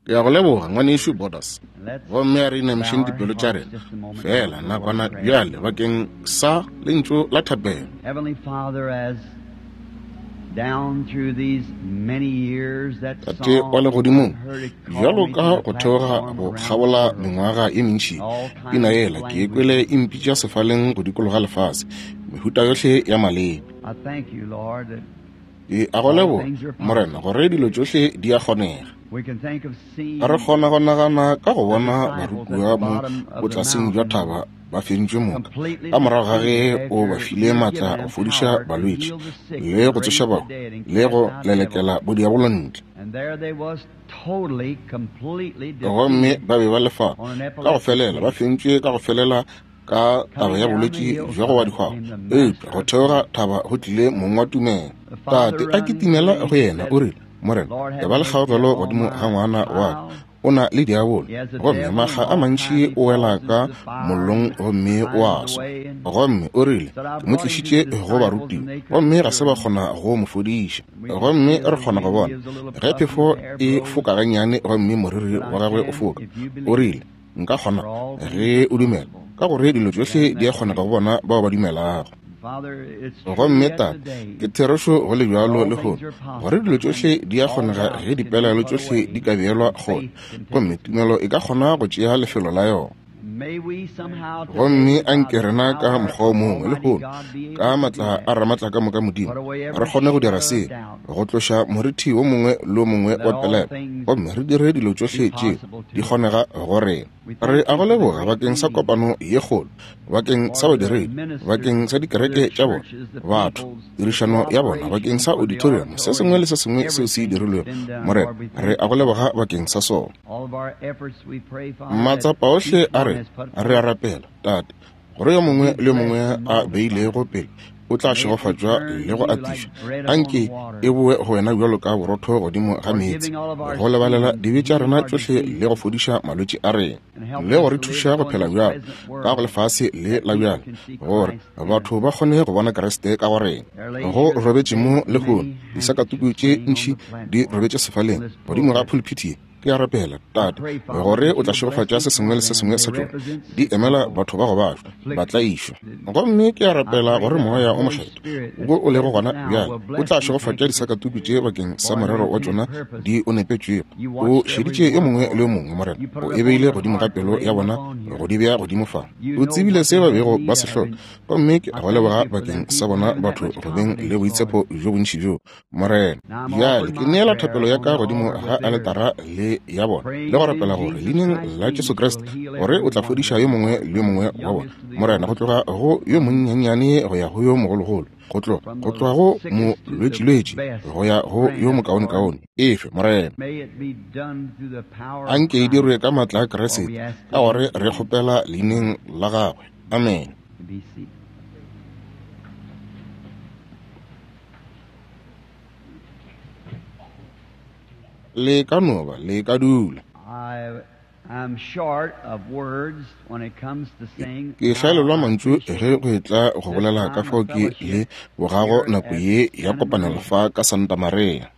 Ke a go leboga, Ngwanešu Borders. Gomme a re inamišeng dipelo tša rena feela nakwana bjale bakeng sa lentšu la thapelo. Tate wa Legodimong, bjalo ka go theoga go kgabola mengwaga ye mentši, pina yela ke e kwele e mpitša sefaleng go dikologa lefase, mehuta yohle ya maleme. Ke a go leboga, Morena, gore dilo tšohle di a kgonega. Re kgona go nagana ka go bona barutiwa mo botlaseng bja thaba ba fentšwe moka, ka morago ga ge o ba file maatla go fodiša balwetši le go tsoša bahu le go lelekela bodiabolo ntle. Gomme ba be ba le fao ka go felela, ba fentšwe ka go felela ka taba ya bolwetši bja go wa dihwago. Eupša go theoga thaba go tlile mong wa tumelo. Tate a kitimela go yena, o rile, Morena, e ba le kgaogelo godimo ga ngwana wa ka. O na le diabolo, gomme makga a mantši o wela ka mollong gomme o a swa. Gomme o rile, Ke mo tlišitše go barutiwa, gomme ga se ba kgona go mo fodiša. Gomme re kgona go bona ge phefo e foka gannyane gomme moriri wa gagwe o foka. O rile, Nka kgona ge o dumela, ka gore dilo tšohle di a kgonega go bona bao ba dumelago. Gomme Tate, ke therešo go le bjalo lehono, gore dilo tšohle di a kgonega ge dipelaelo tšohle di ka beelwa kgole, gomme tumelo e ka kgona go tšea lefelo la yona. Gomme a nke rena ka mokgwa o mongwe lehono, ka maatla a Ramaatlakamoka Modimo, re kgone go dira se, go tloša morithi wo mongwe le wo mongwe wa pelaelo, gomme re dire dilo tšohle tše di kgonega go rena. Re a go leboga bakeng sa kopano ye kgolo, bakeng sa badiredi, bakeng sa dikereke tša bona, batho, tirišano ya bona, bakeng sa auditorium, se sengwe le se sengwe seo se dirilwego. Morena, re a go leboga bakeng sa sona. Matsapa ohle a rena, re a rapela, Tate, gore yo mongwe le yo mongwe a beilego pele o tla šegofatšwa le go atišwa. Anke e boe go wena bjalo ka borotho godimo ga meetse, go lebalela dibe tša rena tšohle le go fodiša malwetši a rena, le go re thuša go phela bjalo ka go lefase le la bjale, gore batho ba kgone go bona Kriste ka go rena. Go robetše mo lehono disakatuku tše ntši di robetše sefaleng godimo ga phuluphithi ye. Ke a rapela, Tate, gore o tla šegofatša se sengwe le se sengwe sa tšona. Di emela batho ba go bajwa, ba tlaišwa. Gomme ke a rapela gore Moya o Mokgethwa, wo o lego gona bjale, o tla šegofatša disakatuku tše bakeng sa morero wa tšona di o nepetšwego. O šeditše yo mongwe le yo mongwe, Morena. O e beile godimo ga pelo ya bona go di bea godimo fa. O tsebile se ba bego ba se hloka. Gomme ke a go leboga bakeng sa bona batho go beng le boitshepo bjo bontši bjo. Morena. Bjale ke neela thapelo ya ka godimo ga aletara le ya bona, le go rapela gore leineng la Jesu Kriste gore o tla fodiša yo mongwe le yo mongwe wa bona, Morena, go tloga go yo monnyannyane go ya go yo mogologolo, go tloga go tloga go molwetšilwetši go ya go yo mokaonekaone. Efe, Morena. A nke e dirwe ka maatla a Kriste, ka gore re kgopela leineng la gagwe. Amen. Le ka no ba le ka dula. Ke hlaelelwa mantšu ge go etla go bolela ka fao ke le bogago nako ye ya kopanelo fa ka Santa Maria.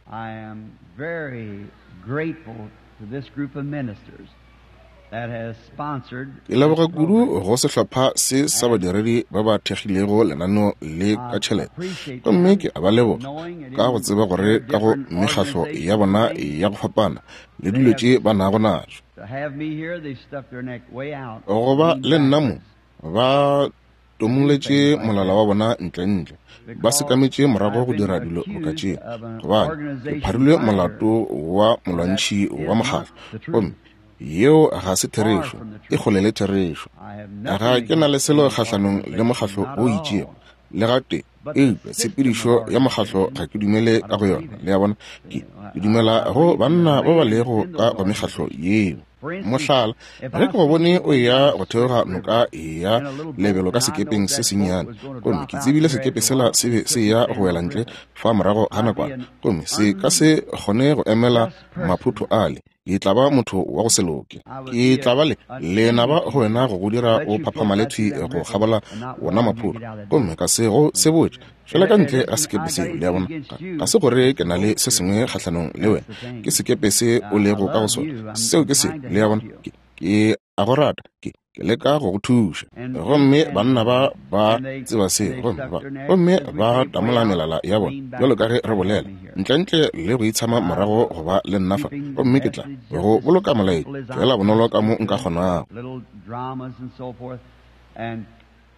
Ke leboga kudu go sehlopha se sa badiredi ba ba thekgilego lenaneo le ka tšhelete, gomme ke a ba leboga ka go tseba gore ka go mekgatlo ya bona ya go fapana le dilo tše ba nago natšo, go ba le nna mo ba tomoletše molala wa bona ntlentle, ba sekametše morago go dira dilo boka tše, gobane ke pharilwe molato wa molwantšhi wa mokgatlo, gomme yeo ga se therešo, e kgole le therešo. Ga ke na le selo kgahlanong le mokgatlo o itšego, le gatee, eupša tshepedišo ya mokgatlo ga ke dumele ka go yona. Le a bona? Ke, ke dumela go banna ba ba lego ka go mekgatlo yeo. Mohlala, ge ke go bone o eya go theoga noka ya lebelo ka sekepeng se sennyane, gomme ke tsebile sekepe sela se be se eya go wela ntle fa morago ga nakwana, gomme se ka se kgone go emela maphotho ale. Ke tla ba motho wa go se loke. Ke tla ba le lenaba go wena go go dira o phaphamale thwi go kgabola wona maphoro, gomme ka se go sebotše. Tšwela ka ntle ga sekepe seo, le a bona. Ga se gore ke na le se sengwe kgahlanong le wena, ke sekepe se o lego ka go sona. Seo ke selo, le a bona. Ke, ke a go rata, ke, ke leka go go thuša. Gomme banna ba ba tseba seo, gomme ba, gomme ba tamola melala ya bona, bjalo ka ge re bolela, ntlentle le go itshama morago go ba le nna fa, gomme ke tla go boloka molaetša feela bonolo ka mo nka kgonago.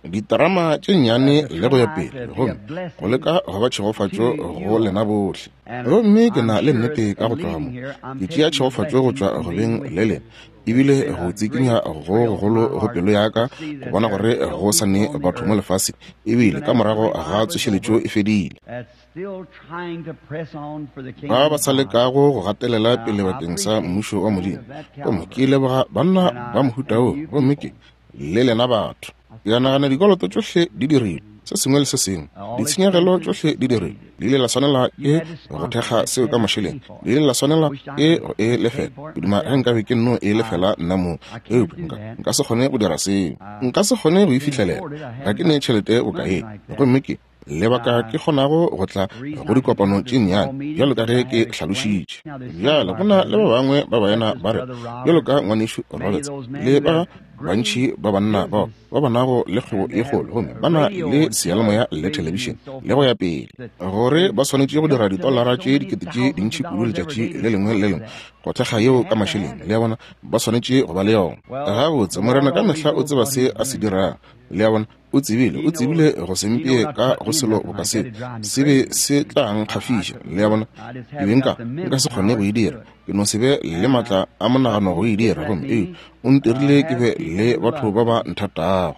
Diterama tše nnyane le go ya pele, gomme go leka go ba tšhegofatšo go lena bohle. Gomme ke na le nnete ka go tloga mo, ke tšea tšhegofatšo go tšwa go beng le lena, ebile go tsikinya go gogolo go pelo ya ka go bona gore go sa ne batho mo lefaseng, ebile ka morago ga tsošeletšo e fedile. Ba ba sa lekago go gatelela pele bakeng sa Mmušo wa Modimo. Gomme ke leboga banna ba mohuta wo, gomme ke le lena batho. Ke a nagana dikoloto tšohle di dirilwe, se sengwe le se sengwe, ditshenyegelo tšohle di dirilwe. Le ile la swanela ke go thekga seo ka mašeleng, le ile la swanela ke go e lefela. Ke duma ge nkabe ke nno e lefela nna mong, eupša nka se kgone go dira seo. Nka se kgone go e fihlelela, ga ke ne tšhelete boka ye. Gomme ke lebaka ke kgonago go tla go dikopano tše nnyane, bjalo ka ge ke hlalošitše. Bjale go na le ba bangwe ba baena ba re, bjalo ka Ngwanešu Roberts le ba bantši ba banna bao ba ba nago le kgwebo ye kgolo, gomme ba na le seyalemoya le thelebišene le go ya pele, gore ba swanetše go dira ditolara tše dikete tše dintši kudu letšatši le lengwe le lengwe go thekga yeo ka mašeleng. Le a bona, ba swanetše go ba le yona. Gabotse, Morena ka mehla o tseba se a se dirago. Le a bona, O tsebile, o tsebile go se mpee ka go selo boka seo, se be se tla nkgafiša. Le a bona? Ke be nka, nka se kgone go e dira. Ke no se be le maatla a monagano go e dira. Gomme, ee, O ntirile ke be le batho ba ba nthatago.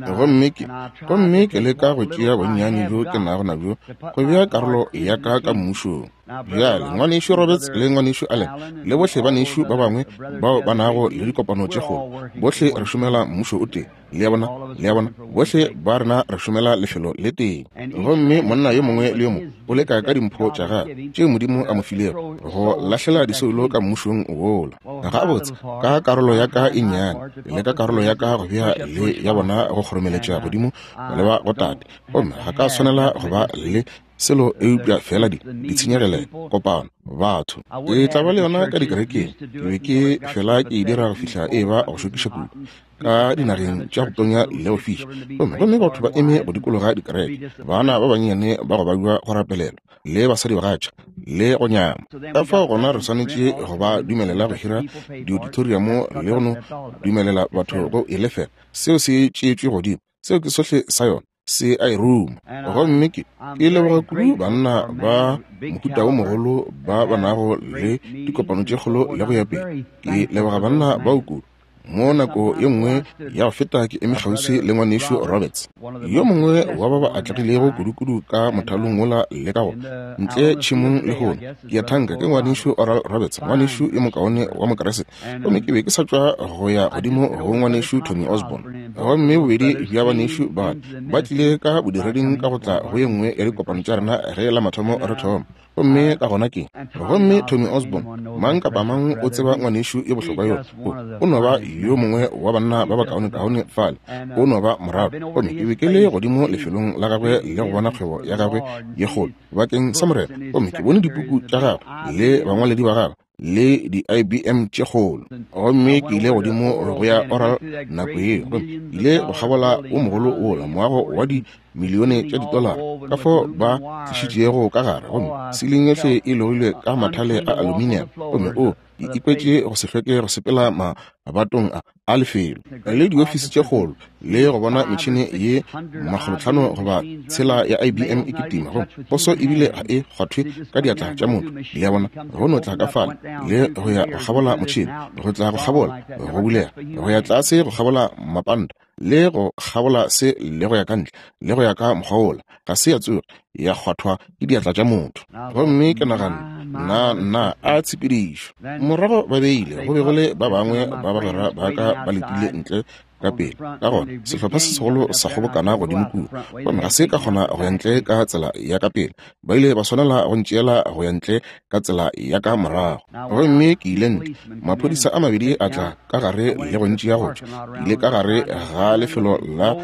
Gomme ke, gomme ke leka go tšea bonnyane bjo ke nago nabjo, go bea karolo ya ka ka Mmušong. Bjale, Ngwanešu Roberts le Ngwanešu Allen, le bohle banešu ba bangwe bao ba nago le dikopano tše kgolo, bohle re šomela Mmušo o tee. Le a bona? Le a bona? Bohle ba rena re šomela lefelo le tee. Gomme monna yo mongwe le yo mongwe o leka ka dimpho tša gagwe tšeo Modimo a mo filego go lahlela disoulo ka Mmušong wola. Gabotse, ka karolo ya ka e nnyane, ke leka karolo ya ka go bea le ya bona go kgoromeletša godimo go leba go Tate. Gomme ga ka swanela go ba le selo eupša fela di ditshenyegelelo, kopano, batho. Ke tla ba le yona ka dikerekeng. Ke be ke fela ke e dira go fihla e ba go šokiša kudu ka dinageng tša go tonya le go fiša, gomme gomme batho ba eme go dikologa dikereke, bana ba bannyane ba go babja go rapelelwa, le basadibagatša, le go nyama. Ka fao gona re swanetše go ba dumelela go hira diauditoriamo le go no dumelela batho go e lefela. Seo se tšeetšwe godimo. Seo ke sohle sa yona. Se a e ruma. Gomme ke, ke leboga kudu banna ba mohuta wo mogolo ba ba nago le dikopano tše kgolo le go ya pele. Ke leboga banna bao kudu. Mo nako ye nngwe ya go feta ke eme kgauswi le Ngwanešu Roberts, yo mongwe wa ba ba atlegilego kudukudu ka mothalong wola le ka go ntle tšhemong lehono. Ke a thanka ke Ngwanešu Oral Roberts, ngwanešu yo mokaone wa Mokriste. Gomme ke be ke sa tšwa go ya godimo go Ngwanešu Tommy Osborn. Gomme bobedi bja banešu ba ba tlile ka bodireding ka go tla go ye nngwe ya dikopano tša rena ge la mathomo re thoma. Gomme ka gona ke, gomme Tommy Osborn, mang kapa mang o tseba ngwanešu yo bohlokwa yo, o, o no ba yo mongwe wa banna ba bakaonekaone fale, o no ba morago. Gomme ke be ke le godimo lefelong la gagwe le go bona kgwebo ya gagwe ye kgolo bakeng sa Morena, gomme ke bone dipuku tša gagwe le bangwaledi ba gagwe le di-IBM tše kgolo. Gomme ke ile godimo go ya Oral nako yeo, gomme ke ile go kgabola wo mogolo wola moago wa di milione tša ditolara, ka fao ba tlišitšego ka gare, gomme siling yohle e logilwe ka mathale a aluminium, gomme o, ke ikwetše go se hlweke go sepela mabatong a, a lefelo le diofisi tše kgolo le go bona metšhene ye makgolotlhano goba tshela ya IBM e kitima, gomme poso ebile ga e kgwathwe ka diatla tša motho. Le a bona, go no tla ka fale le go ya go kgabola motšhene, go tla go kgabola, go bulega, go ya tlase go kgabola mapanta, le go kgabola se le go ya ka ntle, le go ya ka mokgwa wola, ga se ya tsoge ya kgwathwa ke diatla tša motho. Gomme ke naganne, Nna, nna, a tshepedišo! Morago ba beile, go be go le ba bangwe ba bagwera ba ka ba letile ntle Ka pele, ka gona, sehlopha se segolo sa kgobokana godimo kua, gomme ga se ka kgona go ya ntle ka tsela ya ka pele. Ba ile ba swanela go ntšeela go ya ntle ka tsela ya ka morago. Gomme ke ile ntle. Maphodisa a mabedi a tla ka gare le go ntšea go tšwa. Ke ile ka gare ga lefelo la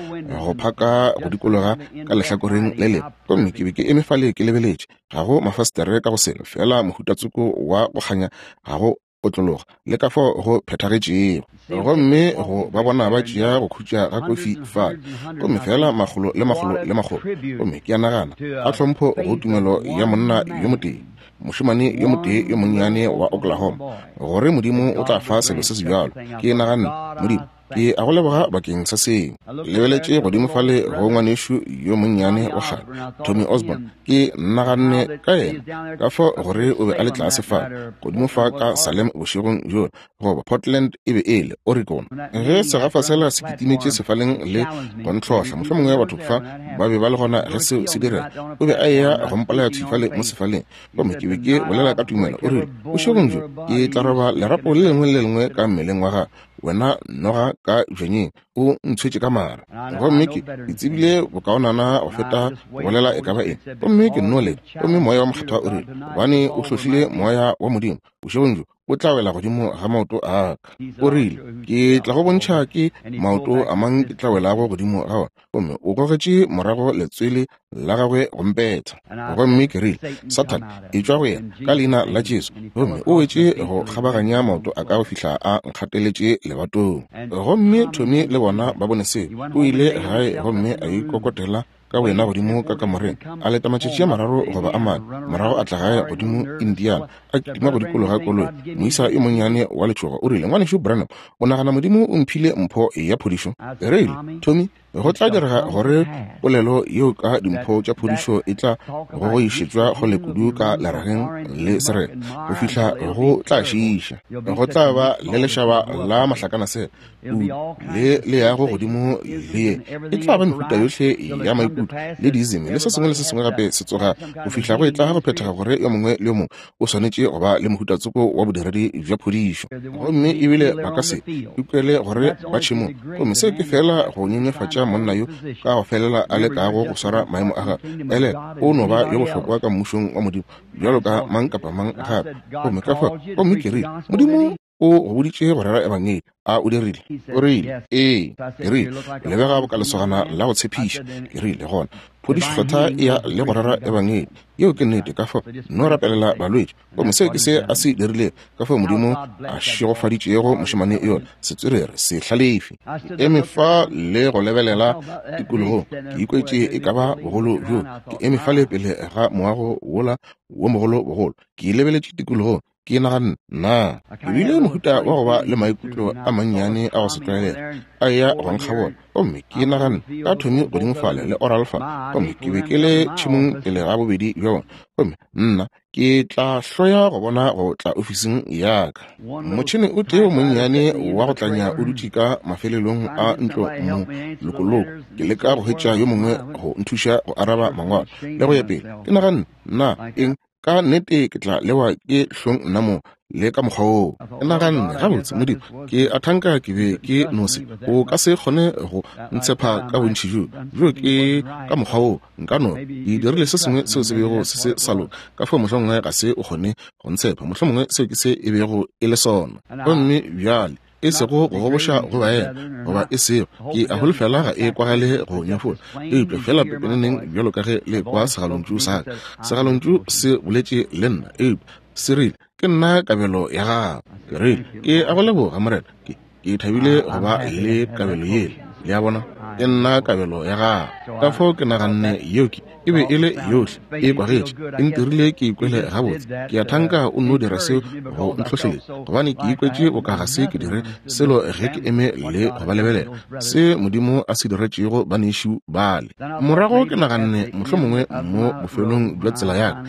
go phaka go dikologa ka lehlakoreng le lengwe, gomme ke be ke eme fale ke lebeletše. Ga go mafastere ka go selo, feela mohuta tsoko wa go kganya, ga go otlologa le ka fao go phethagetšego. Gomme go ba bona ba tšea go khutša ga kofi fale, gomme feela makgolo le makgolo le makgolo. Gomme ke a nagana, a tlhompho go tumelo ya monna yo motee, mošemane yo motee yo monnyane wa Oklahoma, gore Modimo o tla fa selo se sebjalo. Ke naganne, Modimo, Ke a go leboga bakeng sa seo. Lebeletše godimo fale go ngwanešu yo monnyane wa kgale, Tommy Osborn. Ke naganne ka yena, ka fao gore o be a le tlase fa, godimo fa ka Salem bošegong bjola, goba Portland e be e le, Oregon. Ge segafa sela se kitimetše sefaleng le go ntlhohla, mohlomongwe batho fa ba be ba le gona ge seo se direga. O be a eya go mpolaya thwi fale mo sefaleng. Gomme ke be ke bolela ka tumelo, o rile, Bošegong bjo ke tla roba lerapo le lengwe le le lengwe ka mmeleng wa gago. Wena noga ka bjanyeng, o ntshwetše ka mara. Gomme ke, ke tsebile bokaonana go feta go bolela e ka ba eng. Gomme ke nno leta. Gomme Moya wa Mokgethwa o rile, Gobane o hlohlile Moya wa Modimo, bošegong bjo o tla wela godimo ga maoto a ka. O rile, Ke tla go bontšha ke maoto a mang ke tla welago godimo ga ona. Gomme o gogetše morago letswele la gagwe go mpetha. Gomme ke rile, Sathane, etšwa go yena, ka Leina la Jesu. Gomme o wetše go kgabaganya maoto a ka go fihla a nkgateletše lebatong. Gomme Tommy le bona ba bone seo. O ile gae gomme a ikokotela ka boyena godimo ka kamoreng, a leta matšatši a mararo goba a mane, morago a tla gae godimo Indiana, a kitima go dikologa koloi. Moisa yo monnyane wa letšhogo o rile, Ngwanešu Branham, o nagana Modimo o mphile mpho ya phodišo? Ke rile, Tommy, go tla direga gore polelo yeo ka dimpho tša phodišo e tla go go išetšwa kgole kudu ka lerageng le serena go fihla go tla šiiša. Go tla ba le lešaba la mahlakanasela kudu le le yago godimo le ye. E tla ba mehuta yohle ya maikutlo le diizimi le se sengwe le se sengwe gape se tsoga go fihla go e tla go phethega gore yo mongwe le yo mongwe o swanetše go ba le mohuta tsoko wa bodiredi bja phodišo. Gomme ebile ba ka se ikwele gore ba tšhemong. Gomme seo ke feela go nyenyefatša monna yo ka go felela a lekago go swara maemo a gagwe. Elelwa, o no ba yo bohlokwa ka Mmušong wa Modimo bjalo ka mang kapa mang gape. Gomme ka fao, gomme ke rile, Modimo o go boditše go rera Ebangedi, a o dirile? O rile, Ee. Ke rile, O lebega boka lesogana la go tshepiša. Ke rile, Gona, phodišo kgethwa e ya le go rera Ebangedi. Yeo ke nnete. Ka fao, nno rapelela balwetši. Gomme seo ke se a se dirilego. Ka fao Modimo a šegofaditšego mošemane yola, setswerere, sehlalefi. Ke eme fa le go lebelela tikologong, ke ikwetše e ka ba bogolo bjo. Ke eme fale pele ga moago wola wo mogolo bogolo. Ke lebeletše tikologong, Ke naganne, Na ke bile mohuta wa go ba le maikutlo a mannyane a go se tlwaelege a eya go nkgabola? Gomme ke naganne ka Tommy godimo fale le Oral fa, gomme ke be ke le tšhemong pele ga bobedi bja bona. Gomme nna, ke tla hloya go bona go tla ofising ya ka. Motšhene o tee o monnyane wa go tlanya o dutše ka mafelelong a ntlo molokoloko, ke leka go hwetša yo mongwe go nthuša go araba mangwalo le go ya pele. Ke naganne, Na eng Ka nnete ke tla lewa ke hlong nna mo le ka mokgwa woo. Ke naganne, Gabotse, Modimo, ke a thanka ke be ke no se. O ka se kgone go ntshepha ka bontši bjo. Bjo ke ka mokgwa woo nka no. Ke dirile se sengwe seo se bego se se sa loka, ka fao mohlomongwe ga se o kgone go ntshepha. Mohlomongwe seo ke se e bego e le sona. Gomme bjale e sego go goboša go baena, goba e sego, ke a holofela ga e kwagale go nyefola, eupša feela pepeneneng bjalo ka ge le kwa segalontšu sa ka. Segalontšu se boletše le nna, eupša se rile, Ke nna kabelo ya gago. Ke rile, Ke a go leboga, Morena. Ke, ke thabile go ba le kabelo yela. Le a bona? Ke nna kabelo ya gago. Ka fao ke naganne yeo ke, e be e le yohle e kwagetše, e ntirile ke ikwele gabotse. Ke a thanka o nno dira seo go ntlhohleletša, gobane ke ikwetše boka ga se ke dire selo ge ke eme le go ba lebelela, se Modimo a se diretšego banešu bale. Morago ke naganne, mohlomongwe mo bofelong bja tsela ya ka,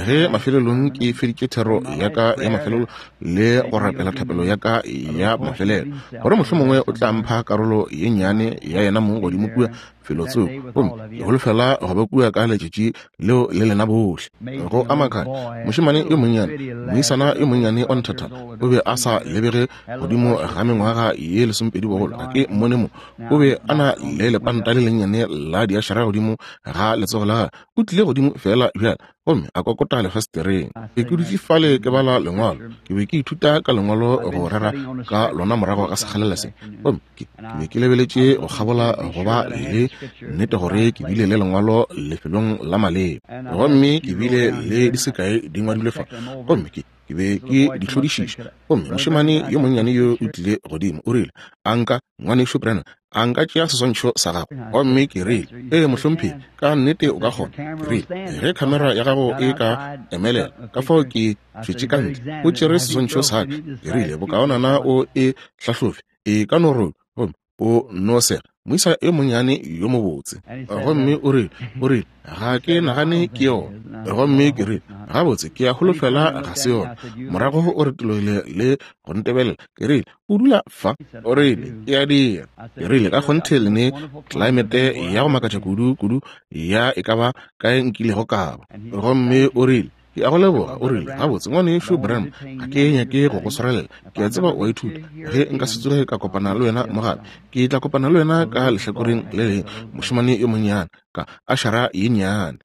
ge mafelelong ke feditše thero ya ka ya mafelelo le go rapela thapelo ya ka ya mafelelo, gore mohlomongwe o tla mpha karolo ye nnyane ya yena mong godimo kua. felotsoko, gomme ke holofela go ba kua ka letšatši leo le lena bohle. Go Amakhane, mošemane yo monnyane, moisana yo monnyane wa nthathana, o be a sa lebege godimo ga mengwaga ye 12 bogolo. Ga ke mmone mo. O be a na le lepanta le lennyane la diašara godimo ga letsogo la gagwe. O tlile godimo feela bjale gomme a kokota lefestereng. Ke dutše fale ke bala lengwalo. Ke be ke ithuta ka lengwalo go rera ka lona morago ga sekgalela se. Gomme ke be ke lebeletše go kgabola go ba le nnete gore ke bile le lengwalo lefelong la maleba. Gomme ke bile le di sekae di ngwadilwe fa. Gomme ke be ke di hlodišiša. Gomme mošemane yo monnyane yo o tlile godimo, o rile, A nka, Ngwanešu Branham, a nka tšea seswantšho sa gago? Gomme ke rile, Ee, mohlomphegi, ka nnete o ka kgona. Ke rile, Ge khamera ya gago e ka emelela, ka fao ke tšwetše ka ntle, o tšere seswantšho sa ka. Ke rile, Bokaonana o e hlahlobe, e ka no robi, gomme o no sega, moisa yo monnyane yo mobotse. Gomme o rile, o rile, Ga ke nagane ke yona. Gomme ke rile, Gabotse, ke a holofela ga se yona. Morago o retologile le go ntebelela. Ke rile, O dula fa? O rile, Ke a dira. Ke rile, Ka kgonthe le ne tlelaemete ya go makatša kudu, kudu ya e ka ba kae nkilego ka ba. Gomme o rile, Ke a go leboga. O rile, Gabotse, Ngwanešu Branham, ga ke nyake go go swarelela. Ke a tseba o a ithuta. Ge nka se tsoge ka kopana le wena mo gape, ke tla kopana le wena ka lehlakoreng le lengwe, mošemane yo monnyane, ka ašara ye nnyane.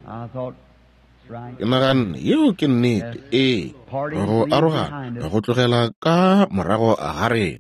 Ke naganne, Yeo ke nnete. Ee, go arogana, go tlogela ka morago ga rena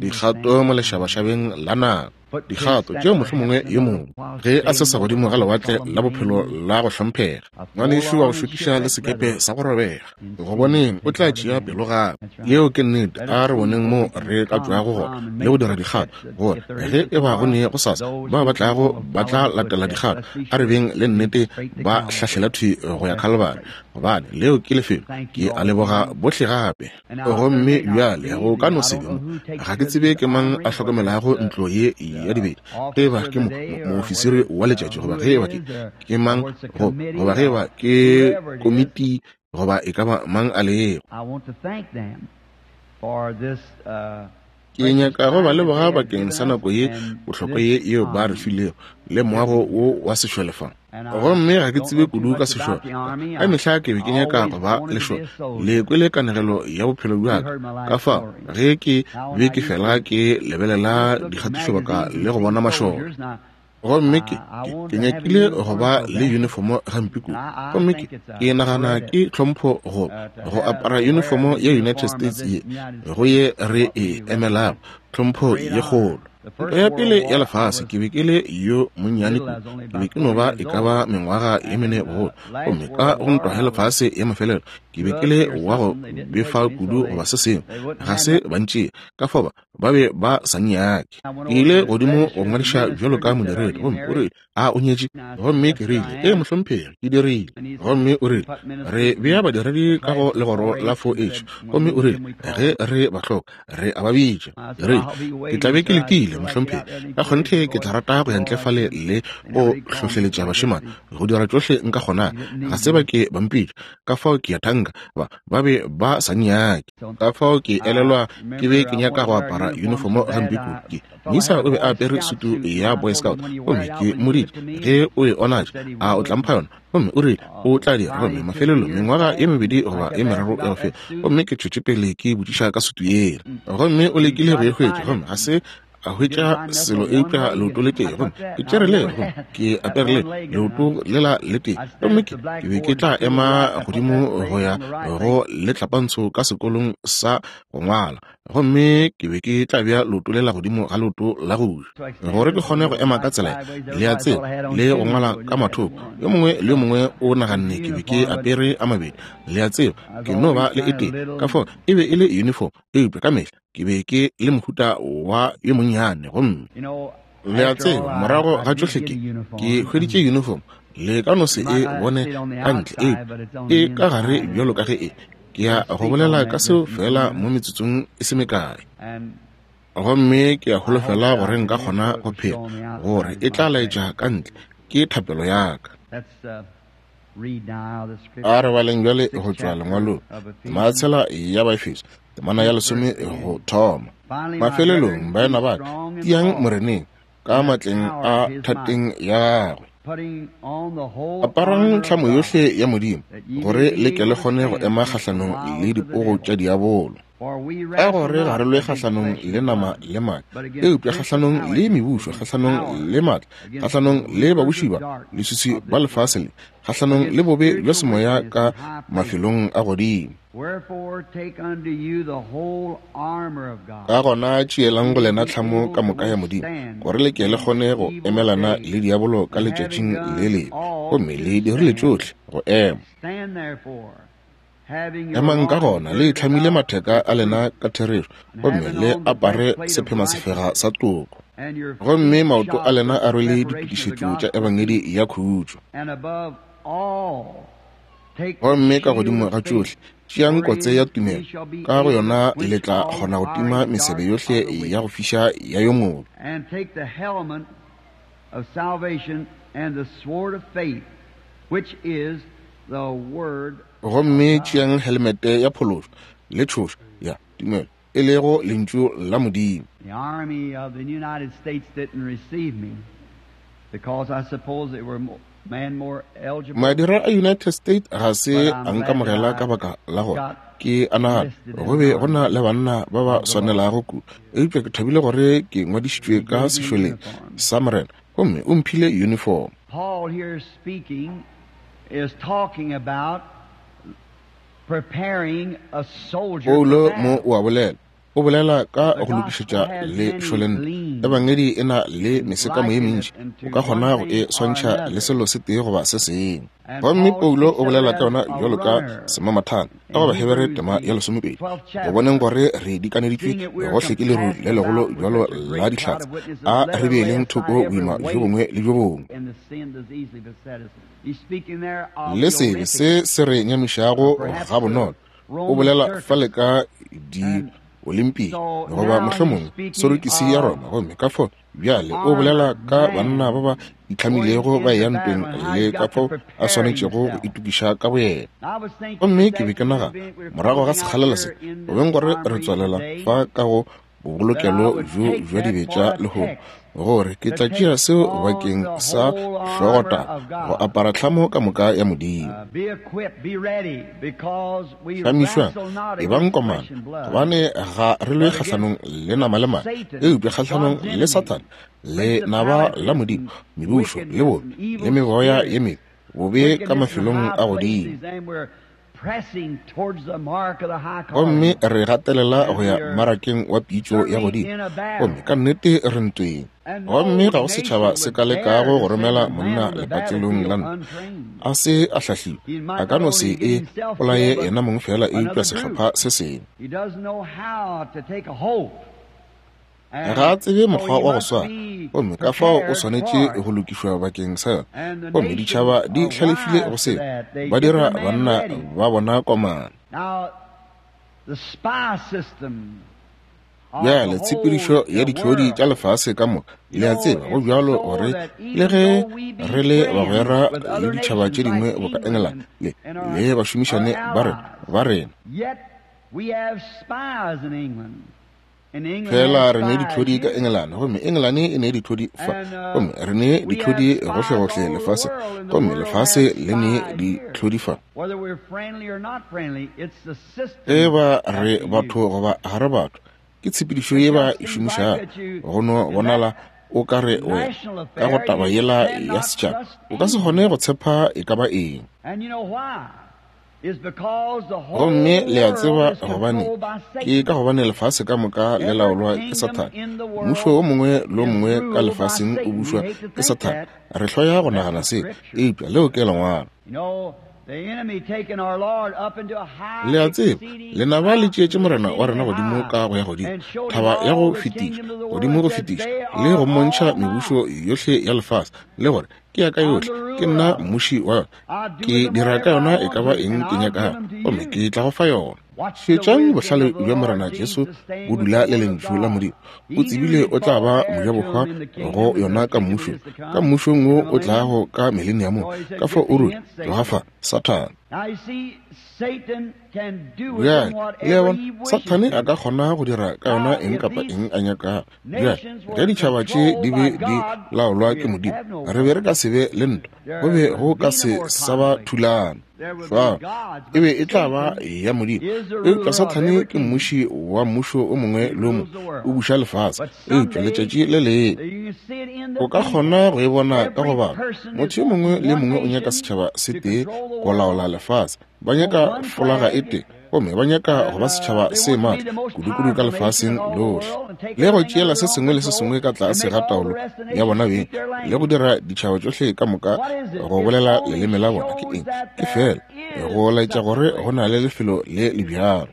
dikgato mo lešabašabeng la nako. Dikgato tšeo mohlomongwe yo mongwe ge a sesa godimo ga lewatle la bophelo la go hlomphega, ngwanešu wa go šokiša le sekepe sa go robega, go boneng o tla tšea pelo gape. Yeo ke nnete. A re boneng moo re ka tšwago gona le go dira dikgato, gore ge e ba go ne go sasa bao ba tlago ba tla latela dikgato, a re beng le nnete ba hlahlela thwi go ya Calvary, gobane leo ke lefelo. Ke a leboga bohle gape. Gomme bjale go ka no se be mo, ga ke tsebe ke mang a hlokomelago ntlo ye ya dibetša, ge eba ke moofisiri wa letšatši goba ge eba ke mang, goba ge eba ke komiti goba e ka ba mang a lego. Ke nyaka go ba leboga bakeng sa nako ye bohlokwa ye yeo ba re filego le moago wo wa sešole fa. Gomme ga ke tsebe kudu ka sešole. Ka mehla ke be ke nyaka go ba lešole. Le kwele kanegelo ya bophelo bja ka. Ka fao, ge ke be ke fela ke lebelela dikgatišobaka le go bona mašole. Gomme ke, ke, ke nyakile go ba le unifomo gampe kudu. Gomme ke, ke nagana ke tlhompho go, go apara unifomo ya United States ye, go ye re e emelago, tlhompho ye kgolo. Ntwa ya pele ya lefase, ke be ke le yo monnyane kudu, ke be ke no ba e ka ba mengwaga ye mene bogolo. Gomme ka go ntwa ya lefase ya mafelelo, ke be ke le wa go befa kudu goba se sengwe, ga se ba ntšee. Ka fao ba, ba be ba sa nnyake. Ke ile godimo go ngwadiša bjalo ka modiredi, gomme o rile, A o nyetše? Gomme ke rile, Ee, mohlomphegi, ke dirile. Gomme o rile, Re bea badiredi ka go legoro la 4H. Gomme o rile, Ge re ba hloka, re a ba bitša. Ke rile, Ke tla be ke letile, mohlomphegi. Ka kgonthe ke tla rata go ya ntle fale le go hlohleletša bašemane go dira tšohle nka kgonago. Ga se ba ke ba mpitša, ka fao ke a thanka ba, ba be ba sa nnyake. Ka fao ke elelwa ke be ke nyaka go apara unifomo gampe kudu. Ke, moisa o be a apere sutu ya Boy Scout, gomme ke mmoditše, Ge o e onatša, a o tla mpha yona? Gomme o rile o tla dira. Gomme mafelelong, mengwaga ye mebedi goba ye meraro ya go feta, gomme ke tšwetše pele ke botšiša ka sutu yela. Gomme o lekile go e hwetša, gomme ga se a hwetša selo eupša leoto le tee. Gomme ke tšere le, gomme ke apere le leoto lela le tee, gomme ke be ke tla ema godimo go ya go letlapantsho ka sekolong sa go ngwala, gomme ke be ke tla bea leoto lela godimo ga leoto la go ja, gore ke kgone go ema ka tsela le ya tsela le go ngwala ka mathoko. Yo mongwe le yo mongwe o naganne ke be ke apere a mabedi, le a tseba, ke no ba le e tee. Ka fao e be e le uniform, eupša ka mehla ke be ke le mohuta wa yo monnyane. Gomme le a tseba, morago ga tšohle ke, ke hweditše uniform. Le ka no se e bone ka ntle, eupša e ka gare bjalo ka ge e. Ke ya go bolela ka seo feela mo metsotsong e se mekae. Gomme ke a holofela gore nka kgona go phela, gore e tla laetša ka ntle. Ke thapelo ya ka. A re baleng bjale go tšwa lengwalong, tema tshela ya Baefeso, temana ya lesome go thoma. Mafelelong, baena ba ka, tiang Moreneng. ka matleng a thateng ya gagwe. Aparang tlhamo yohle ya Modimo, gore le ke le kgone go ema kgahlanong le dipogo tša diabolo. Ka gore ga re lwe kgahlanong le nama le madi, eupša kgahlanong le mebušo, kgahlanong le matla, kgahlanong le babuši ba leswiswi ba lefase le, kgahlanong le bobe bja semoya ka mafelong a godimo. Ka gona tšeelang go lena tlhamo ka moka ya Modimo, gore le ke le kgone go emelana le diabolo ka letšatšing le lebe, gomme le dirile tšohle go ema. Emang ka gona le itlhamile matheka a lena ka therešo, gomme le apare sephemasefega sa toko, gomme maoto a lena a rwele ditokišetšo tša ebangedi ya khutšo. Gomme ka godimo ga tšohle, tšeang kotse ya tumelo, ka go yona le tla kgona go tima mesebe yohle ya go fiša ya yo mobe. Gomme tšeang helmete ya phološo le tšhošo ya tumelo, e lego lentšu la Modimo. The army of the United States didn't receive me because I suppose they were man more eligible. Madira a United States ga se a nkamogela ka baka la gore ke a nagana go be go na le banna ba ba swanelago kudu, eupša ke thabile gore ke ngwadišitšwe ka sešoleng sa Morena, gomme o mphile uniform. Paul here speaking is talking about preparing a soldier. Paulo mo o a bolela, o bolela ka go lokišetša lešoleng. Ebangedi e na le mesekamo ye mentši, o ka kgona go e swantšha le selo se tee goba se sengwe. Gomme Paulo o bolela ka yona bjalo ka semamathana ka go Bahebere tema ya 12, go boneng gore re dikaneditšwe gohle ke leru le legolo bjalo la dihlatse, a re beeleng thoko boima bjo bongwe le bjo bongwe le sebe se se re nyamišago gabonolo. O bolela fale ka di-Olympic goba mohlomongwe sorokisi ya Roma, gomme ka fao bjale o bolela ka banna ba ba itlhamilego ba eya ntweng le ka fao a swanetšego go itokiša ka boyena. Gomme ke be ke nagana morago ga sekgalela se, go beng gore re tswalela fa ka go bobolokelo bjo bja dibetša lehono, gore ke tla tšea seo bakeng sa hlogotaba, go apara tlhamo ka moka ya Modimo. Hlamišwang, ebang komana, gobane ga re lwe kgahlanong le nama le madi, eupša kgahlanong le Sathane, le naba la Modimo, mebušo le bobe le megoya ye mebe, bobe ka mafelong a godimo. Gomme re gatelela go ya mmarakeng wa pitšo ya godimo, gomme ka nnete re ntweng. Gomme ga go setšhaba se ka lekago go romela monna lepatlelong la ntwa a se a hlahliwe, a ka no se e bolaye yena mong fela, eupša sehlopha se sengwe. Ga a tsebe mokgwa wa go swara, gomme ka fao o swanetše go lokišwa bakeng sa yona. Gomme ditšhaba di hlalefile go seo, ba dira banna ba bona komana. Bjale tshepedišo ya ditlhodi tša lefase ka moka, le a tseba go bjalo gore le ge re le bagwera le ditšhaba tše dingwe boka England le le bašomišane ba rena, fela re ne ditlhodi ka England, gomme England e ne ditlhodi fa, gomme re ne ditlhodi gohlegohle lefase, gomme lefase le ne ditlhodi fa. E ba re batho goba ga re batho, ke tshepedišo ye ba e šomišago. Go no bonala o ka re wena ka go taba yela ya setšhaba o ka se kgone go tshepa e ka ba eng. Gomme le a tseba gobane ke ka gobane lefase ka moka le laolwa ke Sathane. Mmušo o mongwe le o mongwe ka lefaseng o bušwa ke Sathane. Re hloya go nagana se, eupša leo ke lengwalo. Le a tseba, lenaba le tšeetše Morena wa rena godimo ka go ya godimo, thaba ya go fetiša, godimo go fetiša, le go mmontšha mebušo yohle ya lefase, le gore ke ya ka yohle, ke nna mmuši wa yona, ke dira ka yona e ka ba eng ke nyakago, gomme ke tla go fa yona. Šetšang bohlale bja Morena Jesu bo dula le lentšu la Modimo. O tsebile o tla ba mojabohwa go yona ka mmušong, ka mmušong wo o tlago ka mileniamong. Ka fao o ruri, tloga fa, Sathane. Bjale, le a bona, Sathane a ka kgona go dira ka yona eng kapa eng a nyakago. Bjale, ge ditšhaba tše di be di laolwa ke Modimo, re be re ka se be le ntwa, go be go ka se sa ba thulano. Fao, e be e tla ba ya Modimo. Eupša Sathane ke mmuši wa mmušo o mongwe le o mongwe, o buša lefase. Eupša letšatši le lengwe o ka kgona go e bona ka go bala. Motho yo mongwe le mongwe o nyaka setšhaba se tee go laola lefase. Ba nyaka folaga e tee, gomme ba nyaka go ba setšhaba se maatla kudu-kudu ka lefaseng lohle, le go tšeela se sengwe le se sengwe ka tlase ga taolo ya bona beng, le go dira ditšhaba tšohle ka moka go bolela leleme la bona. Ke eng? Ke feela go laetša gore go na le lefelo le le bjalo.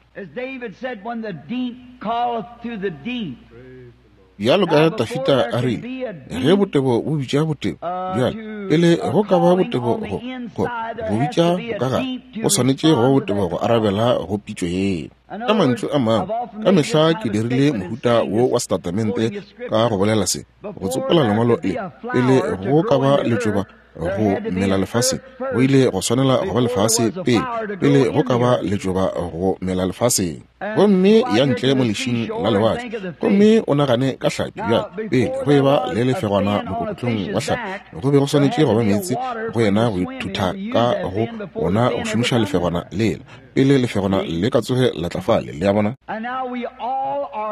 Bjalo ka Dafida a rile, ge botebo bo bitša botebo, bjale, pele go ka ba botebo go, go, go bitša bokagare, go swanetše go ba botebo go arabela go pitšo yeo. Ka mantšu a mangwe, ka mehla ke dirile mohuta wo wa setatamente ka go bolela se, go tsopola lengwalo le, pele go ka ba letšoba go mela lefaseng, go ile go swanela go ba lefase pele, pele go ka ba letšoba go mela lefaseng. Gomme ya ntle mo lešing la lewatle, gomme o nagane ka hlapi. Bjale, pele go eba le lefegwana mokokotlong wa hlapi, go be go swanetše go ba meetse go yena go ithutha ka go ona go šomiša lefegwana lela, pele lefegwana le ka tsoge la tla fale. Le a bona?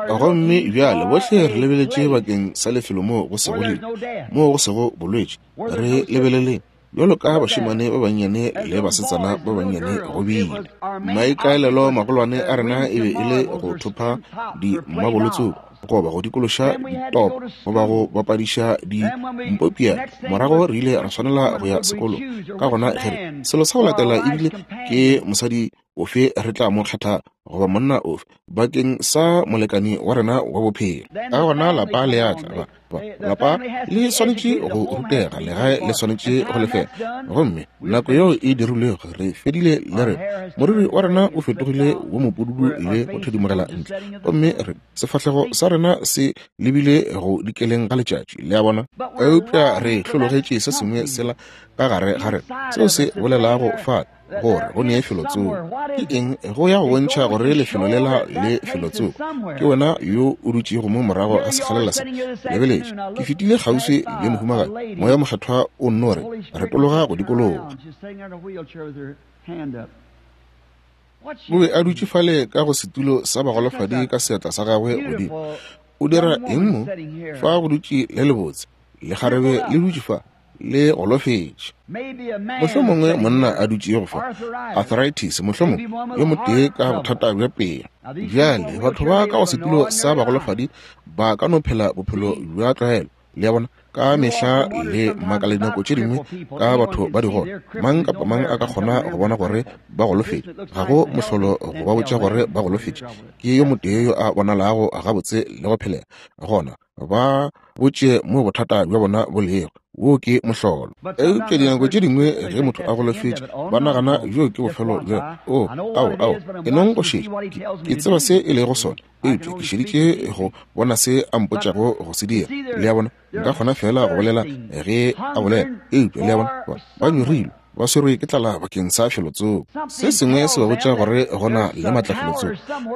Gomme bjale bohle re lebeletše bakeng sa lefelo moo go sego lehu, moo go sego bolwetši. Re lebeleleng bjalo ka bašemane ba bannyane le basetsana ba bannyane go bile. Maikaelelo magolwane a rena e be e le go thopha dimabolotso goba go dikološa ditopo goba go bapadiša dimpopiana. Morago re ile ra swanela go ya sekolong. Ka gona ge re, selo sa go latela ebile ke mosadi ofe re tla mo kgetha goba monna ofe bakeng sa molekani wa rena wa bophelo. Ka gona lapa le a tla, ba, lapa le swanetše go rutega, legae le swanetše go lefela. Gomme nako yeo e dirilwego, re fedile le rena. Moriri wa rena o fetogile wo mopududu le go thedimogela ntle, gomme re, sefahlego sa rena se lebile go dikeleng ga letšatši, le a bona. Eupša re hlologetše se sengwe sela ka gare ga rena, seo se bolelago fale gore go nee felotsoko. Ke eng go ya go bontšha gore lefelo lela le felotsoko? Ke wena yo o dutšego mo morago ga sekgalela se. Lebeletše, ke fetile kgauswi le mohumagadi, Moya Mokgethwa o nno re retologa go dikologa. O be a dutše fale ka go setulo sa bagolofadi ka seatla sa gagwe godimo. O dira eng mo? Fa go dutše le lebotse lekgarebe le dutše fa, le golofetše. Mohlomongwe monna a dutšego fa, arthritis, mohlomongwe yo motee ka bothata bja pelo. Bjale, batho ba ka go setulo sa bagolofadi ba ka no phela bophelo bja tlwaelo, le a bona, ka mehla le makala dinako tše dingwe ka batho ba digole. Mang kapa mang a ka kgona go bona gore ba golofetše. Ga go mohlolo go ba botša gore ba golofetše. Ke yo motee yo a bonalago gabotse le go phelega. Gona ba botše mo bothata bja bona bo lego. Wo ke mohlolo. Eupša dinako tše dingwe ge motho a golofetše, ba nagana bjo ke bofelo bja, o, ao, ao, e nong go šetša. Ke, ke tseba se e lego sona, eupša ke šeditše go bona se a mpotšago go se dira. Le a bona? Nka kgona feela go bolela ge a bolela. Eupša, le a bona, ba, ba nyorilwe, ba swerwe ke tlala bakeng sa felotsoko. Se sengwe se ba botša gore go na le maatla felotsoko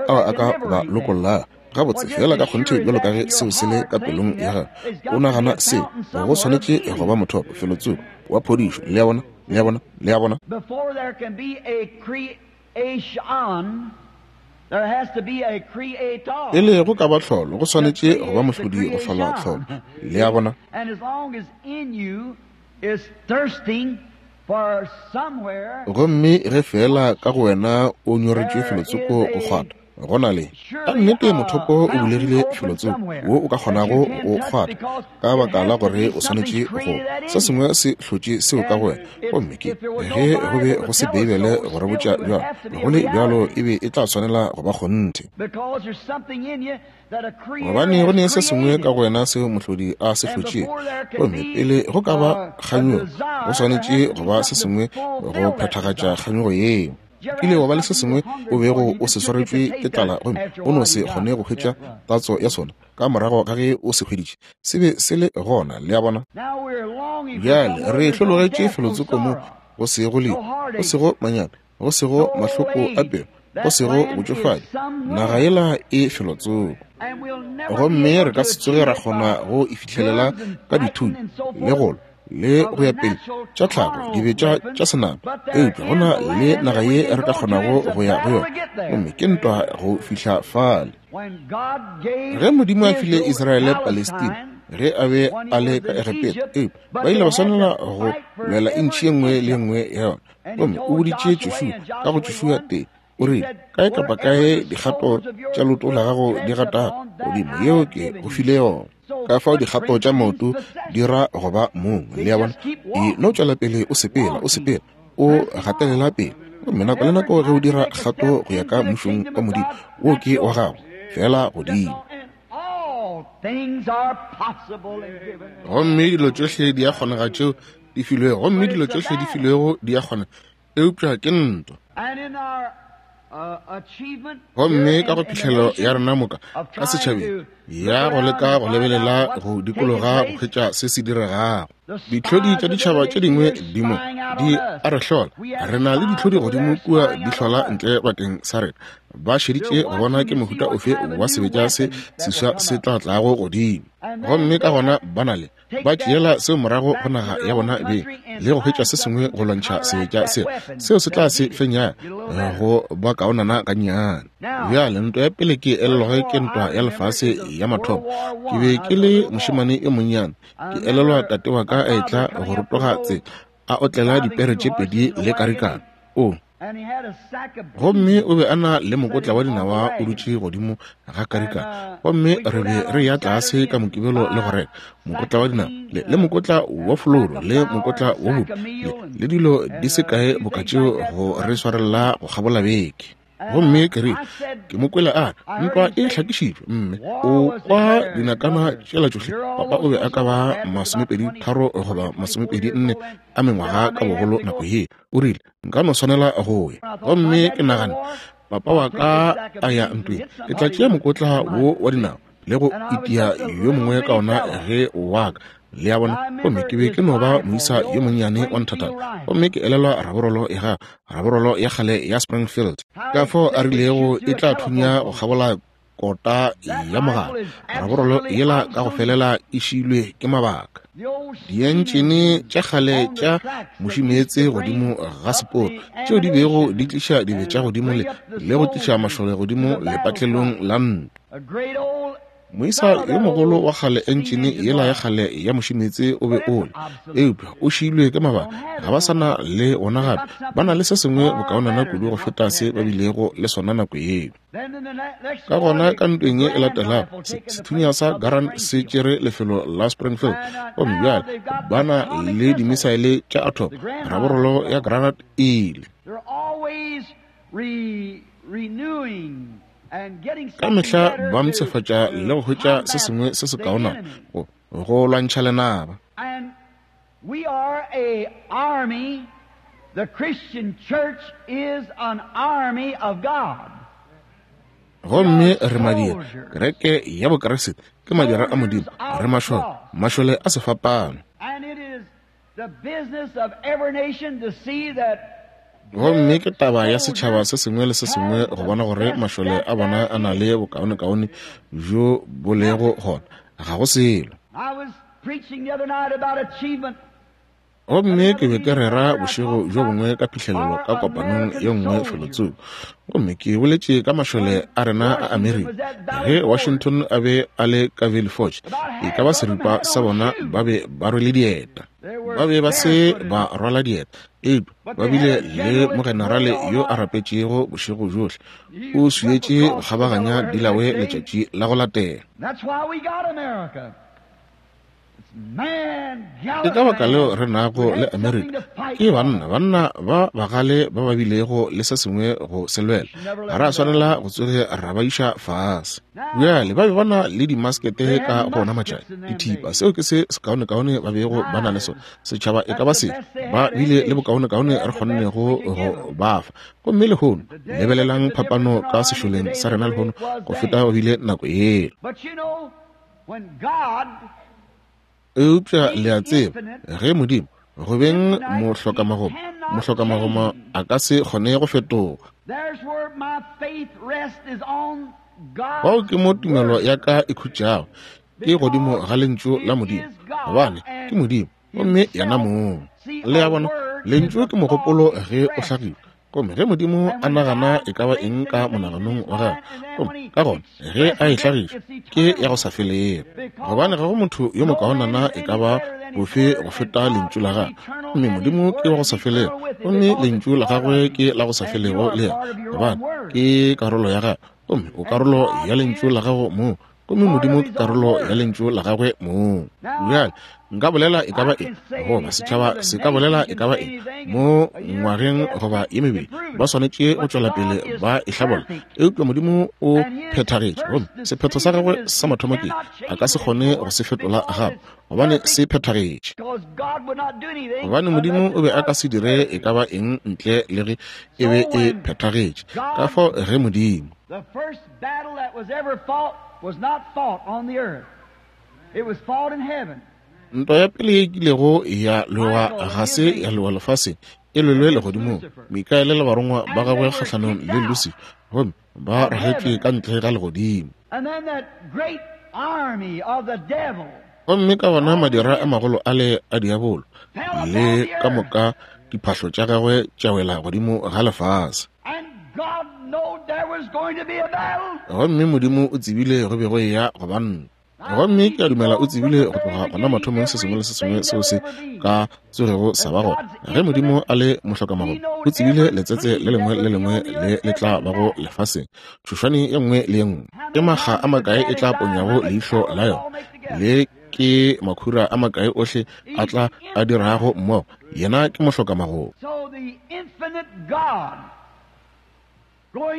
ao a ka ba lokollago. Gabotse, feela ka kgonthe bjalo ka ge seo se le ka pelong ya gago, o nagana seo, go swanetše go ba mothopo felotsoko wa phodišo. Le a bona? Le a bona? Le a bona? Pele go ka ba tlholo, go swanetše go ba mohlodi go hlola tlholo. Le a bona? Gomme ge feela ka go wena o nyoretšwe felotsoko go kgwatha, go na le ka nnete mothopo o bulegile felotsoko wo o ka kgonago go kgwatha, ka baka la gore o swanetše go se sengwe se hlotše seo ka go wena. Gomme ke ge go be go se Beibele go re botša bjalo, go le bjalo e be e tla swanela go ba kgonthe. Gobane go ne se sengwe ka go wena seo mohlodi a se hlotšego, gomme pele go ka ba kganyogo, go swanetše go ba se sengwe go phethagatša kganyogo yeo. Kile wa ba le se sengwe o bego o se swaretšwe ke tlala gomme o no se kgone go hwetša tatso ya sona ka morago ga ge o se hweditše, se be se le gona. Le a bona? Bjale re hlologetše felotsoko mo. go sego lehu, go sego manyami, go sego mahloko a pelo, go sego botšofadi. Naga yela e felotsoko. Gomme re ka se tsoge ra kgona go e fihlelela ka dithunya le go lwa le go ya pele tša tlhago, dibetša tša senama. Eupša go na le naga ye re ka kgonago go ya go yona, gomme ke ntwa go fihla fale. Ge Modimo a file Israele Palestina, ge a be a le ka Egepeta, eupša ba ile ba swanela go lwela intšhi ye nngwe le ye nngwe ya yona. Gomme o boditše Joshua, ka go Joshua 3, o rile, kae kapa kae dikgato tša leoto la gago di gatago godimo, yeo ke go file yona. Ka fao dikgato tša maoto di ra go ba mong, le a bona. E no tšwela pele o sepela, o sepela, o gatelela pele. Gomme nako le nako ge o dira kgato go ya ka mmušong wa Modimo, wo ke wa gago, fela godimo. Gomme dilo tšohle di a kgonega tšeo di filwego, gomme dilo tšohle di filwego di a kgonega, eupša ke ntwa. Gomme ka go phihlelo ya rena moka ka setšhabeng ya go leka go lebelela go dikologa go hwetša se se diregago, ditlhodi tša ditšhaba tše dingwe di mo di a re hlola. Re na le ditlhodi godimo kua di hlola ntle bakeng sa rena, ba šeditše go bona ke mohuta ofe wa sebetša se seswa se tla tlago godimo. Gomme ka gona ba na le ba tšeela seo morago go naga ya bona beng le go hwetša se sengwe go lwantšha sebetša seo, seo se tla se fenya go ba kaonana gannyane. Bjale ntwa ya pele ke elelwago ke ntwa ya lefase ya mathomo. Ke be ke le mošemane yo monnyane, ke elelwa tate wa ka a etla go rotoga tsela a otlela dipere tše pedi le karikana. O gomme o be a na le mokotla wa dinawa o dutše godimo ga karikana, gomme re be re ya tlase ka Mokibelo le go reka mokotla wa dinawa le, le mokotla wa floro le mokotla wa bupi le, le dilo di se kae boka tšeo go re swarelela go kgabola beke. Gomme ke rile, ke mo kwele a re, ntwa e hlakišitšwe, mme o kwa dinakana tšela tšohle. Papa o be a ka ba 23 goba 24 a mengwaga ka bogolo nako ye. O rile, nka no swanela go ya. Gomme ke nagane, papa wa ka a ya ntweng, ke tla tšea mokotla wo wa dinao le go itia yo mongwe ka ona ge wa ka. Le a bona? Gomme ke be ke no ba moisa yo monnyane wa nthatana. Gomme ke elelwa raborolo ya gagwe, raborolo ya kgale ya Springfield, ka fao a rilego e tla thunya go kgabola kota ya mogala. Raborolo yela ka go felela e šiilwe ke mabaka. Dientšene tša kgale tša mušimeetse godimo ga seporo tšeo di bego di tliša dibetša godimo le, le go tliša mašole godimo lepatlelong la ntwa. Moisa yo mogolo wa kgale, entšene yela ya kgale ya mušimeetse o be o le, eupša o šiilwe ke mabaka. Ga ba sa na le wona gape. Ba na le se sengwe bokaonana kudu go feta se ba bilego le sona nako yeo. Ka gona ka ntweng ye e latelago, sethunya sa Garand se tšere lefelo la Springfield, gomme bjale ba na le dimisaele tša atom. Raborolo ya Granite e ile. Ka mehla ba mpshafatša le go hwetša se sengwe se se kaonana go, go lwantšha lenaba. We are a army. The Christian church is an army of God. Gomme re madira, kereke ya Bokriste ke madira a Modimo. Re mašole, mašole a sefapano. And it is the business of every nation to see that Gomme ke taba ya setšhaba se sengwe le se sengwe go bona gore mašole a bona a na le bokaonekaone bjo bo lego gona. Ga go selo. I was preaching the other night about achievement. Gomme ke be ke rera bošego bjo bongwe ka phihlelelo ka kopanong ye nngwe felotsoko. Gomme ke boletše ka mašole a rena a Amerika. Ge Washington a be a le ka Valley Forge, e ka ba seripa sa bona ba be ba rwele dieta. Ba be ba se ba rwala dieta, eupša ba bile le mogenerale yo a rapetšego bošego bjohle. O swietše go kgabaganya Delaware letšatši la go latela. That's why we got America. Ke ka baka leo re nago le Amerika. Ke banna, banna ba bagale ba ba bilego le se sengwe go se lwela. Ga ra swanela go tsoge ra ba iša fase. Bjale ba be ba na le dimaskete ka go ona matšatši, dithipa, seo ke se sekaonekaone ba bego ba na le sona. Setšhaba e ka ba sefe, ba bile le bokaonekaone re kgonnego go ba fa. Gomme lehono, lebelelang phapano ka sešoleng sa rena lehono go feta go bile nako yela. Eupša le a tseba, ge Modimo, go beng mohlokamagomo, Mohlokamagoma a ka se kgone go fetoga. Fao ke mo tumelo ya ka e khutšago, ke godimo ga Lentšu la Modimo, gobane ke Modimo, gomme yena mong. Le a bona, Lentšu ke mogopolo ge o hlagiwa. Gomme ge Modimo a nagana e ka ba eng ka monaganong wa gagwe, gomme ka gona ge a e hlagiša, ke ya go sa felego. Gobane ga go motho yo mokaonana e ka ba bofe go feta Lentšu la gagwe. Gomme Modimo ke wa go sa felego, gomme Lentšu la gagwe ke la go sa felego le yena, gobane ke karolo ya gagwe. Gomme o karolo ya Lentšu la gago mong, gomme Modimo ke karolo ya Lentšu la gagwe mong. Bjale, nka bolela e ka ba eng, goba setšhaba se ka bolela e ka ba eng, mo ngwageng goba ye mebedi, ba swanetše go tšwela pele ba e hlabolla. Eupša Modimo o phethagetše, gomme sephetho sa gagwe sa mathomo ke, a ka se kgone go se fetola gape, gobane se phethagetše. Gobane Modimo o be a ka se dire e ka ba eng ntle le ge e be e phethagetše. Ka fao ge Modimo. The first battle that was ever fought was not fought on the earth. It was fought in heaven. Ntwa ya pele ye e kilego ya lwewa ga se ya lwewa lefaseng, e lwelwe legodimong. Mikaele le barongwa ba gagwe kgahlanong le Lucifer, gomme ba ragetšwe ka ntle ga legodimo. And then that great army of the devil Gomme ka gona madira a magolo ale a diabolo le ka moka diphahlo tša gagwe tša wela godimo ga lefase. Gomme Modimo o tsebile go be go eya go ba ntwa. Gomme ke a dumela o tsebile go tloga gona mathomong se sengwe le se sengwe seo se ka tsogego sa ba gona. Ge Modimo a le mohlokamagomo, o tsebile letsetse le lengwe le lengwe le le tla bago lefaseng, tšhošwane ye nngwe le ye nngwe. Ke makga a makae e tla ponyago leihlo la yona, le ke makhura a makae ohle a tla a dirago mmogo. Yena ke mohlokamagomo.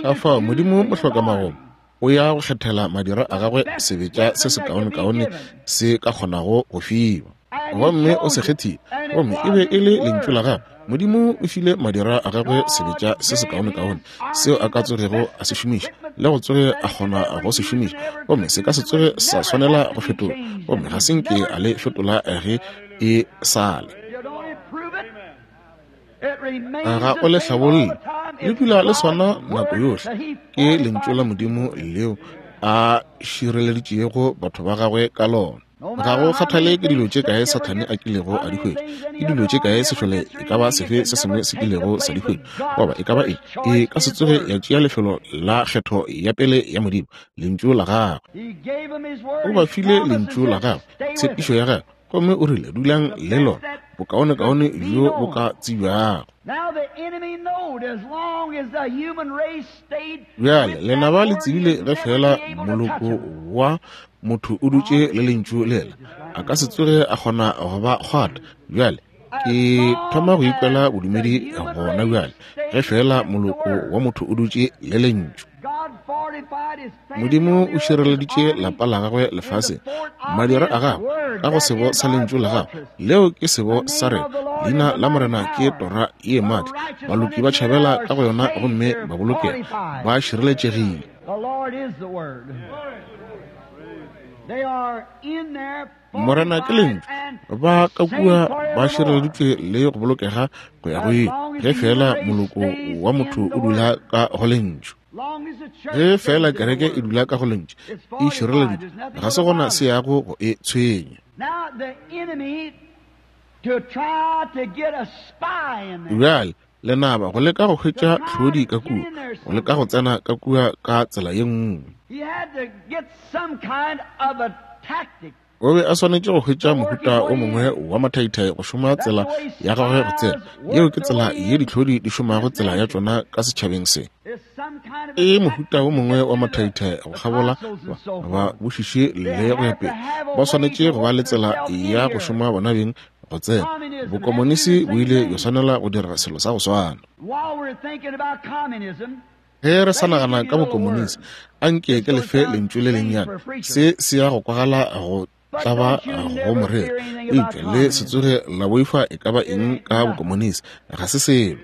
Ka fao Modimo mohlokamagomo o ya go kgethela madira a gagwe sebetša se sekaonekaone se ka kgonago go fiwa. Gomme o se kgethile, gomme e be e le lentšu la gagwe. Modimo o file madira a gagwe sebetša se sekaonekaone seo a ka tsogego a se šomiša le go tsoge a kgona go se šomiša, gomme se ka se tsoge sa swanela go fetola, gomme ga se nke a le fetola ge e sa le. Ga o le hlabolle, le dula le swana nako yohle. Ke lentšu la Modimo leo a šireleditšego batho ba gagwe ka lona. Ga go kgathale ke dilo tše kae Sathane a kilego a di hwetša, ke dilo tše kae sešole e ka ba sefe se sengwe se kilego sa di hwetša, goba e ka ba eng, e ka se tsoge ya tšea lefelo la kgetho ya pele ya Modimo, Lentšu la Gagwe. O ba file Lentšu la Gagwe, tshepišo ya Gagwe, gomme o rile, Dulang le lona, bokaonekaone bjo bo ka tsebjago. Bjale, lenaba le tsebile ge feela moloko wa motho o dutše le lentšu lela, a ka se tsoge a kgona go ba kgwata. Bjale, ke thoma go ikwela bodumedi gona bjale, ge feela moloko wa motho o dutše le lentšu. Modimo o šireleditše lapa la gagwe lefaseng, madira a gagwe, ka go sebo sa lentšu la gagwe. Leo ke sebo sa rena. Leina la Morena ke tora ye maatla. Baloki ba tšhabela ka go yona gomme ba bolokega, ba šireletšegile. Morena ke lentšu. Ba ka kua ba šireleditšwe le go bolokega go ya go ile, ge feela moloko wa motho o dula ka go lentšu. Ge feela kereke e dula ka go lentšu, e šireleditšwe, ga se gona se yago go e tshwenya. Bjale, lenaba go leka go hwetša tlhodi ka kua, go leka go tsena ka kua ka tsela ye nngwe. O be a swanetše go hwetša mohuta o mongwe wa mathaithai go šoma tsela ya gagwe go tsena. Yeo ke tsela ye ditlhodi di šomago tsela ya tšona ka setšhabeng se. E mohuta o mongwe wa mathaithai go kgabola ba bošiši le go ya pele. Ba swanetše go ba le tsela ya go šoma bona beng go tsena. Bokomonisi bo ile bja swanela go dira selo sa go swana. Ge re sa nagana ka bokomonisi, anke ke lefe lentšu le lennyane. Se se ya go kwagala go Tla ba go morero. Eupša le se tsoge la boifa e ka ba eng ka bokomonisi. Ga se selo.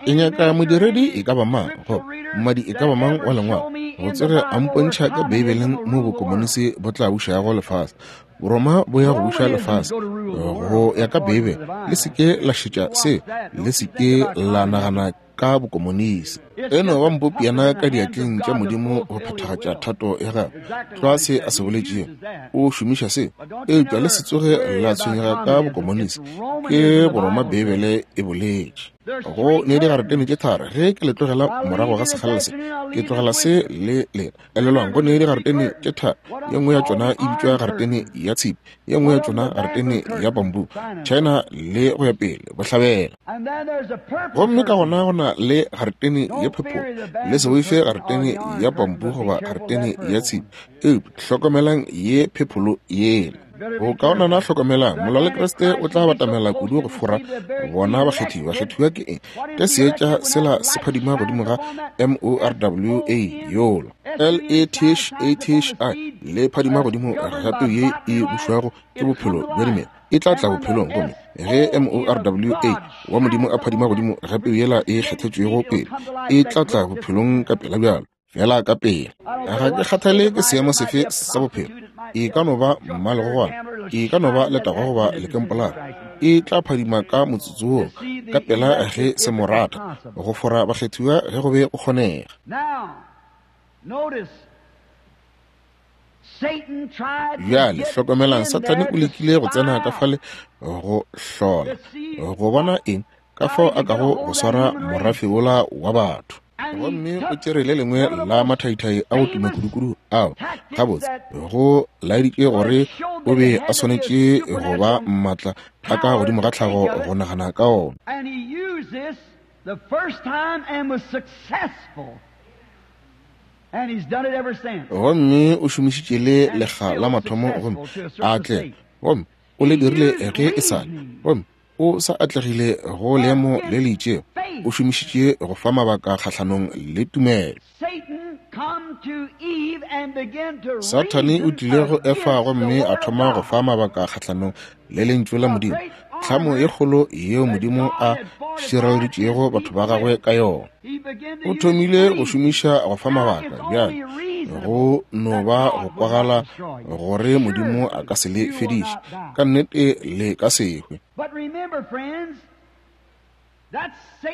E nyaka modiredi e ka ba mang, goba mmadi e ka ba mang wa Lengwalo, go tsoge a mpontšha ka Beibeleng mo bokomonisi bo tla bušago lefase. Boroma bo ya go buša lefase go ya ka Beibele. Le se ke la šetša se, le se ke la nagana ka bokomonisi. E no ba mpopiana ka diatleng tša Modimo go phethagatša thato ya gagwe, tlwa se a se boletšego. O šomiša se, eupša le se tsoge la tshwenyega ka bokomonisi. Ke Boroma, Beibele e boletše. Go ne digaretene tše tharo ge ke le tlogela morago ga sekgalela se, ke tlogela se le lena. Elelwang, go ne digaretene tše tharo, ye nngwe ya tšona e bitšwa garetene ya tshipi, ye nngwe ya tšona garetene ya bambu, China le go ya pele, bohlabela. Gomme ka gona go na le garetene ya phepholo. Le se boife garetene ya bambu goba garetene ya tshipi, eupša hlokomelang ye phepholo yela. Go kaonana hlokomelang, molwa le Kriste o tla batamela kudu go fora bona bakgethiwa. Bakgethiwa ke eng? Ke seetša sela se phadima godimo ga M-O-R-W-A yola. L-E-T-H-A-T-H-I le phadima godimo ga peu ye e bušwago ke bophelo bja dimela. E tla tla bophelong, gomme ge M-O-R-W-A wa Modimo a phadima godimo ga peu yela e kgethetšwego pele, e tla tla bophelong ka pela bjalo, fela ka pela. Ga ke kgathale ke seemo sefe sa bophelo, e ka no ba mmalegogwana, e ka no ba letagwa goba lekempolara, e tla phadima ka motsotso woo, ka pela ge se mo rata, go fora bakgethiwa ge go be go kgonega. Bjale hlokomelang, Sathane o lekile go tsena ka fale go hlola, go bona eng, ka fao a kago go swara morafe wola wa batho. Gomme o tšere le lengwe la mathaithai a go tuma kudukudu ao, gabotse, go laeditše gore o be a swanetše go ba maatla a ka godimo ga tlhago go nagana ka ona. Gomme o šomišitše le lekga la mathomo gomme a atlega, gomme o le dirile ge e sa le, gomme o sa atlegile go leemo le le itšego. O šomišitše go fa mabaka kgahlanong le tumelo. Sathane o tlile go Efa gomme a thoma go fa mabaka kgahlanong le Lentšu la Modimo, tlhamo ye kgolo yeo Modimo a šireleditšego batho ba gagwe ka yona. O thomile go šomiša go fa mabaka bjale go no ba go kwagala gore Modimo a ka se le fediše, ka nnete le ka se hwe.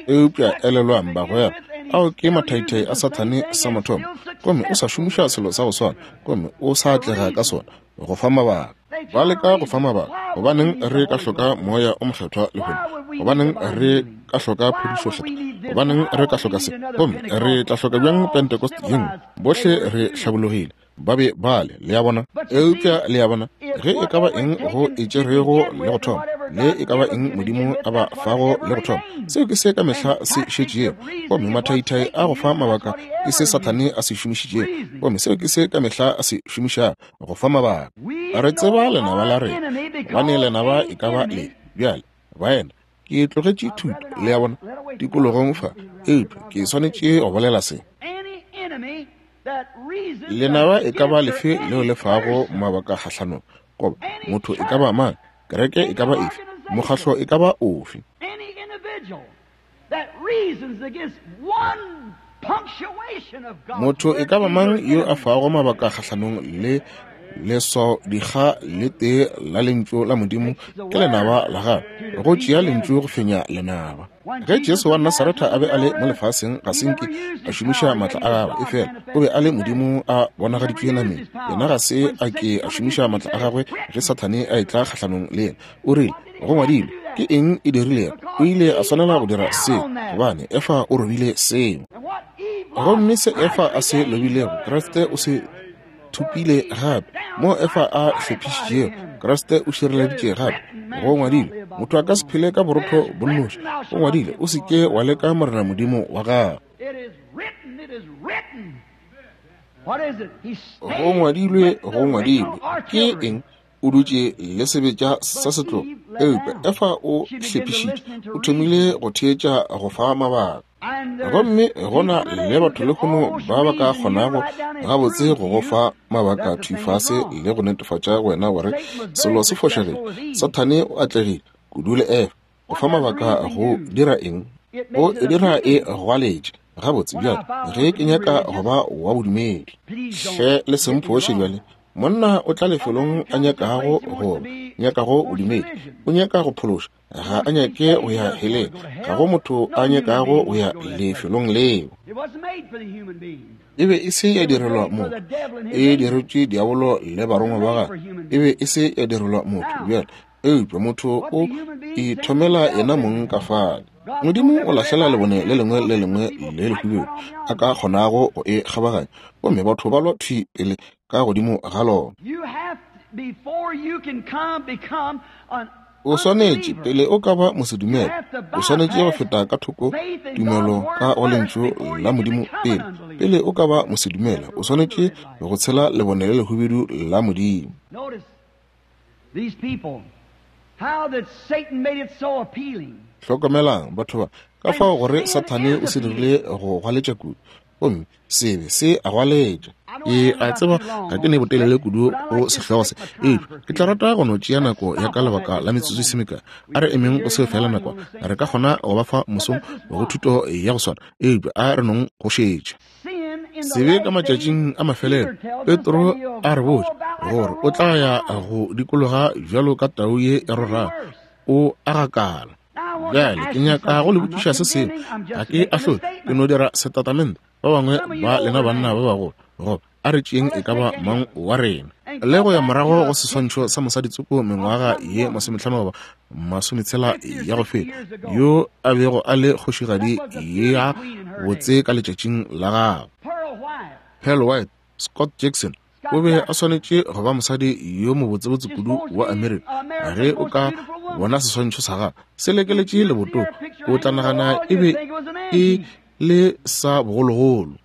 Eupša elelwang, bagwera, ao ke mathaithai a Sathane sa mathomo, gomme o sa šomiša selo sa go swana, gomme o sa atlega ka sona, go fa mabaka. Ba leka go fa mabaka. Gobaneng re ka hloka Moya o Mokgethwa lehono? Gobaneng re ka hloka phodišo kgethwa? Gobaneng re ka hloka se? Gomme re tla hloka bjang Pentecost ye nngwe? Bohle re hlabologile. Ba be ba le, le a bona. Eupša, le a bona, ge e ka ba eng go e tšerego le go thoma, le e ka ba eng Modimo a ba fago le go thoma, seo ke se ka mehla se šetšego. Gomme mathaithai a go fa mabaka ke se Sathane a se šomišitšego, gomme seo ke se ka mehla a se šomišago, go fa mabaka. Re tseba lenaba la rena, gobane lenaba e ka ba le. Bjale, baena, ke tlogetše thuto, le a bona, tikologong fa, eupša ke swanetše go bolela se. Lenaba e ka ba lefe leo le fago mabaka kgahlanong, goba motho e ka ba mang, kereke e ka ba efe, mokgahlo e ka ba ofe. Motho e ka ba mang yo a fago mabaka kgahlanong le leswao dikga le tee la Lentšu la Modimo ke lenaba la gagwe, go tšea Lentšu go fenya lenaba. Ge Jesu wa Nasaretha a be a le mo lefaseng, ga se nke a šomiša maatla a gagwe, efela o be a le Modimo a bonagaditšwe nameng. Yena ga se a ke a šomiša maatla a gagwe ge Sathane a etla kgahlanong le yena. O rile, Go ngwadilwe. Ke eng e dirilego? O ile a swanela go dira seo, gobane Efa o robile seo. Gomme se Efa a se lobilego, Kriste o se thopile gape. Mo Efa a hlophišitšego, Kriste o šireleditše gape. Go ngwadilwe, motho a ka se phele ka borotho bo nnoši. Go ngwadilwe, o se ke wa leka Morena Modimo wa gago. Go ngwadilwe, go ngwadilwe. Ke eng? O dutše le sebetša sa setlogo. Eupša Efa o hlephišitše, o thomile go theetša go fa mabaka. Gomme go na le batho lehono ba ba ka kgonago gabotse go go fa mabaka thwi fase le go netefatša go wena gore selo se fošagile. Sathane o atlegile kudu le Efa go fa mabaka go dira eng? O e dira e gwaletše. Gabotse bjale, ge ke nyaka go ba wa bodumedi, hle le se mphoše bjale. Monna o tla lefelong a nyakago go nyakago bodumedi, o nyaka go phološa, ga a nyake go ya heleng. Ga go motho a nyakago go ya lefelong leo. E be e se ya direlwa motho, e diretšwe diabolo le barongwa ba gagwe. E be e se ya direlwa motho bjale, eupša motho o ithomela yena mong ka fale. Modimo o lahlela lebone le lengwe le lengwe le lehubedu a ka kgonago go e kgabaganya, gomme batho ba lwa thwi pele ka godimo ga lona. O swanetše, pele o ka ba mosedumele, o swanetše go feta ka thoko tumelo ka go Lentšu la Modimo pele. Pele o ka ba mosedumele, o swanetše go tshela lebone le lehubedu la Modimo. Hlokomelang, batho ba, ka fao gore Sathane o se dirile go gwaletša kudu, gomme sebe se a gwaletša. Ke a tseba ga ke ne botelele kudu go sehlogo se, eupša ke tla rata go no tšea nako ya ka lebaka la metsotso e se mekae. A re emeng go seo feela nakwana. Re ka kgona go ba fa mosong go thuto ya go swana, eupša a re nong go šetša. Sebe ka matšatšing a mafelelo, Petro a re botša gore o tla ya go dikologa bjalo ka tau ye e rorago, o a gakala. Bjale ke nyaka go le botšiša se sengwe. Ga ke ahlole, ke no dira setatamente. Ba bangwe ba lena banna ba bagolo, goba a re tšeeng e ka ba mang wa rena, le go ya morago go seswantšho sa mosadi tsoko mengwaga ye 50 goba 60 ya go feta, yo a bego a le kgošigadi ya botse ka letšatšing la gagwe. Pearl White, Scott Jackson, o be a swanetše go ba mosadi yo mobotsebotse kudu wa Amerika. Ge o ka bona seswantšho sa gagwe se lekeletše lebotong, o tla nagana e be e le sa bogologolo.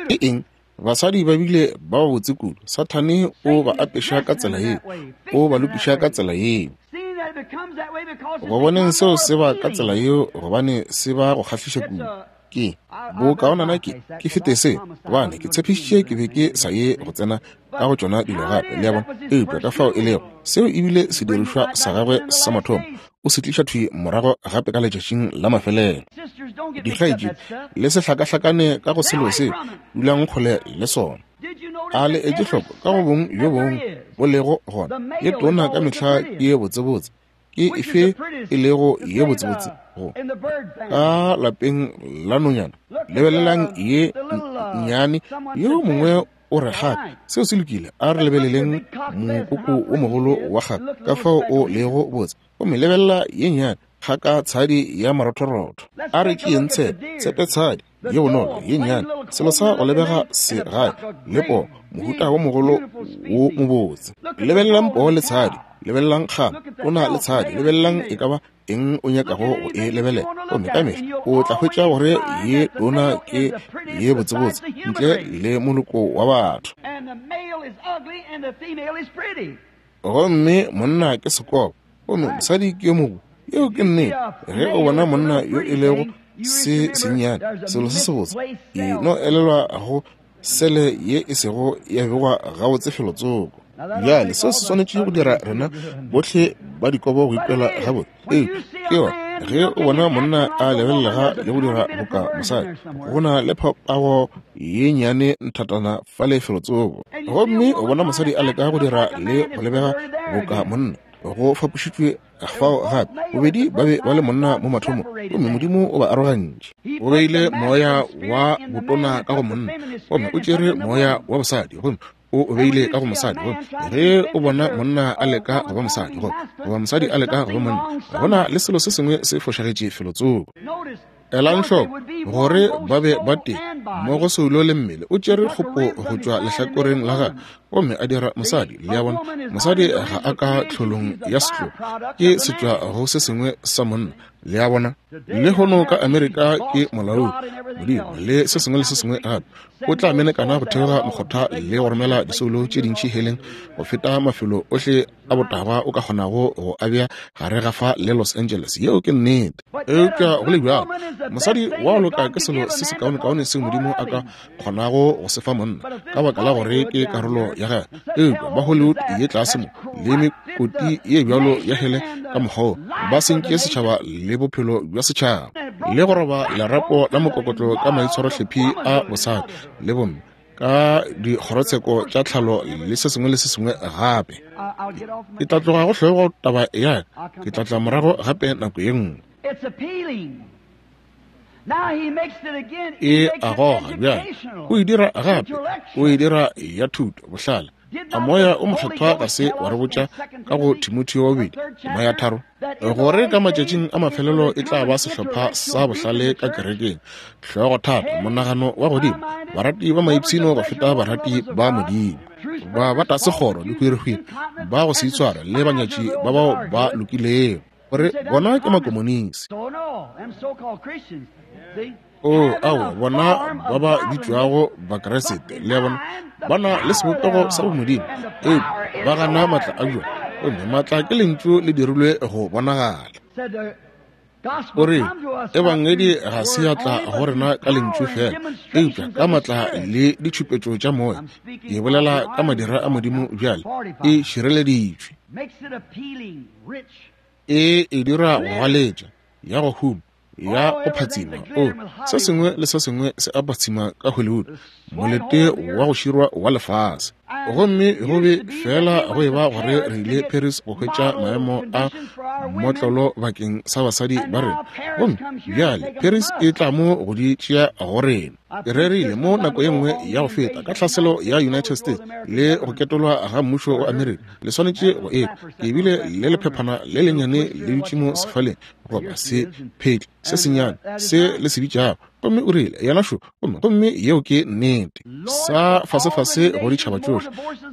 Ke eng? Basadi ba bile ba babotse kudu. Sathane o ba apeša ka tsela yeo, o ba lokiša ka tsela yeo. Go boneng seo se ba ka tsela yeo, gobane se ba go kgahliša kudu. Ke bokaonana ke fete se, gobane ke tshepišitše ke be ke sa ye go tsena ka go tšona dilo gape, le a bona. Eupša ka fao e lego, seo e bile sedirišwa sa gagwe sa mathomo, o se tliša thwi morago gape ka letšatšing la mafelelo. Dikgaetšedi, le se hlakahlakane ka go selo seo, dulang kgole le sona. A le etše hloko ka go bong bjo bongwe bo lego gona, ye tona ka mehla ke ye botsebotse, ke efe e lego ye botsebotse go ka lapeng la nonyana? Lebelelang ye nnyane, yo mongwe o re gape seo se lokile. A re lebeleleng mokoko o mogolo wa gape ka fao o lego botse, gomme lebelela ye nnyane kgaka tshadi ya marothorotho. A re tšeeng tshepe, tshepe tshadi ye bonolo ye nnyane, selo sa go lebega se gae le poo, mohuta wo mogolo wo mobotse. Lebelelang poo le tshadi, lebelelang kgama, o na le tshadi, lebelelang e ka ba eng o nyakago go e lebelela, gomme ka mehla o tla hwetša gore ye tona ke ye botsebotse ntle le moloko wa batho. Gomme monna ke sekobo, gomme mosadi ke yo mobo. Yeo ke nnete. Ge o bona monna yo e lego se sennyane, selo se sebotse, e no elelwa go sele ye e sego ya begwa gabotse felotsoko. Bjale seo se swanetše go dira rena bohle ba dikobo go ikwela gabotse. Ee, ke yona. Ge o bona monna a lebelelega le go dira boka mosadi, go na le phapago ye nnyane nthatana fale felotsoko. Gomme o bona mosadi a leka go dira le go lebega boka monna, go fapošitšwe fao gape. Bobedi ba be ba le monna mo mathomong, gomme Modimo o ba arogantše. O beile moya wa botona ka go monna, gomme o tšere moya wa bosadi, gomme o o beile ka go mosadi. Gomme ge o bona monna a leka go ba mosadi, goba mosadi a leka go ba monna, go na le selo se sengwe se fošagetše felotsoko. Elang hloko gore ba be ba tee mo go soulo le mmele. O tšere kgopo go tšwa lehlakoreng la gagwe gomme a dira mosadi. Le a bona, mosadi ga a ka tlholong ya setlogo, ke setšwa go se sengwe sa monna. Le a bona? Lehono ka Amerika ke molaodi, Modimo, le se sengwe le se sengwe gape. O tla menekana go theoga mokgotha le go romela disoulo tše dintši heleng go feta mafelo ohle a botagwa o ka kgonago go a bea gare ga fa le Los Angeles. Yeo ke nnete. Eupša go le bjalo, mosadi wa go loka ke selo se sekaonekaone seo Modimo a ka kgonago go se fa monna, ka baka la gore ke karolo ya gagwe. Eupša ba Hollywood ye tlase mo, le mekoti ye bjalo ya hele ka mokgwa wo, ba sentše setšhaba le bophelo bja setšhaba, le go roba lerapo la mokokotlo ka maitshwarohlephi a bosadi le bomme, ka dikgorotsheko tša tlhalo le se sengwe le se sengwe gape. Ke tla tloga go hlogo taba ya ka, ke tla tla morago gape nako ye nngwe. E a goga bjale, o e dira gape, o e dira ya thuto, bohlale. A Moya o Mokgethwa ga se wa re botša ka go Timotheo wa bobedi, tema ya tharo, gore ka matšatšing a mafelelo e tla ba sehlopha sa bohlale ka kerekeng, hlogothata, monagano wa godimo, barati ba maipshino go feta barati ba Modimo, ba ba tlase kgoro, dihwirihwiri, ba go se itshware, le banyatši ba bao ba lokilego, gore bona ke makomonisi. O, aowa, bona ba ba bitšwago Bakriste, le a bona, ba na le sebopego sa bomodimo, eupša ba gana maatla a bjona, gomme maatla ke Lentšu le dirilwe go bonagala. O re, Ebangedi ga se ya tla go rena ka Lentšu feela, eupša ka maatla le ditšhupetšo tša Moya. Ke bolela ka madira a Modimo bjale, e šireleditšwe. E e dira go galetša, ya go huma, ya go phatsima. O, se sengwe le se sengwe se a phatsima ka Hollywood, molete wa go širwa wa lefase. Gomme go be fela go eba gore re ile Paris go hwetša maemo a mmotlolo bakeng sa basadi ba rena. Gomme bjale Paris e tla mo go di tšea go rena. Ke rerile mo nako ye nngwe ya go feta ka tlhaselo ya United States le go ketolwa ga mmušo wa Amerika. Le swanetše go ekwa. Ke bile le lephephana le lennyane le dutše mo sefaleng, goba se phetli se sennyane se le se bitšago. Gomme o rile, Yena šo, gomme, gomme yeo ke nnete. Sa fasefase go ditšhaba tšohle,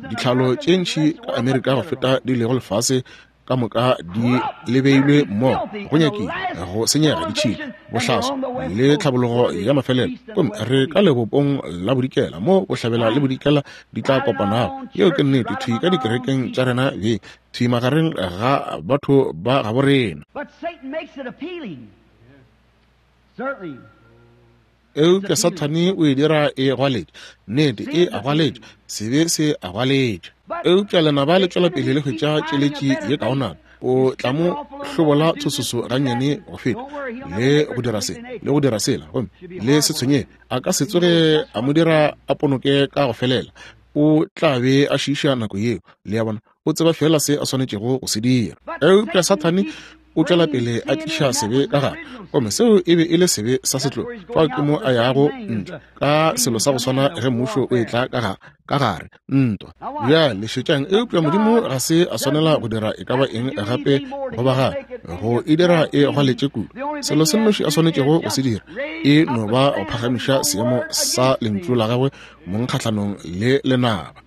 ditlhalo tše ntši ka Amerika go feta di lego lefase ka moka di lebeilwe mmogo, go nyakile go senyega ditšhila, bohlaswa le tlhabologo ya mafelelo. Gomme re ka lebopong la bodikela mo bohlabela le bodikela di tla kopanago. Yeo ke nnete, thwi ka dikerekeng tša rena beng, thwi magareng ga batho ba gabo rena. Eupša Sathane o e dira e gwaletša. Nnete, e a gwaletša. Sebe se a gwaletša. Eupša lenaba le tšwela pele le hwetša tšeletši ye kaonana. O tla mo hlobola tshososo gannyane go feta, le go dira se, le go dira sela, gomme le se tshwenyege, a ka se tsoge a mo dira a ponoke ka go felela. O tla be a šiiša nako yeo. Le a bona? O tseba feela se a swanetšego go se dira. Eupša Sathane o tšwela pele a tliša sebe ka gare, gomme seo e be e le sebe sa setlogo. Fao ke mo a yago ntle ka selo sa go swana ge mmušo o etla ka ka gare, ntwa. Bjale šetšang, eupša Modimo ga se a swanela go dira e ka ba eng gape go ba gare, go e dira e gwaletše kudu. Selo se nnoši a swanetšego go se dira e no ba go phagamiša seemo sa Lentšu la gagwe mong kgahlanong le lenaba.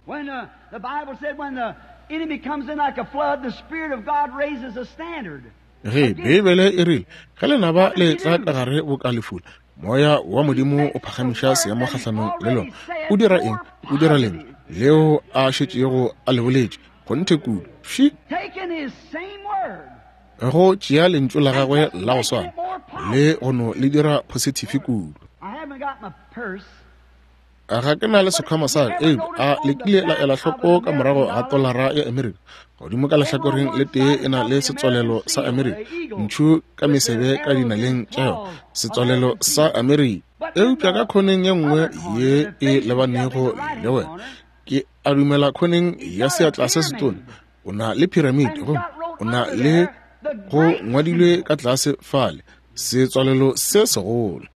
The Bible said when the enemy comes in like a flood, the Spirit of God raises a standard. Ge Beibele e rile, ge lenaba le tla ka gare boka lefula, moya wa Modimo o phagamiša seemo kgahlanong le lona. O dira eng? O dira lentšu leo a šetšego a le boletše, kgonthe kudu. Fši! Go tšea lentšu la gagwe la go swana le go no le dira phosithifi kudu. Ga ke na le sekhwama sa ka, eupša a le kile la ela hloko ka morago ga tolara ya Amerika? Godimo ka lehlakoreng le tee e na le setswalelo sa Amerika, ntšhu ka mesebe ka dinaleng tša yona, setswalelo sa Amerika. Eupša ka khoneng ye nngwe ye e lebanego le wena, ke a dumela khoneng ya seatla se setona, o na le phiramiti gomme o na le go ngwadilwe ka tlase fale, setswalelo se segolo.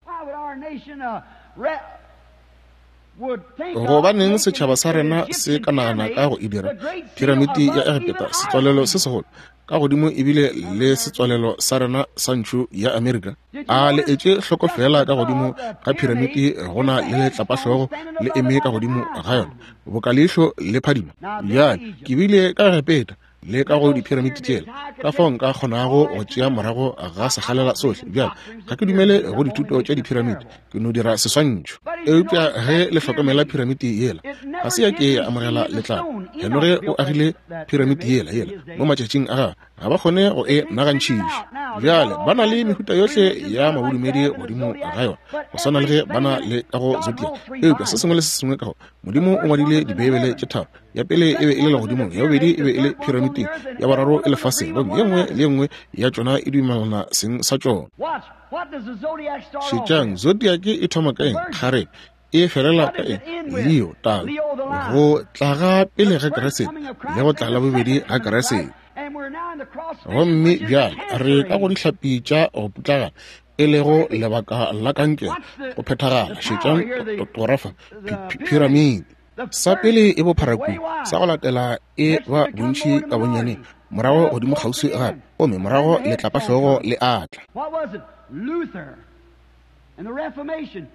Gobaneng setšhaba sa rena se ka nagana ka go e dira phiramiti ya Egepeta setswalelo se segolo ka godimo ebile le setswalelo sa rena sa ntšhu ya Amerika? A le etše hloko fela ka godimo ga phiramiti go na le letlapahlogo le eme ka godimo ga yona, boka leihlo le phadima. Bjale ke bile ka Egepeta. Le ka go diphiramiti tšela, ka fao nka kgonago go tšea morago ga sekgalela sohle. Bjale, ga ke dumele go dithuto tša diphiramiti, ke no dira seswantšho. Eupša ge le hlokomela phiramiti yela, ga se ya ke ya amogela letlapa. Henoge o agile phiramiti yela, yela mo matšatšing a gagwe, ga ba kgone go e nagantšhiša. Bjale ba na le mehuta yohle ya mabodumedi godimo ga yona, go swana le ge ba na le ka go zodiac. Eupša se sengwe le se sengwe ka go Modimo o ngwadile Dibeibele tše tharo. Ya pele e be e le legodimong, ya bobedi e be e le phiramiting, ya boraro e lefaseng, gomme ye nngwe le ye nngwe ya tšona e dumelana seng sa tšona. Šetšang, zodiac e thoma ka eng? Kgarebe. E felela ka eng? Leo, tau. Go tla ga pele ga Keresete le go tla la bobedi ga Keresete. Gomme bjale re ka go dihlapi tša go putlagana, e lego lebaka la kankere go phethagala. Šetšang torafa phiramiti. Sa pele e bophara kudu, sa go latela e ba bontši ka bonyaneng, morago godimo kgauswi gape, gomme morago letlapahlogo le atla.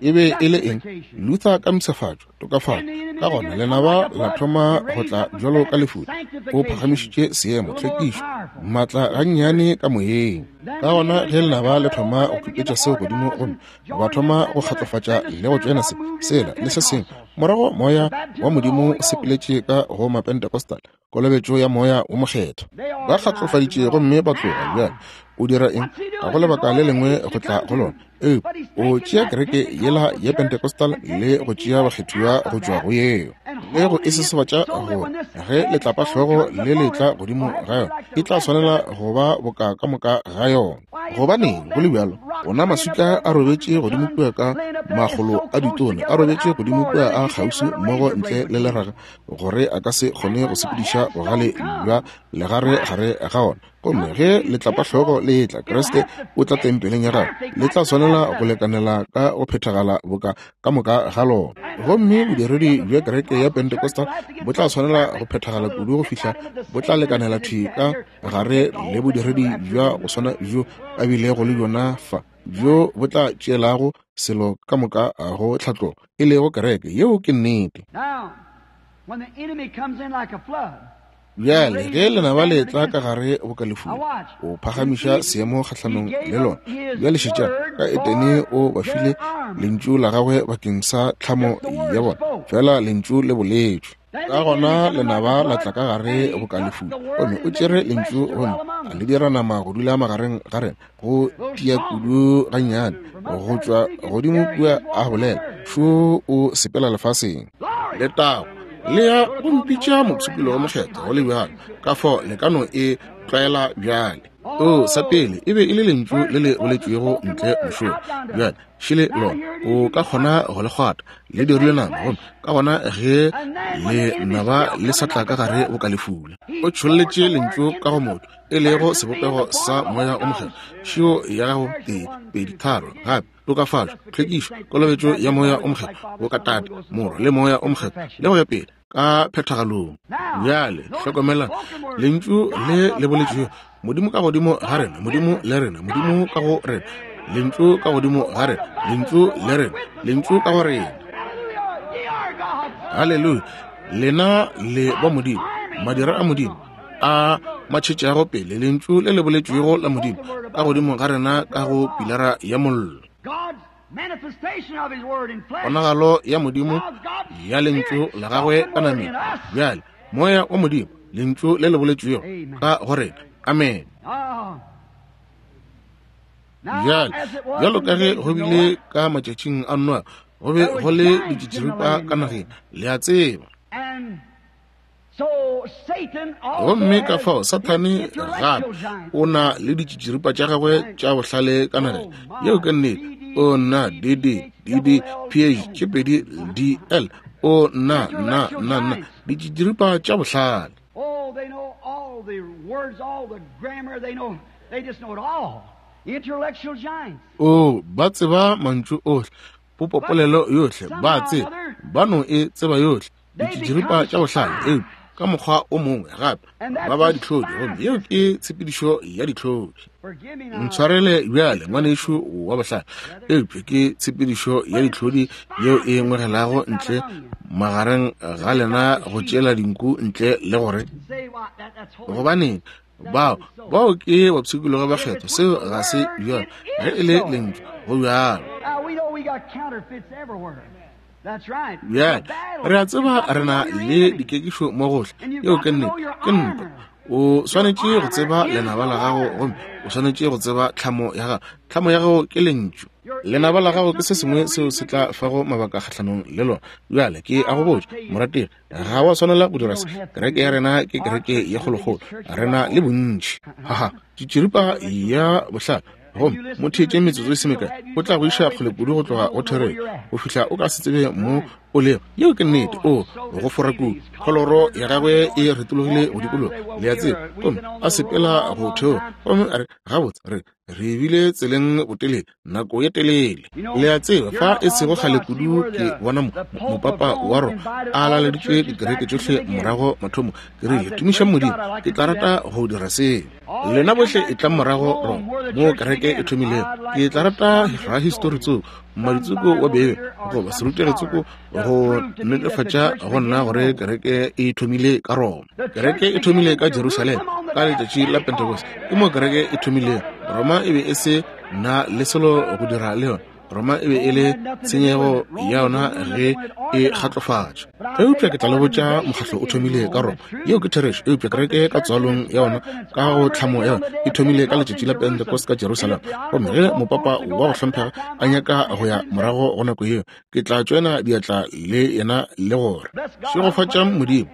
E be e le eng? Luther ka mpshafatšo, tokafatšo. Ka gona lenaba la thoma go tla bjalo ka lefula. O phagamišitše seemo, tlhwekišo, maatla gannyane ka moyeng. Ka gona ge lenaba le thoma go khupetša seo godimo, gomme ba thoma go kgatlofatša le go tšoena se, sela, le se sengwe, morago Moya wa Modimo o sepeletše ka go Mapentecostal, kolobetšo ya Moya wo Mokgethwa. Ba kgatlofaditše gomme ba tloga. Bjale o dira eng? Ga go lebaka le lengwe go tla go lona. Eupša o tšea kereke yela ya Pentecostal le go tšea bakgethiwa go tšwa go yeo, le go e sesebatša gore ge letlapahlogo le le tla godimo ga yona, e tla swanela go ba boka ka moka ga yona. Gobaneng go le bjalo? Ona maswika a robetše godimo kua ka makgolo a ditone, a robetše godimo kua a kgauswi mmogo ntle le leraga, gore a ka se kgone go sepediša bogale bja legare gare ga ona. Gomme ge letlapahlogo le etla, Kriste o tla tempeleng ya gagwe, le tla swanela go lekanela ka go phethagala boka ka moka ga lona. Gomme bodiredi bja kereke ya Pentecostal bo tla swanela go phethagala kudu go fihla bo tla lekanela thwi ka gare le bodiredi bja go swana bjo a bilego le bjona fa, bjo bo tla tšeelago selo ka moka go tlhatlogo, e lego kereke. Yeo ke nnete. Bjale ge lenaba le etla ka gare boka lefula, o phagamiša seemo kgahlanong le lona. Bjale šetšang, ka Edene o ba file lentšu la gagwe bakeng sa tlhamo ya bona, fela lentšu le boletšwe. Ka gona lenaba la tla ka gare boka lefula, gomme o tšere lentšu gomme a le dira nama go dula magareng ga rena, go tia kudu gannyane go tšwa godimo kua a bolela, šo o sepela lefaseng. Letago le ya go mpitša mopshikologo mokgethwa go le bjalo, ka fao le ka no e tlwaela bjale. O, sa pele e be e le lentšu le le boletšwego ntle mošola. Bjale šele lona, o ka kgona go le kgwata, le dirile nama, gomme ka gona ge lenaba le sa tla ka gare boka lefula, o tšholletše lentšu ka go motho, e lego sebopego sa Moya o Mokgethwa. Šio ya gago, tee, pedi, tharo, gape, tokafatšo, tlhwekišo, kolobetšo ya Moya o Mokgethwa, boka Tate, Morwa, le Moya o Mokgethwa, le go ya pele, ka phethagalong. Bjale hlokomelang lentšu le le boletšego, Modimo ka godimo ga rena, Modimo le rena, Modimo ka go rena, lentšu ka godimo ga rena, lentšu le rena, lentšu ka go rena. Haleluya! Lena le ba Modimo, madira a Modimo a matšhetšago pele, lentšu le le boletšwego la Modimo ka godimo ga rena ka go pilara ya mollo. Ponagalo ya Modimo ya lentšu la gagwe ka nameng. Bjale, Moya wa Modimo, lentšu le le boletšwego ka go rena. Amen. Bjale, bjalo ka ge go bile ka matšatšing a Noa, go be go le ditšitširipa ka nageng, le a tseba. Gomme ka fao Sathane gape o na le ditšitširipa tša gagwe tša bohlale ka nageng. Yeo ke nnete. O na D D D D P H tše pedi D L. O na na na na ditšitširipa tša bohlale. Oh, they know all the words, all the grammar, they know, they just know it all. Intellectual giants. Oh, ba tseba mantšu ohle, popopolelo yohle, ba tseba, ba no e tseba yohle. Ditšitširipa tša bohlale, eupša ka mokgwa o mongwe gape ba ba dihlodi, gomme yeo ke tshepedišo ya dihlodi. Ntshwarele bjale, ngwanešu wa bohlale, eupša ke tshepedišo ya dihlodi yeo e ngwegelago ntle magareng ga lena go tšeela dinku ntle le gore. Gobaneng, bao bao ke bapshikologi ba kgetho. Seo ga se bjalo. Ge e le lentšu, go bjalo. Bjale re a tseba re na le dikekišo mo gohle. Yeo ke nnete, ke ntwa. O swanetše go tseba lenaba la gago, gomme o swanetše go tseba tlhamo ya gago. Tlhamo ya gago ke lentšu. Lenaba la gago ke se sengwe seo se tla fago mabaka kgahlanong le lona. Bjale ke a go botša, morategi, ga wa swanela go dira se. Kereke ya rena ke kereke ye kgolokgolo, re na le bontši. Haha, tšitširipa ya bohlale. Gomme mo theetše metsotso e se mekae, o tla go iša kgole kudu go tloga go therešo, go fihla o ka se tsebe mo o lego. Yeo ke nnete. O go fora kudu. Kholoro ya gagwe e retologile go dikologa, le a tseba, gomme a sepela go theoga. Gomme a re, Gabotse, re re bile tseleng botelele, nako ye telele. Le a tseba, fa e sego kgale kudu ke bona mopapa wa Roma a laleditše dikereke tšohle morago mathomo. Ke rile, Tumišang Modimo, ke tla rata go dira seo. Lena bohle etlang morago Roma, moo kereke e thomilego. Ke tla rata rahistori tsoko, mmaditsoko wa Beibele, goba serutegi tsoko, go netefatša go nna gore kereke e thomile ka Roma. Kereke e thomile ka Jerusalema ka letšatši la Pentecost. Ke moo kereke e thomilego. Roma e be e se na le selo go dira le yona. Roma e be e le tshenyego ya yona ge e kgatlofatšwa. Eupša ke tla le botša, mokgatlo o thomile ka Roma. Yeo ke therešo. Eupša kereke ka tswalong ya yona, ka go tlhamo ya yona, e thomile ka letšatši la Pentecost ka Jerusalema. Gomme ge mopapa wa go hlomphega a nyaka go ya morago go nako yeo, ke tla tšoena diatla le yena le gore, Šegofatšang Modimo,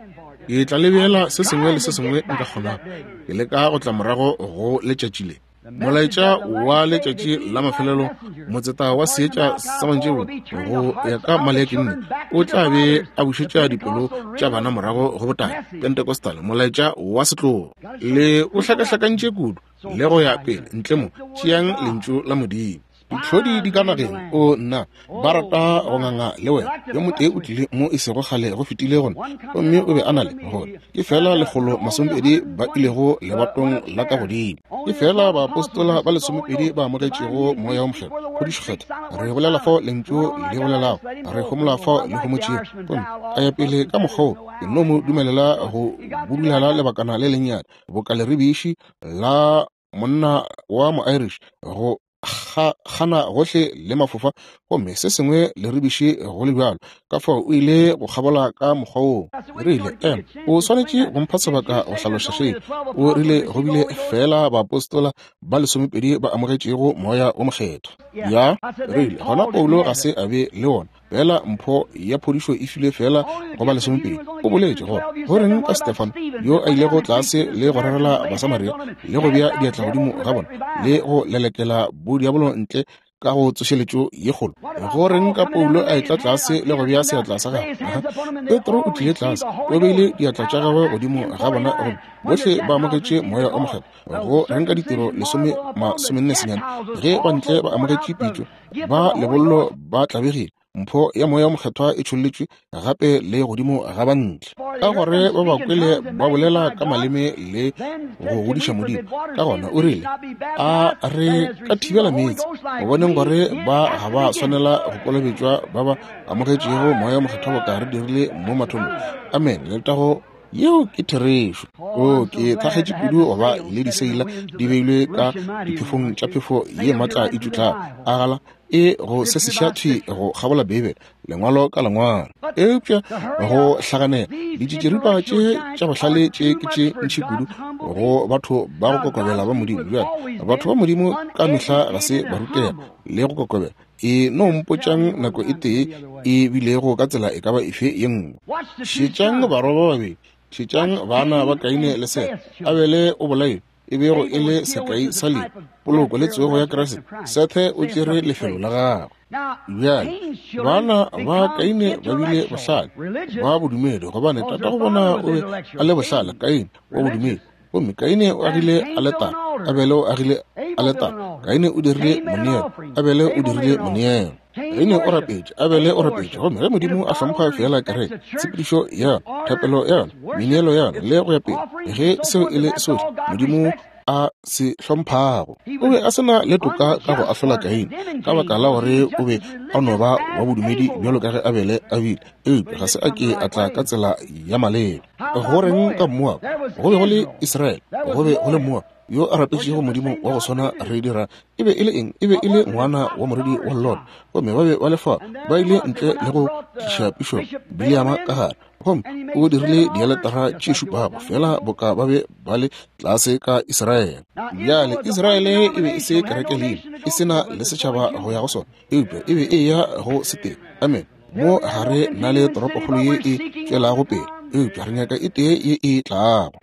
ke tla le beela se sengwe le se sengwe nka kgonago. Ke leka go tla morago go letšatši le. Molaetša wa letšatši la mafelelo, motseta wa seetša sa mantšiboa, go ya ka Maleaki nne, o tla be a bušetša dipelo tša bana morago go botate, Pentecostal, molaetša wa setlogo. Le o hlakahlakantše kudu, le go ya pele, ntle mo, tšeang Lentšu la Modimo. Ditlhodi di ka nageng, o nna, ba rata go nganga le wena. Yo motee o tlile mo e sego kgale go fetile gona, gomme o be a na le gore ke fela 120 ba ilego lebatong la ka godimo. Ke fela baapostola ba 12 ba amogetšego Moya wo Mokgethwa, phodišo Kgethwa. Re bolela fao Lentšu le bolelago, re homola fao le homotšego. Gomme a ya pele ka mokgwa wo, ke no mo dumelela go budulala lebakana le lennyane, boka leribiši la monna wa mo-Irish go gana gohle le mafofa, gomme se sengwe leribiši go le bjalo. Ka fao o ile go kgabola ka mokgwa woo. Rile, Em, o swanetše go mpha sebaka go hlaloša seo. O rile go bile feela baapostola ba 12 ba amogetšego Moya wo Mokgethwa. Ya, rile, gona Paulo ga se a be le wona. Fela mpho ya phodišo e filwe fela go ba 12. O boletše gore, go reng ka Stefano yo a ilego tlase le go rerela Basamaria le go bea diatla godimo ga bona le go lelekela bodiabolo ntle ka go tsošeletšo ye kgolo? Go reng ka Paulo a etla tlase le go bea seatla sa gagwe? Petro o tlile tlase, o beile diatla tša gagwe godimo ga bona gomme bohle ba amogetše Moya o Mokgethwa. Go reng ka Ditiro 10:49 ge bantle ba amogetše pitšo, ba lebollo ba tlabegile, mpho ya Moya o Mokgethwa e tšholletšwe gape le godimo ga bantle, ka gore ba ba kwele ba bolela ka maleme le go godiša Modimo. Ka gona o rile, a re ka thibela meetse go boneng gore ba ga ba swanela go kolobetšwa ba ba amogetšego Moya o Mokgethwa boka re dirile mo mathomong? Amen. Letago. Yeo ke therešo. O, ke thakgetše kudu go ba le diseila di beilwe ka diphefong tša phefo ye matla e tšutlago, a gala e go se seša thwi go kgabola Beibele, lengwalo ka lengwalo. Eupša go hlaganela, ditšitširipa tše tša bohlale tše ke tše ntši kudu go batho ba go kokobela ba Modimo. Bjale, batho ba Modimo ka mehla ga se ba rutega le go kokobela. E no mpotšang nako e tee e bilego ka tsela e ka ba efe ye nngwe. Šetšang barwa ba babedi, šetšang bana ba Kaine le Sete. Abele o bolailwe, e bego e le sekai sa lehu, poloko le tsogo ya Kriste. Sethe o tšere lefelo la gagwe. Bjale, bana ba Kaine ba bile bohlale ba bodumedi, gobane tatago bona o be a le bohlale, Kaine wa bodumedi. Gomme Kaine o agile aletare, Abele o agile aletare. Kaine o dirile moneelo, Abele o dirile moneelo. Kaine o rapetše, Abele o rapetše. Gomme ge Modimo a hlompha feela kereke, tshepedišo ya yona, thapelo ya yona, meneelo ya yona, le go ya pele, ge seo e le sohle, Modimo. a se hlomphago. O be a se na le toka ka go ahlola Kaine, ka baka la gore o be a no ba wa bodumedi bjalo ka ge Abele a bile, eupša ga se a ke a tla ka tsela ya maleba. Go reng ka Moab? Go be go le Israele, go be go le Moab yo a rapetšego Modimo wa go swana re dira. E be e le eng? E be e le ngwana wa morwedi wa Lot, gomme ba be ba le fa, ba ile ntle le go tliša pišo Bileama ka gare, gomme o dirile dialetara tše šupago, fela boka ba be ba le tlase ka Israele. Bjale Israele e be e se kereke leina, e se na le setšhaba go ya go sona, eupša e be e ya go setee. Amen. Mo ga re na le toropokgolo ye e tšwelago pele, eupša re nyaka e tee ye e tlago.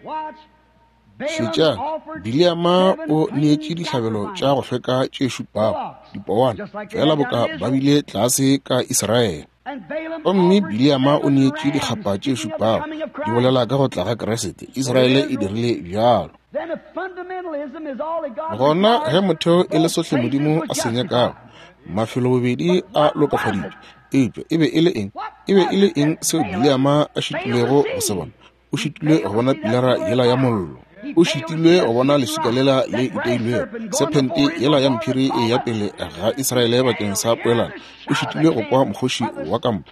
Šetšang, Bileama o neetše dihlabelo tša go hlweka tše šupago, dipowana, fela boka ba bile tlase ka Israele. Gomme Bileama o neetše dikgapa tše šupago, di bolela ka go tla ga Kriste. Israele e dirile bjalo. Gona ge motheo e le sohle Modimo a se nyakago, mafelo bobedi a lokafaditšwe. Eupša e be e le eng? E be e le eng seo Bileama a šitilwego go se bona? O šitilwe go bona pilara yela ya mollo. O šitilwe go bona leswika lela le iteilwego, sephente yela ya mphiri e ya pele ga Israele bakeng sa poelano. O šitilwe go kwa mokgoši wa kampa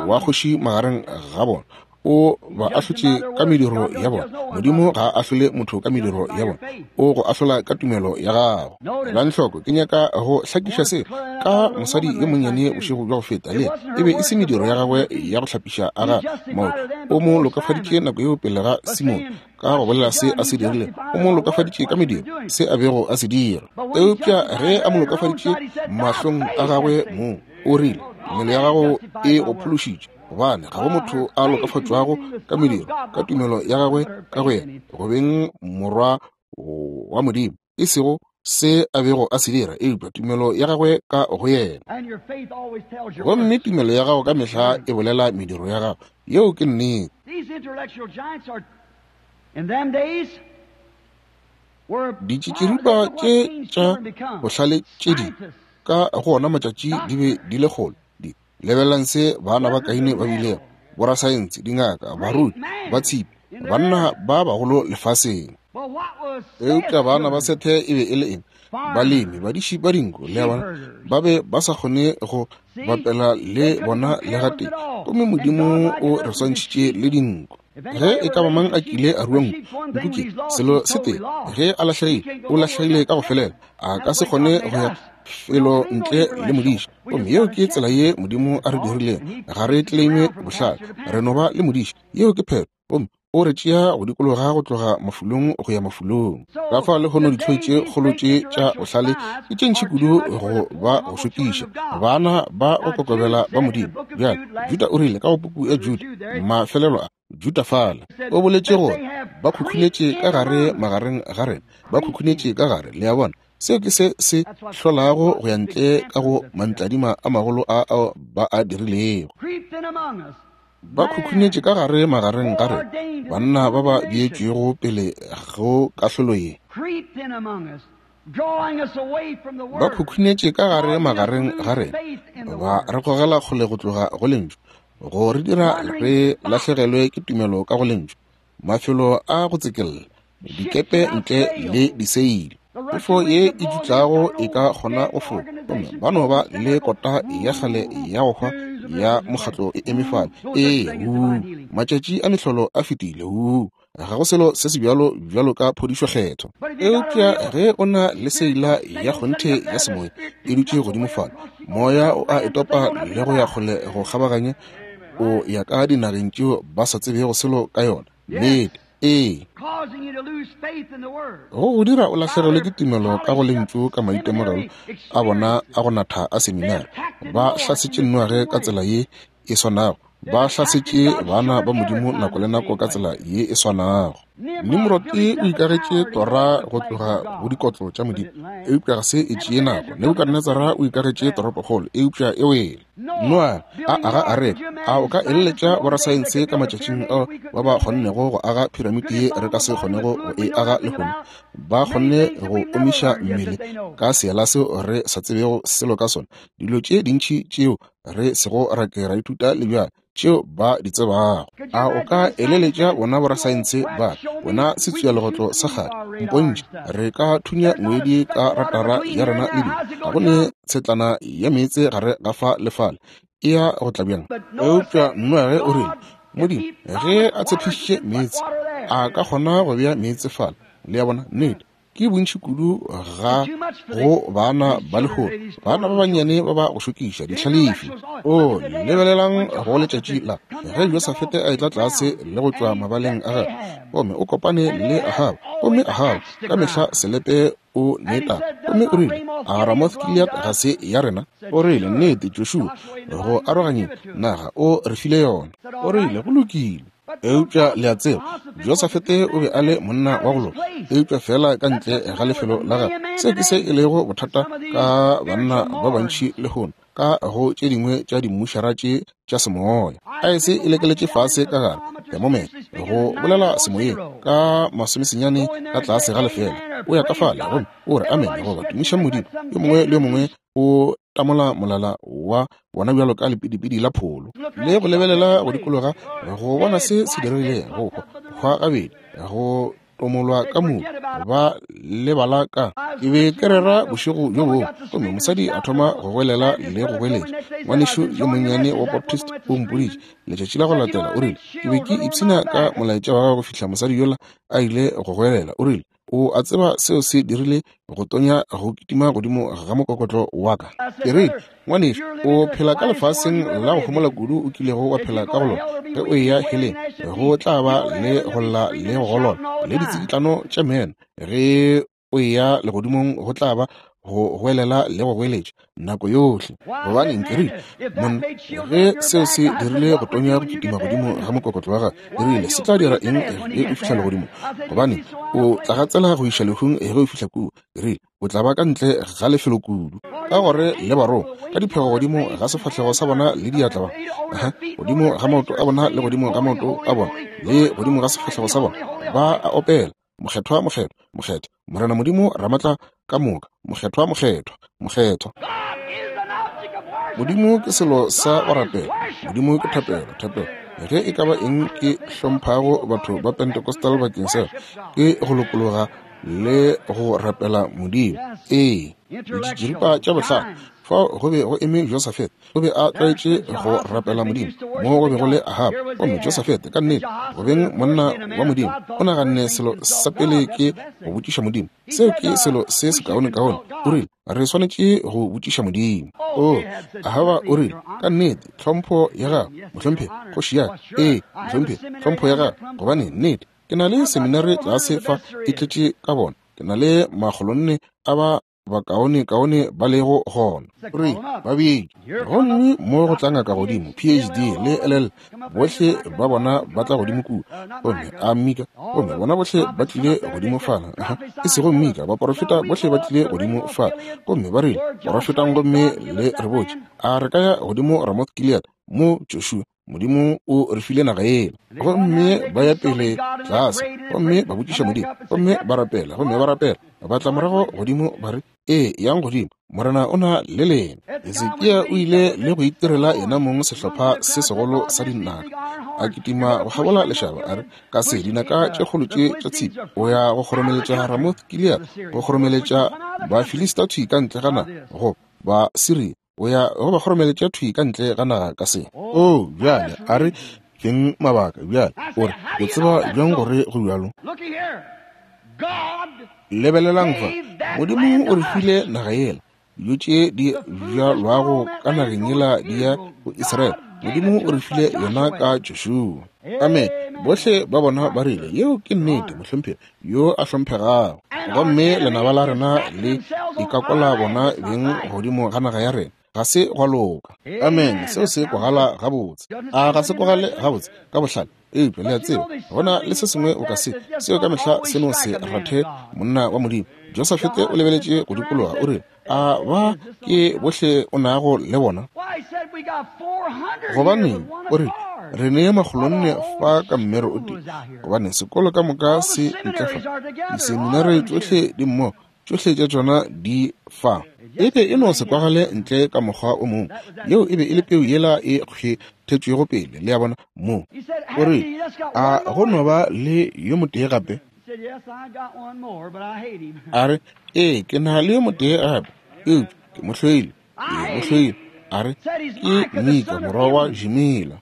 wa kgoši magareng ga bona. O ba ahlotše ka mediro ya bona. Modimo ga a ahlole motho ka mediro ya bona, o go ahlola ka tumelo ya gago. Elang hloko, ke nyaka go hlakiša se ka mosadi yo monnyane bošego bja go feta. Le e be e se mediro ya gagwe ya go hlapiša a ga maoto. O mo lokafaditše nako yeo pele ga Simone ka go bolela se a se dirile. O mo lokafaditše ka mediro, se a bego a se dira. Eupša ge a mo lokafaditše mahlong a gagwe mong, o rile, Tumelo ya gago e go phološitše. Gobane ga go motho a lokafatšwago ka mediro, ka tumelo ya gagwe ka go yena, go beng morwa wa Modimo, e sego se a bego a se dira, eupša tumelo ya gagwe ka go yena. Gomme tumelo ya gago ka mehla e bolela mediro ya gago. Yeo ke nnete. Ditšitširipa tše tša bohlale tše di ka go ona matšatši di be di le kgolo. Di lebelelang se bana ba Kaine ba bilego, borasaense, dingaka, baruti, ba tshipi, banna ba bagolo lefaseng. Eupša bana ba Sethe e be e le eng? Balemi, badiši ba dinku, le a bona, ba be ba sa kgone go bapela le bona le gatee. Gomme Modimo o re swantšhitše le dinku. Ge e ka ba mang a kile a rua nku, nku ke selo se tee, ge a lahlegile, o lahlegile ka go felela. A ka se kgone go ya felo ntle le modiši. Gomme yeo ke tsela ye Modimo a re dirilego. Ga re claime bohlale, re no ba le modiši. Yeo ke phetho. Gomme o re tšea go dikologa go tloga mafulong go ya mafulong. Ka fa lehono dihloi tše kgolo tše tša bohlale ke tše ntši kudu go ba go šokiša bana ba go kokobela ba Modimo. Bjale Juda o rile ka go puku ya Juda, mafelelo a Juda fala, o boletše gore ba khukhunetše ka gare magareng ga rena, ba khukhunetše ka gare. Le a bona, seo ke se se hlolago go ya ntle ka go mantladima a magolo a ao ba a dirilego. Ba khukhunetše ka gare magareng ga rena, banna ba ba beetšwego pele go kahlolo ye. Ba khukhunetše ka gare magareng ga rena, ba re gogela kgole go tloga go Lentšu, go re dira re lahlegelwe ke tumelo ka go Lentšu, mafelo a go tsekella, dikepe ntle le diseile. Phefo ye e dutlago e ka kgona go foka, gomme ba no ba le kota ya kgale ya go hwa ya mokgatlo e eme fale. Ee, huu, matšatši a mehlolo a fetile. Huu, ga go selo se se bjalo bjalo ka phodišo kgetho. Eupša ge o na le seila ya kgonthe ya semoya e dutše godimo fale, moya o a e topa le go ya kgole go kgabaganya, o ya ka dinageng tšeo ba sa tsebego selo ka yona. Nnete. Ee. Go go dira o lahlegelwe ke tumelo ka go Lentšu ka maitemogelo a bona a go natha a seminari. Ba hlasetše Noage ka tsela ye e swanago. Ba hlasetše bana ba Modimo nako le nako ka tsela ye e swanago. Nimrod o ikagetše tora go tloga go dikotlo tša Modimo, eupša ga se e tšee nako. Nebukadnetsara o ikagetše toropokgolo, eupša e wele. Noa a aga areka. A o ka eleletša borasaense ka matšatšing ao ba ba kgonnego go aga phiramiti ye re ka se kgonego go e aga lehono? Ba kgonne go omiša mmele ka seela seo re sa tsebego selo ka sona, dilo tše dintši tšeo re sego ra ke ra ithuta le bjale tšeo ba di tsebago. A o ka eleletša bona borasaense ba Wena setswialegotlo sa kgale, mpontšhe, re ka thunya ngwedi ka ratara ya rena le dilo. Ga go ne tshetlana ya meetse gare ga fa le fale. E ya go tla bjang? Eupša Noage o rile, Modimo, ge a tshepišitše meetse, a ka kgona go bea meetse fale. Le a bona? Nnete. Ke bontši kudu ga go baana ba lehono, baana ba bannyane ba ba go šokiša, dihlalefi. O, lebelelang go letšatši la ge Josafete a etla tlase le go tšwa mabaleng a gagwe, gomme o kopane le Ahaba, gomme Ahaba ka mehla selepe o ne taba, gomme o rile, A Ramoth Gilead ga se ya rena? O rile, Nnete, Joshua, go aroganyeng naga o re file yona. O rile, Go lokile. Eupša le a tseba, Josafete o be a le monna wa go loka, eupša feela ka ntle ga lefelo la gagwe. Se ke se e lego bothata ka banna ba bantši lehono, ka go tše dingwe tša dimmušara tše tša semoya. Aese e lekeletše fase ka gare, thermometer, go bolela semoyeng, ka masomesenyane ka tlase ga lefela. O ya ka fale gomme o re amene goba tumiša Modimo. Yo mongwe le yo mongwe o tamola molala wa bona bjalo ka lepidipidi la pholo, le go lebelela go dikologa go bona se se diregilego, go hwa, hwa gabedi, go tomolwa ka mobu, ba lebala ka. Ke be ke rera bošego bjo bongwe, gomme mosadi a thoma go goelela le go goeletša. Ngwanešu yo monnyane wa Baptist o mpoditše letšatši la go latela, o rile, Ke be ke ipshina ka molaetša wa gago go fihla mosadi yola a ile go goelela. O rile, O a tseba seo se dirile go tonya go kitima godimo ga mokokotlo wa ka. Ke rile, Ngwanešu, o phela ka lefaseng la go homola kudu o kilego wa phela ka go lona. Ge o eya heleng, go tla ba le go lla le go golola le ditsikitlano tša meno. Ge o eya legodimong, go tla ba go goelela le go goeletša nako yohle. Gobaneng, ke rile, monna, ge seo se dirile go tonya go kitima godimo ga mokokotlo wa gagwe, ke rile, se tla dira eng ge o fihla legodimong? Gobaneng, o tla gatsela go iša lehung ge o fihla kua. Ke rile, o tla ba ka ntle ga lefelo kudu, ka gore le barongwa ka diphego godimo ga sefahlego sa bona le diatla ba, aha, godimo ga maoto a bona le godimo ga maoto a bona le godimo ga sefahlego sa bona, ba a opela, Mokgethwa, mokgethwa, mokgethwa, Morena Modimo Ramatla ka moka, mokgethwa, mokgethwa, mokgethwa. Modimo ke selo sa go rapela. Modimo ke thapelo, thapelo. Ge e ka ba eng ke hlomphago batho ba Pentecostal bakeng sa ke go lokologa le go rapela Modimo. Ee, ditširipa tša bohlale. Fao go be go eme Josafete, o be a tlwaetše go rapela Modimo, mo go be go le Ahaba. Gomme Josafete, ka nnete, go beng monna wa Modimo, o naganne selo sa pele ke go botšiša Modimo. Seo ke selo se sekaonekaone. O rile, Re swanetše go botšiša Modimo. O, Ahaba o rile, ka nnete, tlhompho ya gago, mohlomphegi, kgoši ya ka. Ee, mohlomphegi, tlhompho ya gago, gobane nnete, ke na le seminari tlase fa e tletše ka bona. Ke na le makgolonne a ba bakaonekaone ba lego gona. Re ba bitše. Gomme mo go tla ngaka godimo, PhD le LL, bohle ba bona ba tla godimo kua. Gomme a Mika, gomme bona bohle ba tlile godimo fala. E sego Mika, baporofeta bohle ba tlile godimo fala. Gomme ba rile, Porofetang gomme le re botše, a re ka ya godimo Ramoth Gilead, mo Joshua Modimo o re file naga yela. Gomme ba ya pele tlase, gomme ba botšiša Modimo, gomme ba rapela, gomme ba rapela, ba tla morago godimo, ba re, Ee, yang godimo, Morena o na le lena. Hesekia o ile le go itirela yena mong sehlopha se segolo sa dinaka, a kitima go kgabola lešaba, a re, Ka se dinaka tše kgolo tše tša tshipi, o ya go kgoromeletša Ramoth Gilead, go kgoromeletša Bafilista thwi ka ntle ga naga, go ba Siria, o ya go ba kgoromeletša thwi ka ntle ga naga ka se. Oo, bjale, a re feng mabaka bjale. O re, O tseba bjang gore go bjalo? Lebelelang fa, Modimo o re file naga yela. Dijo tše di bjalwago ka nageng yela di ya go Israele. Modimo o re file yona ka Joshua. Amen. Bohle ba bona ba rile, Yeo ke nnete, mohlomphegi yo a hlomphegago. Gomme lenaba la rena le ikakola bona beng godimo ga naga ya rena. Ga se gwa loka. Amen. Seo se kwagala gabotse. A ga se kwagale gabotse ka bohlale? Eupša le a tseba, go na le se sengwe o ka se, seo ka mehla se no se rathe monna wa Modimo. Josafete o lebeletše go dikologa, o rile, A ba ke bohle o nago le bona? Gobaneng, o rile, re ne makgolonne fa ka mmero o tee, gobane sekolo ka moka se ntle fa, diseminari tšohle di mmogo, tšohle tša tšona di fa. E be e no se kwagale ntle ka mokgwa o mongwe. Yeo e be e le peu yela e kgethetšwego pele, le a bona, mo. O rile, A go no ba le yo motee gape? A re, Ee, ke na le yo motee gape, eupša ke mo hloile. Ke mo hloile. A re, Ke Mika, morwa wa Jimila.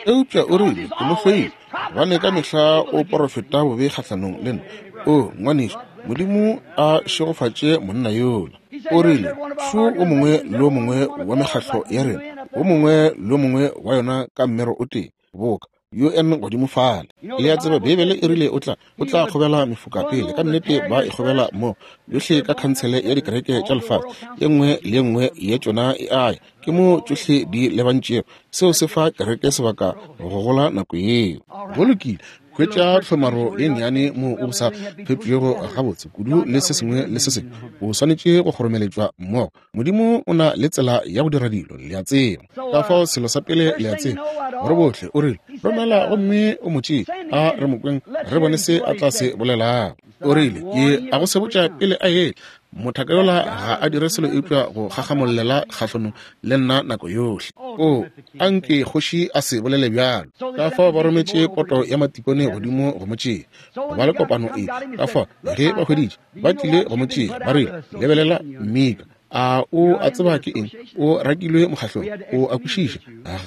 Eupša o rile, Ke mo hloile, gobane ka mehla o porofeta bobe kgahlanong le nna. O, ngwanešu, Modimo a šegofatše monna yola. O rile, Šo o mongwe le o mongwe wa mekgatlo ya rena, o mongwe le o mongwe wa yona ka mmero o tee, boka UN godimo fale. Le a tseba, Beibele e rile o tla, o tla kgobela mefoka pele. Ka nnete ba e kgobela mo, yohle ka Khansele ya Dikereke tša Lefase. Ye nngwe le ye nngwe ya tšona e a ya. Ke mo tšohle di lebantšego. Seo se fa kereke sebaka go gola nako yeo. Go lokile. Hwetša tlhomaro ye nnyane moo o sa fepšwego gabotse kudu le se sengwe le se sengwe. O swanetše go kgoromeletšwa mmogo. Modimo o na le tsela ya go dira dilo, le a tseba. Ka fao selo sa pele le a tseba, gore bohle o rile, Romela gomme o mo tšee, a re mo kweng, re bone se a tla se bolelago. O rile, Ke a go sebotša pele a etla, mothaka yola ga a dire selo eupša go gagamollela kgahlanong le nna nako yohle. O, a nke kgoši a se bolele bjalo. Ka fao ba rometše poto ya matikone godimo go mo tšea, go ba le kopano e. Ka fao ge ba hweditše, ba tlile go mo tšea, ba rile, Lebelela, Mika, a o a tseba ke eng? O rakilwe mokgahlong, o a kwešiša,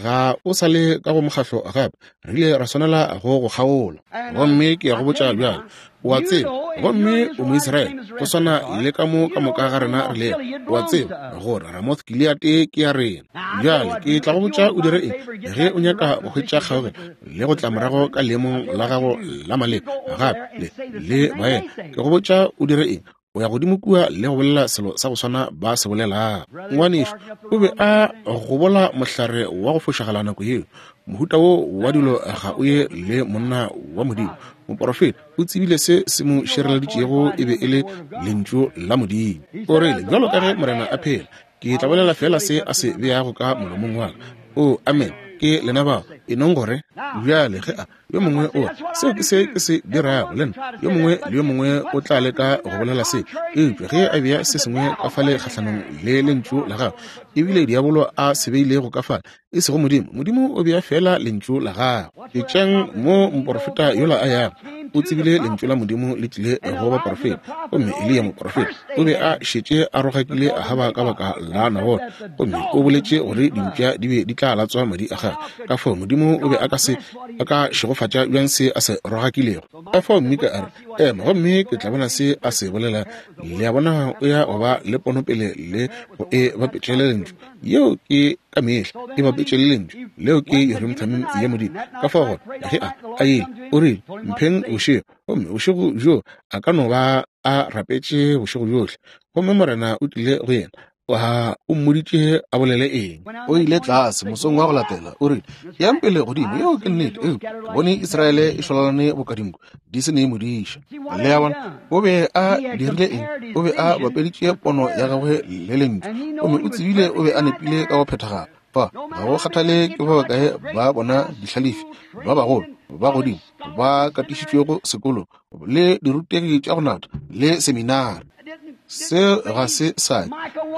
ga o sa le ka go mokgahlo gape. Re ile ra swanela go go kgaola. Gomme ke ya go botša bjale, o a tseba, gomme o Moisraele, go swana le ka mo ka moka ga rena re lego. O a tseba gore Ramoth Gileate ke ya rena. Bjale ke tla go botša o dire eng ge o nyaka go hwetša kgaogelo le go tla morago ka leemong la gago la maleba gape le, le baena. Ke go botša o dire eng. O ya godimo kua le go bolela selo sa go swana ba se bolelago. Ngwanešu o be a gobola mohlare wa go fošagala nako yeo. Mohuta wo wa dilo ga o ye le monna wa Modimo. Moporofeta o tsebile se se mo šireleditšego e be e le Lentšu la Modimo. O rile, Bjalo ka ge Morena a phela, ke tla bolela feela se a se beago ka molomong wa ka. O, amen, ke lena bao. E nong gore bjale ge a Yo mongwe o re, Seo ke se ke se dirago le nna. Yo mongwe le yo mongwe o tla leka go bolela se. Eupša ge a bea se sengwe ka fale kgahlanong le Lentšu la gagwe, ebile diabolo a se beilego ka fale, e sego Modimo, Modimo o bea feela Lentšu la gagwe. Etšang mo moporofeta yola a yago. O tsebile Lentšu la Modimo le tlile go baporofeta. Gomme Eliya moporofeta o be a šetše a rogakile Ahaba ka baka la Nabothe, gomme o boletše gore dimpša di be di tla latswa madi a gagwe. Ka fao Modimo o be a ka se a ka šegofatša bjang se a se rogakilego. Ka fao Mika a re, Ema, gomme ke tla bona se a se bolela. Le a bona, o ya go ba le ponopele le go e bapetše le Lentšu. Yeo ke ka mehla e bapetše le Lentšu. Leo ke Urim Thummim ya Modimo. Ka fao gona, ge a, a ile, o rile, Mpheng bošego. Gomme bošego bjoo a ka no ba a rapetše bošego bjohle. Gomme Morena o tlile go yena, A o mmoditše a bolele eng? O ile tlase mosong wa go latela, o rile, Yang pele godimo, yeo ke nnete, eupša ke bone Israele e šwalalane boka dinku, di se ne modiša. Le a bona? O be a dirile eng? O be a bapeditše pono ya gagwe le Lentšu, gomme o tsebile o be a nepile ka go phethagala. Fa, ga go kgathale ke ba bakae ba bona dihlalefi ba bagolo ba godimo ba katišitšwego sekolong le dirutegi tša go natha le seminari. Se ga se sa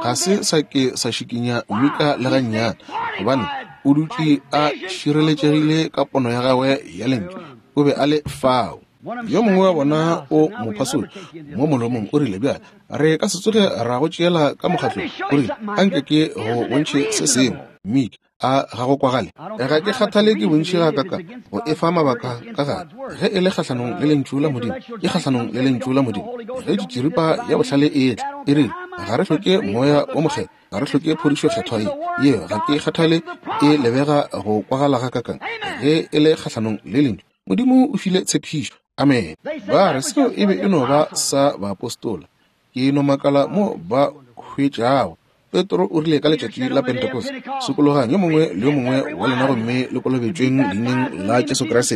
ga se sa ke sa šikinya Mika le gannyane, gobane o dutše a šireletšegile ka pono ya gagwe ya Lentšu. O be a le fao. Yo mongwe wa bona o mo phasotše mo molomong, o rile, Bjale, re ka se tsoge ra go tšeela ka mokgatlong. O rile, Anke ke go bontšhe se sengwe, Mika. A ga go kwagale? Ga ke kgathale ke bontši gakakang go e fa mabaka ka gare. Ge e le kgahlanong le Lentšu la Modimo, ke kgahlanong le Lentšu la Modimo. Ge tšitširipa ya bohlale e etla, e rile, Ga re hloke Moya wo Mokgethwa, ga re hloke phodišo Kgethwa ye. Yeo, ga ke kgathale e lebega go kwagala gakakang, ge e le kgahlanong le Lentšu. Modimo o file tshepišo. Amene. Ba re seo e be e no ba sa baapostola. Ke no makala mo ba hwetšago. Petro o rile ka letšatši la Pentecost, Sokologang yo mongwe le yo mongwe wa lena gomme le kolobetšweng leineng la Jesu Kriste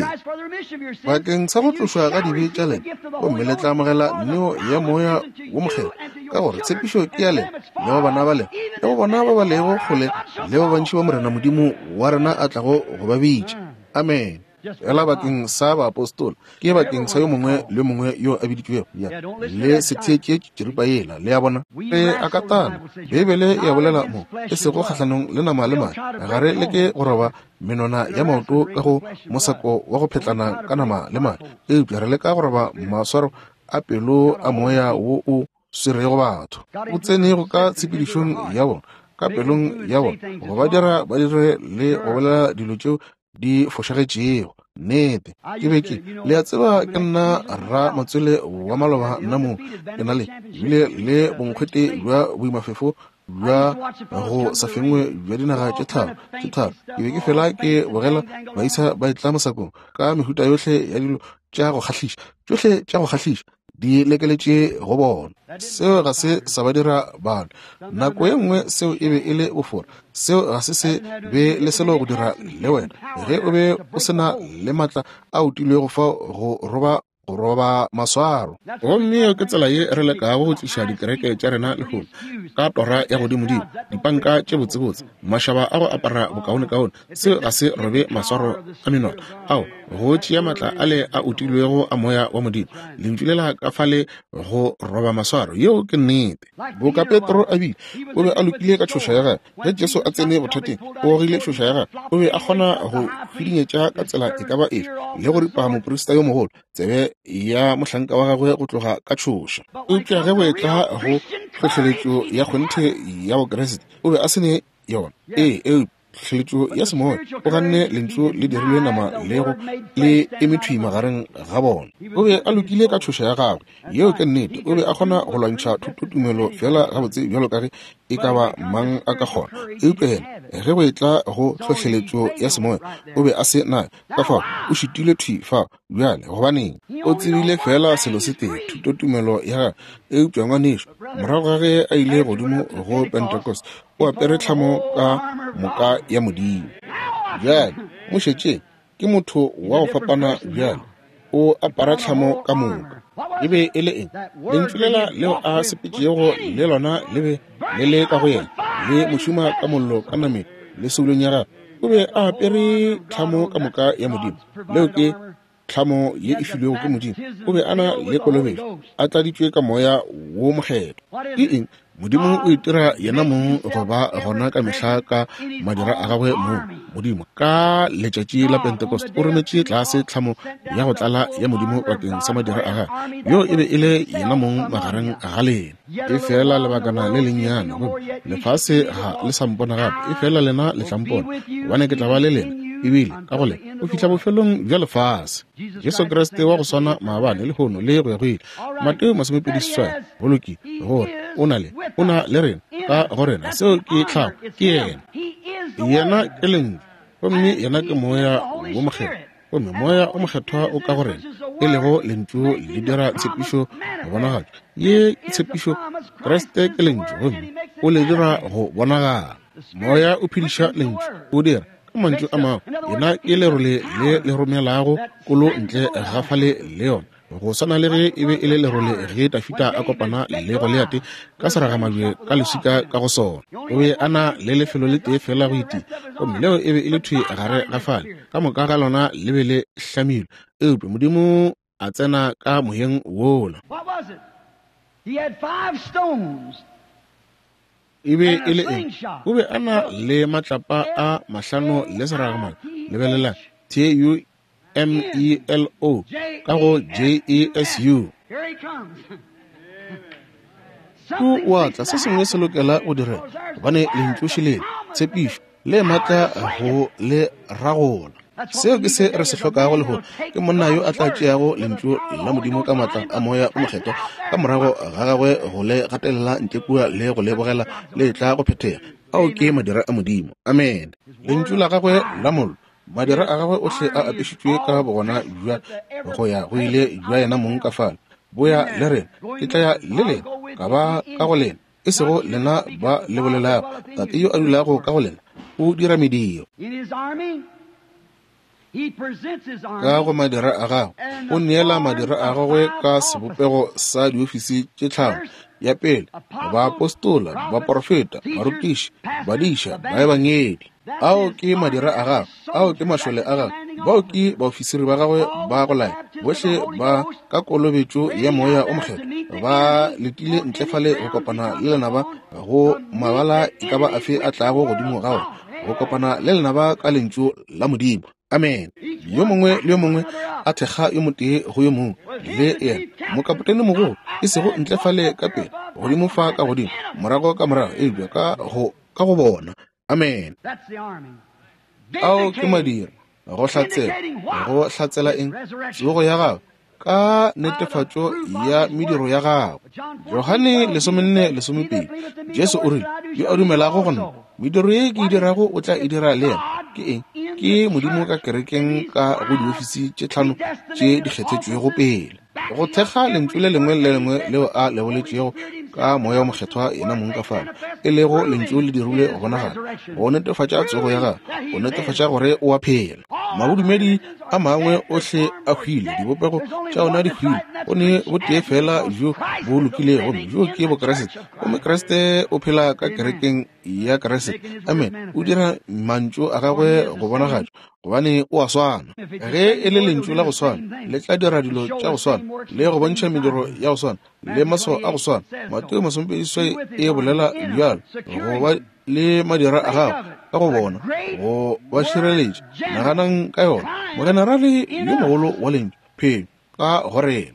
bakeng sa go tlošwa ga dibe tša lena, gomme le tla amogela neo ya Moya wo Mokgethwa, ka gore tshepišo ke ya lena le go bana ba lena le go bona ba ba lego kgole le ba bantši ba Morena Modimo wa rena a tlago go ba bitša. Amene. Fela bakeng sa baapostola, ke bakeng sa yo mongwe le yo mongwe yo a biditšwego. Ya, le se theetše tširipa yela, le a bona. Re a katana. Beibele e a bolela mo, e sego kgahlanong le nama le madi. Ga re leke go roba menwana ya maoto ka go mosako wa go phetlana ka nama le madi, eupša re leka go roba maswaro a pelo a moya wo o swerego batho, o tsenego ka tshepedišong ya bona, ka pelong ya bona, go ba dira ba dire le go bolela dilo tšeo di fošagetšego. Nnete, ke be ke, le a tseba, ke nna ra matswele wa maloba nna mo, ke na le bile le bonkgwete bja boimafefo bja go sa fengwe bja dinaga tše tharo tše tharo. Ke be ke fela ke bogela baisa ba etla mosakong ka mehuta yohle ya dilo tša go kgahliša, tšohle tša go kgahliša di lekeletše go bona. Seo ga se sa ba dira bana. Nako ye nngwe seo e be e le bofora. Seo ga se se be le selo go dira le wena ge o be o se na le matla a utilwego fao go roba go roba maswaro. Gomme yeo ke tsela ye re lekago go tliša dikereke tša rena lehono, ka tora ya godimodimo, dipanka tše botsebotse, mašaba a go apara bokaonekaone. Seo ga se robe maswaro a menwana ao, go tšea matla ale a utilwego a moya wa Modimo, lentšu lela ka fale go roba maswaro. Yeo ke nnete. Boka Petro a bile, o be a lokile ka tšhoša ya gagwe. Ge Jesu a tsene bothateng, o gogile tšhoša ya gagwe. O be a kgona go hwidinyetša ka tsela e ka ba efe le go ripa moprista yo mogolo tsebe ya mohlanka wa gagwe go tloga ka tšhoša. Eupša ge go etla go tlhohleletšo ya kgonthe ya Bokriste, o be a se ne yona. Ee, eupša tlhohleletšo ya semoya, o ganne lentšu le dirilwe nama le go le eme thwi magareng ga bona. O be a lokile ka tšhoša ya gagwe. Yeo ke nnete. O be a kgona go lwantšha thutotumelo feela gabotse bjalo ka ge e ka ba mang a ka kgona. Eupša yena, ge go etla go tlhohleletšo ya semoya, o be a se nayo. Ka fao, o šitilwe thwi fao. Bjale, gobaneng? O tsebile feela selo se tee, thutotumelo ya gagwe. Eupša, ngwanešu, morago ga ge a ile godimo go Pentecost, o apere tlhamo ka moka ya Modimo. Bjale, mo šetšeng, ke motho wa go fapana bjale. O apara tlhamo ka moka. E be e le eng? Lentšu lela leo a sepetšego le lona le be le le ka go yena, le mo šoma ka mollo ka nameng le soulong ya gagwe. O be a apere tlhamo ka moka ya Modimo. Leo ke tlhamo ye e filwego ke Modimo. O be a na le kolobetšo, a tladitšwe ka Moya wo Mokgethwa. Ke eng? Modimo o itira yena mong go ba gona ka mehla ka madira a gagwe mong. Modimo ka letšatši la Pentecost o rometše tlase tlhamo ya go tlala ya Modimo bakeng sa madira a gagwe. Yo e be e le yena mong magareng ga lena. E fela lebakana le lennyane, gomme lefase ga le sa mpona gape, e fela lena le tla mpona, gobane ke tla ba le lena, ebile ka go lena, go fihla bofelong bja lefase. Jesu Kriste wa go swana maabane, lehono, le go ya go ile. Mateo 28, go lokile, gore o na le, o na le rena, ka go rena. Seo ke tlhago, ke Yena. Yena ke Lentšu, gomme Yena ke Moya wo Mokgethwa, gomme Moya wo Mokgethwa o ka go rena, e lego Lentšu le dira tshepišo go bonagatšwa. Ye ke tshepišo, Kriste ke Lentšu, gomme o le dira go bonagala. Moya o phediša Lentšu, o dira ka mantšu a mangwe, Yena ke lerole le le romelago kolo ntle ga fale le yona. Go swana le ge e be e le lerole ge Dafida a kopana le Goliate ka seragamabje ka leswika ka go sona. O be a na le lefelo le tee fela go itia, gomme leo e be e le thwi gare ga fale. Ka moka ga lona le be le hlamilwe, eupša Modimo a tsena ka moyeng wola. E be e le eng? O be a na le matlapa a mahlano le seragamabje. Lebelelang, T-U M E L O ka go J E S U. O wa tla, se sengwe se lokela go direga, gobane lentšu šelele, tshepišo, le matla go le ragola. Seo ke se re se hlokago lehono, ke monna yo a tla tšeago lentšu la Modimo ka matla a Moya o Mokgethwa ka morago ga gagwe go le gatelela ntle kua le go le bogela le tla go phethega. Ao ke madira a Modimo. Amene. Lentšu la gagwe la mollo Madira a gagwe ohle a apešitšwe ka bogona bja go ya go ile bja yena mong ka fale. Boya le rena, ke tla ya le lena, ka ba ka go lena, e sego lena ba le bolelago. Tate yo a dulago ka go lena o dira mediro. Ka go madira a gagwe, o neela madira a gagwe ka sebopego sa diofisi tše tlhano. Ya pele, baapostola, baporofeta, barutiši, badiša, baebangedi. Ao ke madira a gagwe, ao ke mašole a gagwe. Bao ke baofisiri ba gagwe ba go laya, bohle ba ka kolobetšo ya Moya o Mokgethwa, ba letile ntle fale go kopana le lenaba go mabala e ka ba afe a tlago godimo ga ona, go kopana le lenaba ka lentšu la Modimo. Amen. Yo mongwe le yo mongwe a thekga yo motee go yo mongwe le yena. Mokapotene mogolo, e sego ntle fale ka pele, godimo fa ka godimo, morago ka morago, eupša ka go bona. Amen. Ao ke madira, go hlatsela, go hlatsela eng? Tsogo ya gagwe ka netefatšo ya mediro ya gagwe. Johane 14:12, Jesu o rile, yo a dumelago go nna, mediro ye ke e dirago o tla e dira le yena. Ke eng? Ke Modimo ka kerekeng ka go diofisi tše 5 tše di kgethetšwego pele, go thekga lentšu le lengwe le lengwe leo a le boletšego ka Moya o Mokgethwa yena mong ka fao, e lego lentšu le dirilwe go bonagala, go netefatša tsogo ya gagwe, go netefatša gore o a phela. Mabodumedi a mangwe ohle a hwile, dibopego tša ona di hwile, go ne botee fela bjo bo lokilego, gomme bjo ke Bokreste, gomme Kriste o phela ka kerekeng ya Kriste. Amen. O dira mantšu a gagwe go bonagatšwa, gobane o a swana. Ge e le lentšu la go swana, le tla dira dilo tša go swana, le go bontšha mediro ya go swana, le maswao a go swana. Mateo 28 e bolela bjalo, go ba le madira a gago ka go bona, go ba šireletša. Naganang ka yona. Mogenerale yo mogolo wa lentšu, phenyo ka go rena.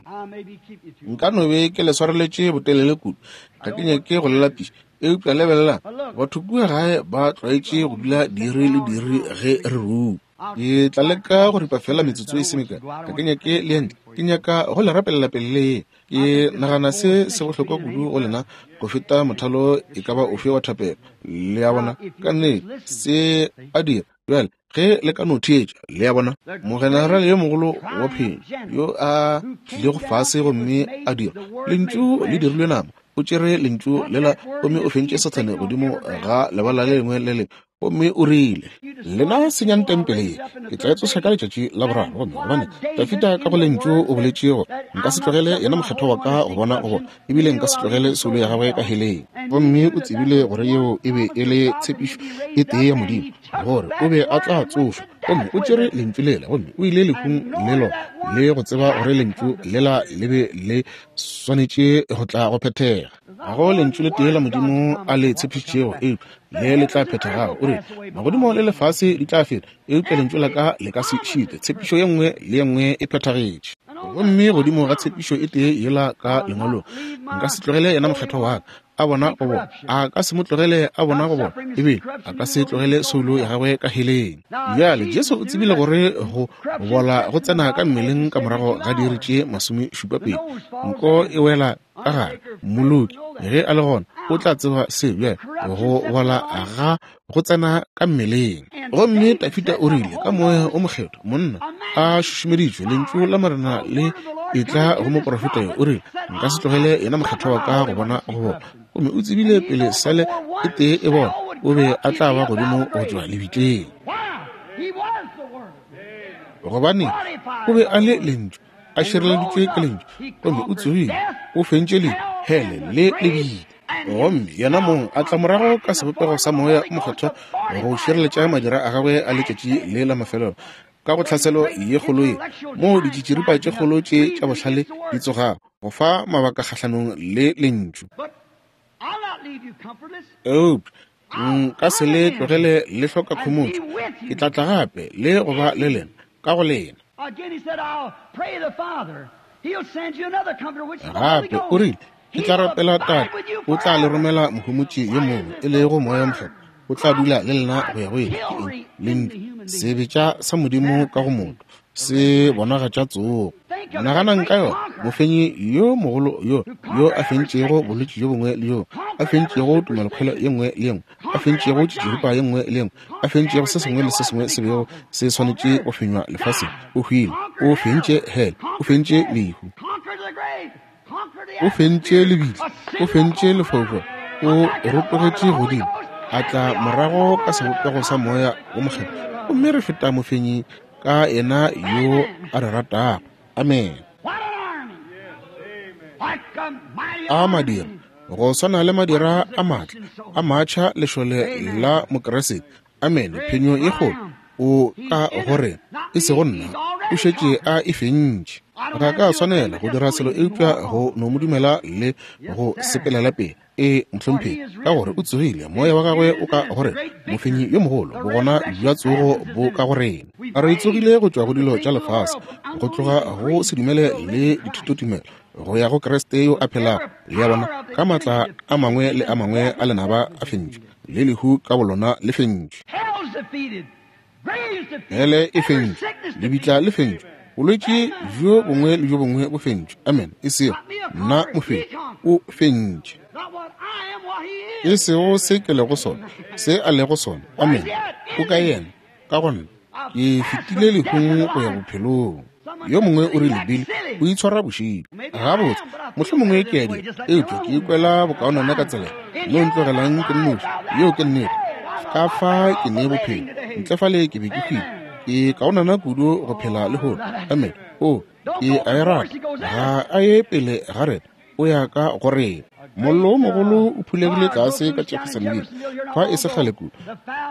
Nka no be ke le swareletše botelele kudu, ga ke nyake go le lapiša, eupša lebelelang, batho kua gae ba tlwaetše go dula diiri le diiri ge re rua. Ke tla leka go ripa fela metsotso e se mekae, ga ke nyake le ntle, ke nyaka go le rapelela pele le. Ke nagana se se bohlokwa kudu go lena go feta mothalo e ka ba ofe wa thapelo. Le a bona, ka nnete se a dira. Bjale ge le ka no theetša, le a bona, mogenerale yo mogolo wa phenyo yo a tlilego fase gomme a dira lentšu le dirilwe nama, o tšere lentšu lela gomme o fentše Sathane godimo ga lebala le lengwe le lengwe, gomme o rile, lena senyang tempele ye, ke tla e tsoša ka letšatši la boraro. Gomme gobane Dafida ka go lentšu o boletše gore, nka se tlogele yena mokgethwa wa ka go bona go bona, ebile nka se tlogele soulo ya gagwe ka heleng. Gomme o tsebile gore yeo e be e le tshepišo e tee ya Modimo, gore o be a tla tsošwa. Gomme o tšere lentšu lela gomme o ile lehung le lona, le go tseba gore lentšu lela le be le swanetše go tla go phethega. Ga go lentšu le tee la Modimo a le tshepišitšego eupša le le tla phethagago. O re, magodimo le lefase di tla feta, eupša lentšu la ka le ka se šitwe. Tshepišo ye nngwe le ye nngwe e phethagetše. Gomme godimo ga tshepišo e tee yela ka lengwalong, nka se tlogele yena mokgethwa wa ka a bona go bona, a ka se mo tlogele a bona go bona, ebile a ka se tlogele soulo ya gagwe ka heleng. Bjale Jesu o tsebile gore go bola go tsena ka mmeleng ka morago ga diiri tše 72, nko e wela ka gare. Mmoloki ge a le gona o tla tseba se. Bjale go bola ga go tsena ka mmeleng. Gomme Dafida o rile ka Moya o Mokgethwa, monna a šušumeditšwe lentšu la Morena le etla go moprofeta yo, o rile, nka se tlogele yena mokgethwa wa ka go bona go bona. Gomme o tsebile pele sele e tee e bona, o be a tla ba godimo go tšwa lebitleng, gobane o be a le lentšu, a šireleditšwe ke lentšu. Gomme o tsogile, o fentše lehu, hele le lebitla. Gomme yena mong a tla morago ka sebopego sa Moya o Mokgethwa go šireletša madira a gagwe a letšatši le la mafelelo ka go tlhaselo ye kgolo ye, moo ditšitširipa tše kgolo tše tša bohlale di tsogago go fa mabaka kgahlanong le lentšu. Eupša nka se le tlogele le hloka khomotšo, ke tla tla gape le go ba le lena ka go lena. Gape o rile, ke tla rapela Tate, o tla le romela mohomotši yo mongwe, e lego Moya Mokgethwa, o tla dula le lena go ya go ile. Ke eng? Lentšu, sebetša sa Modimo ka go motho, se bonagatša tsogo. Naganang ka yona, mofenyi yo mogolo yo, yo a fentšego bolwetši jo bongwe le jo, a fentšego tumelokgwelo ye nngwe le ye nngwe, a fentšego tšitširipa ye nngwe le ye nngwe, a fentšego se sengwe le se sengwe se bego se swanetše go fenywa lefaseng, o hwile, o fentše hele, o fentše lehu, o fentše lebitla, o fentše lefaufau, o rotogetše godimo, a tla morago ka sebopego sa Moya o Mokgethwa, gomme re feta mofenyi ka yena yo a re ratago. Amen. A madira, go swana le madira a maatla a matšha lešole la Mokeresete. Amen. Phenyo e kgolo. O ka go rena, e sego nna. O šetše a e fentše. Ga ka swanela go dira selo eupša go no mo dumela le go sepelela pele. Ee, mohlomphegi, ka gore o tsogile, moya wa gagwe o ka go rena, mofenyi yo mogolo, bogona bja tsogo bo ka go rena. Re tsogile go tšwa go dilo tša lefase, go tloga go sedumele le dithutotumelo, go ya go Kriste yo a phelago, le a bona, ka maatla a mangwe le a mangwe a lenaba a fentšwe, le lehu ka bolona le fentšwe. Hele e fentšwe, lebitla le fentšwe, bolwetši bjo bongwe le bjo bongwe bo fentšwe. Amen. E sego nna mofenyi, o fentše. E sego se ke lego sona, se a lego sona. Amen. O ka yena, ka go nna. Ke fetile lehung go ya bophelong. Yo mongwe o rile, Billy, o itshwara bošilo. Gabotse, mohlomongwe ke a dira, eupša ke ikwela bokaonana ka tsela no ntlogelang ke nnoši. Yeo ke nnete. Ka fa ke ne bophelo, ntle fale ke be ke hwile. Ke kaonana kudu go phela lehono. Amen. O, ke a e rata. Ga a ye pele ga rena, o ya ka go rena. Mollo wo mogolo o phulegile tlase ka Jeffersonville fa e se kgale kudu.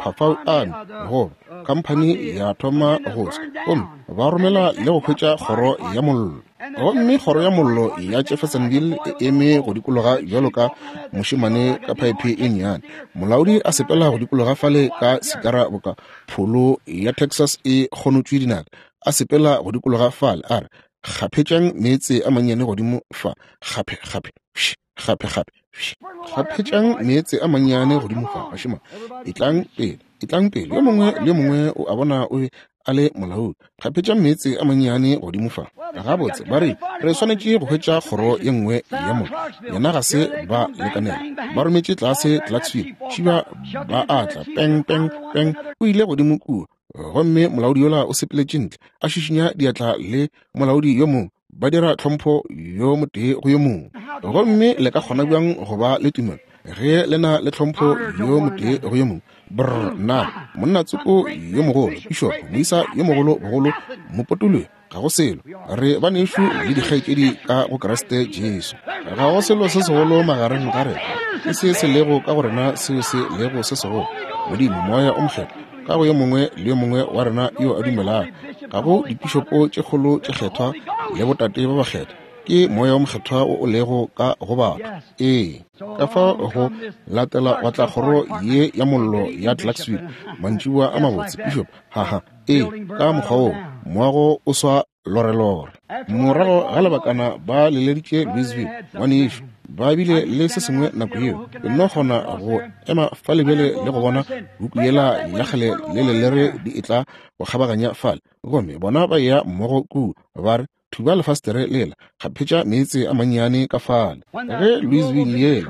Phafau Army, goba khamphani ya thoma go swa, gomme ba romela le go hwetša kgoro ya mollo. Gomme kgoro ya mollo ya Jeffersonville e eme go dikologa bjalo ka mošemane ka phaephe e nnyane. Molaodi a sepela go dikologa fale ka sikara boka pholo ya Texas e kgonotšwe dinaka, a sepela go dikologa fale, a re, Kgaphetšang meetse a mannyane godimo fa, kgaphe, kgaphe, fš, kgaphe, kgaphe, fš. Kgaphetšang meetse a mannyane godimo fa, bašemane. Etlang pele, etlang pele. Yo mongwe le yo mongwe o a bona o be a le molaodi. Kgaphetšang meetse a mannyane godimo fa. Gabotse, ba re, re swanetše go hwetša kgoro ye nngwe ya mollo. Yena ga se ba lekanela. Ba rometše tlase Clarksville. Šiba ba a tla, peng, peng, peng. O ile godimo kua. Gomme molaodi yola o sepeletše ntle, a šišinya diatla le molaodi yo mongwe, ba dira tlhompho yo motee go yo mongwe. Gomme le ka kgona bjang go ba le tumelo ge le na le tlhompho yo motee go yo mongwe? Brr, na monna tsoko yo mogolo, pišopo, moisa yo mogolo bogolo, mopotologi, ga go selo. Re banešu le dikgaetšedi ka go Kriste Jesu. Ga go selo se segolo magareng ga rena, ke se se lego ka go rena seo se lego se segolo. Modimo, Moya o Mokgethwa, ka go yo mongwe le yo mongwe wa rena yo a dumelago. Ga go dipišopo tše kgolo tše kgethwa le botate ba bakgethwa, ke Moya o Mokgethwa wo o lego ka go batho. Ee. Ka fao go latela gwa tla kgoro ye ya mollo ya Clarksville, mantšiboa a mabotse, pišopo, haha. Ee, ka mokgwa woo moago o swa lorelore. Morago ga lebakana ba leleditše Louisville, ngwanešu, ba bile le se sengwe nako yeo. Ke nno kgona go ema fale bjale le go bona huku yela ya kgale le lelere di etla go kgabaganya fale. Gomme bona ba eya mmogo kua, ba re, Thuba lefastere lela, kgaphetša meetse a mannyane ka fale. Ge Louisville yela,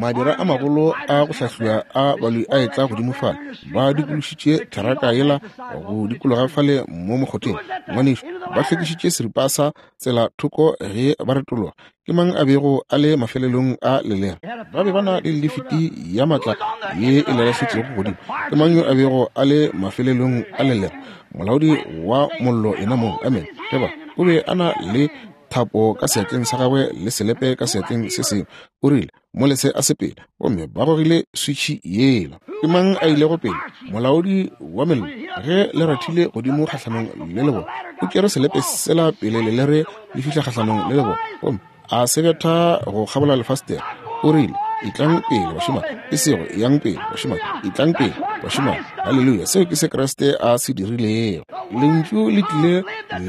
madira a magolo a go hlahliwa a baloi a etla godimo fale, ba dikološitše theraka yela go dikologa fale mo mokgotheng. Ngwanešu, ba hlwekišitše seripa sa tsela thoko ge ba retologa. Ke mang a bego a le mafelelong a lelere? Ba be ba na le lifiti ya matla ye e lelahletšego godimo. Ke mang yo a bego a le mafelelong a lelere? Molaodi wa mollo yena mong. Amen. Ge ba, o be a na le thapo ka seatleng sa gagwe le selepe ka seatleng se sengwe. O rile, Mo lese a sepele. Gomme ba gogile switšhi yela. Ke mang a ilego pele? Molaodi wa mello. Ge le rathile godimo kgahlanong le lebone, o tšere selepe sela pele lelere le fihla kgahlanong le lebone, gomme a se betha go kgabola lefastere. O rile, Etlang pele, bašemane. E sego, Eyang pele, bašemane. Etlang pele, bašemane. Haleluya! Seo ke se Kriste a se dirilego. Lentšu le tlile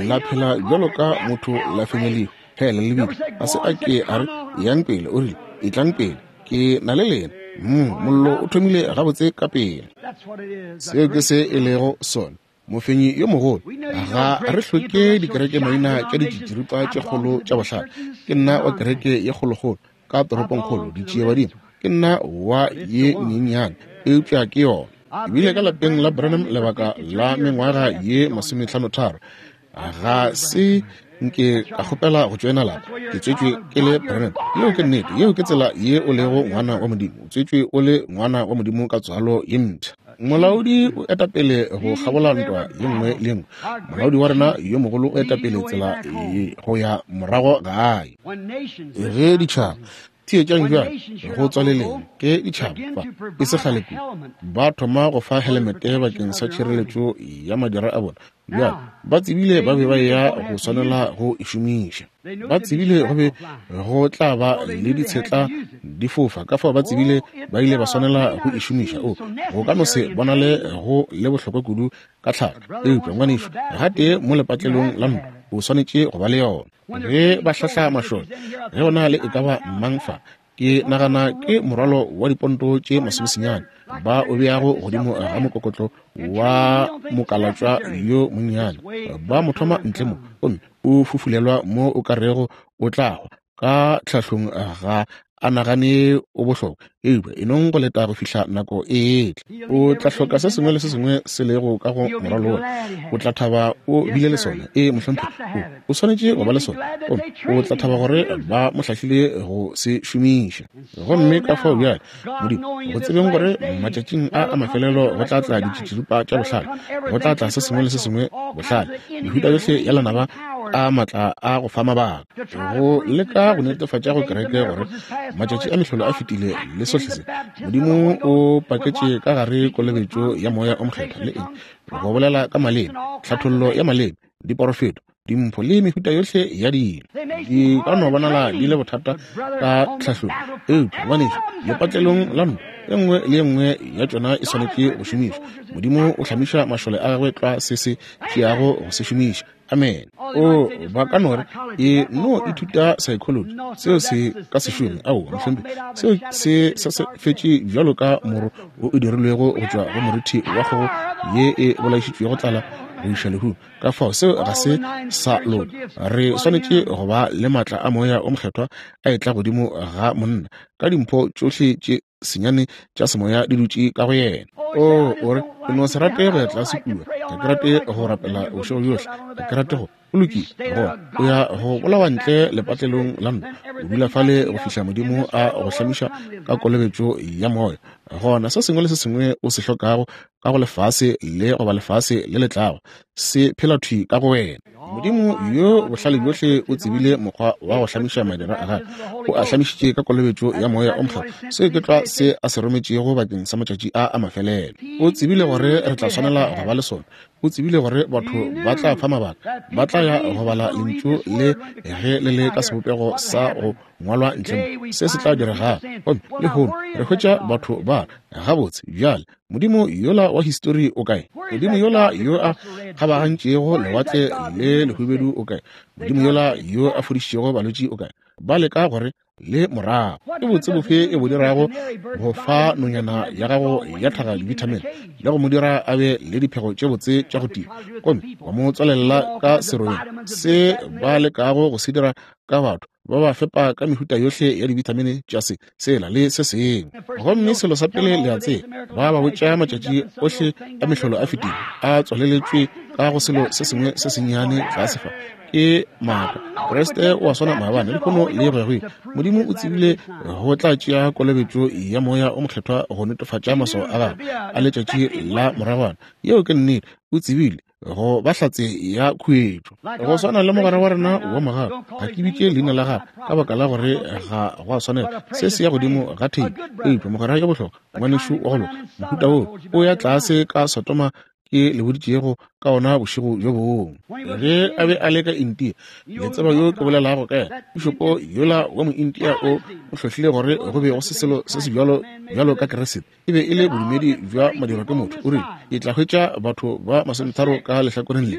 la phela bjalo ka motho, la fenya lehu. Hela le bile ga se a ke a re yang pele, o rile etlang pele, ke na le lena. Mollo o thomile gabotse ka pele. Seo ke se e lego sona, mofenyi yo mogolo. Ga re hloke dikerekemaina tša ditšitširipa tše kgolo tša bohlale. Ke nna wa kereke ye kgolokgolo ka toropongkgolo, ditšiebadimo. Ke nna wa ye nyenyane, eupša ke yona. Ke bile ka lapeng la Branham lebaka la mengwaga ye masomehlanotharo. Ga se nke ka kgopela go tšoena lapa. Ke tswetšwe ke le Branham. Yeo ke nnete. Yeo ke tsela ye o lego ngwana wa Modimo. O tswetšwe o le ngwana wa Modimo ka tswalo ye mpsha. Molaodi o eta pele go kgabola ntwa ye nngwe le ye nngwe. Molaodi wa rena yo mogolo o eta pele tsela go ya morago gae. Ge ditšhaba. Theetšang bjale, go tswaleleng, ke ditšhaba fa, e se kgale kudu, ba thoma go fa helemete bakeng sa tšhireletšo ya madira a bona. Bjale, ba tsebile ba be ba eya go swanela go e šomiša. Ba tsebile go be go tla ba le ditshetla di fofa, ka fao ba tsebile ba ile ba swanela go e šomiša. O, go ka no se bonale go le bohlokwa kudu ka tlhago, eupša ngwanešu, gatee mo lepatlelong la ntwa, o swanetše go ba le yona. Ge ba hlahla mašole, ge go na le e ka ba mang fa, ke nagana ke morwalo wa diponto tše masomesenyane ba o beago godimo ga mokokotlo wa mokalatšwa yo monnyane, ba mo thoma ntle mo, gomme o fufulelwa mo o ka rego o tla hwa ka tlhahlong, ga a nagane o bohlokwa, eupša e nong go leta go fihla nako e etla. O tla hloka se sengwe le se sengwe se lego ka go morwalo wola. O tla thaba o bile le sona. Ee, mohlomphegi, o swanetše go ba le sona. Gomme o tla thaba gore ba mo hlahlile go se šomiša. Gomme ka fao bjale, Modimo, go tsebeng gore matšatšing a a mafelelo go tla tla ditšitširipa tša bohlale, go tla tla se sengwe le se sengwe bohlale, mehuta yohle ya lenaba a matla a go fa mabaka, go leka go netefatša go kereke gore matšatši a mehlolo a fetile le sohle se. Modimo o paketše ka gare kolobetšo ya Moya o Mokgethwa le eng, go bolela ka maleme, tlhathollo ya maleme, diporofeto, dimpho le mehuta yohle ya dilo. Di ka no bonala di le bothata ka tlhahlong, eupša ngwanešu, lepatlelong la ntwa, e nngwe le e nngwe ya tšona e swanetše go šomišwa. Modimo o hlamiša mašole a gagwe tlwa se se tšeago go se šomiša. Amen. O, ba ka no re, e no ithuta psychology, seo se ka se šome. Aowa, mohlomphegi, seo se se se fetše bjalo ka moro wo o dirilwego go tšwa go morithi wa kgogo ye e bolaišitšwego tlala go iša lehung. Ka fao seo ga se sa loka. Re swanetše go ba le maatla a Moya o Mokgethwa a etla godimo ga monna ka dimpho tšohle tše senyane tša semoya di dutše ka go yena. O, o re, ke no se rate go ya tlase kua, ga ke rate go rapela bošego bjohle, ga ke rate go. Go lokile, gona o ya go bolawa ntle lepatlelong la ntwa, o dula fale go fihla Modimo a go hlamiša ka kolobetšo ya Moya. Gona se sengwe le se sengwe o se hlokago ka go lefase le goba lefase le le tlago se phela thwi ka go wena. Modimo yo bohlale bjohle o tsebile mokgwa wa go hlamiša madira a gagwe, o a hlamišitše ka kolobetšo ya Moya o Mokgethwa. Seo ke tlwa se a se rometšego bakeng sa matšatši a a mafelelo. O tsebile gore re tla swanela go ba le sona. O tsebile gore batho ba tla fa mabaka, ba tla ya go bala lentšu le ge le le ka sebopego sa go ngwalwa ntle mo, se se tla diregago. Gomme lehono re hwetša batho ba re, Gabotse, bjale, Modimo yola wa histori o kae? Modimo yola yo a kgabagantšego lewatle le lehubedu o kae? Modimo yola yo a fodišitšego balwetši o kae? Ba leka gore le morago. Ke botse bofe e bo dirago go fa nonyana ya gago ya tlhaga dibithamine le go mo dira a be le diphego tše botse tša go tia, gomme wa mo tswalelela ka serobeng? Se ba lekago go se dira ka batho, ba ba fepa ka mehuta yohle ya dibithamine tša se, sela le se sengwe. Gomme selo sa pele le a tseba, ba ba botša matšatši ohle a mehlolo a fetile, a tswaleletšwe ka go selo se sengwe se sennyane tlase fa. Ke maaka. Kriste o a swana maabane, lehono le go ya go ile. Modimo o tsebile go tla tšea kolobetšo ya Moya o Mokgethwa go netefatša maswao a gagwe a letšatši la moragwana. Yeo ke nnete. O tsebile go ba hlatse ya khuetšo. Go swana le mogwera wa rena wa mogau, ga ke bitše leina la gagwe ka baka la gore ga go a swanela, se se ya godimo ga theipi, eupša mogwera yo bohlokwa, ngwanešu wa go loka, mohuta woo o ya tlase ka Sodoma ke le boditšego ka ona bošego bjo bongwe. Ge a be a le ka India, le tseba yo ke bolelago ka yena, pišopo yola wa Moindia o o hlohlile gore go be go se selo se se bjalo bjalo ka Keresete. E be e le bodumedi bja madirwa ke motho. O rile, Ke tla hwetša batho ba masometharo ka lehlakoreng le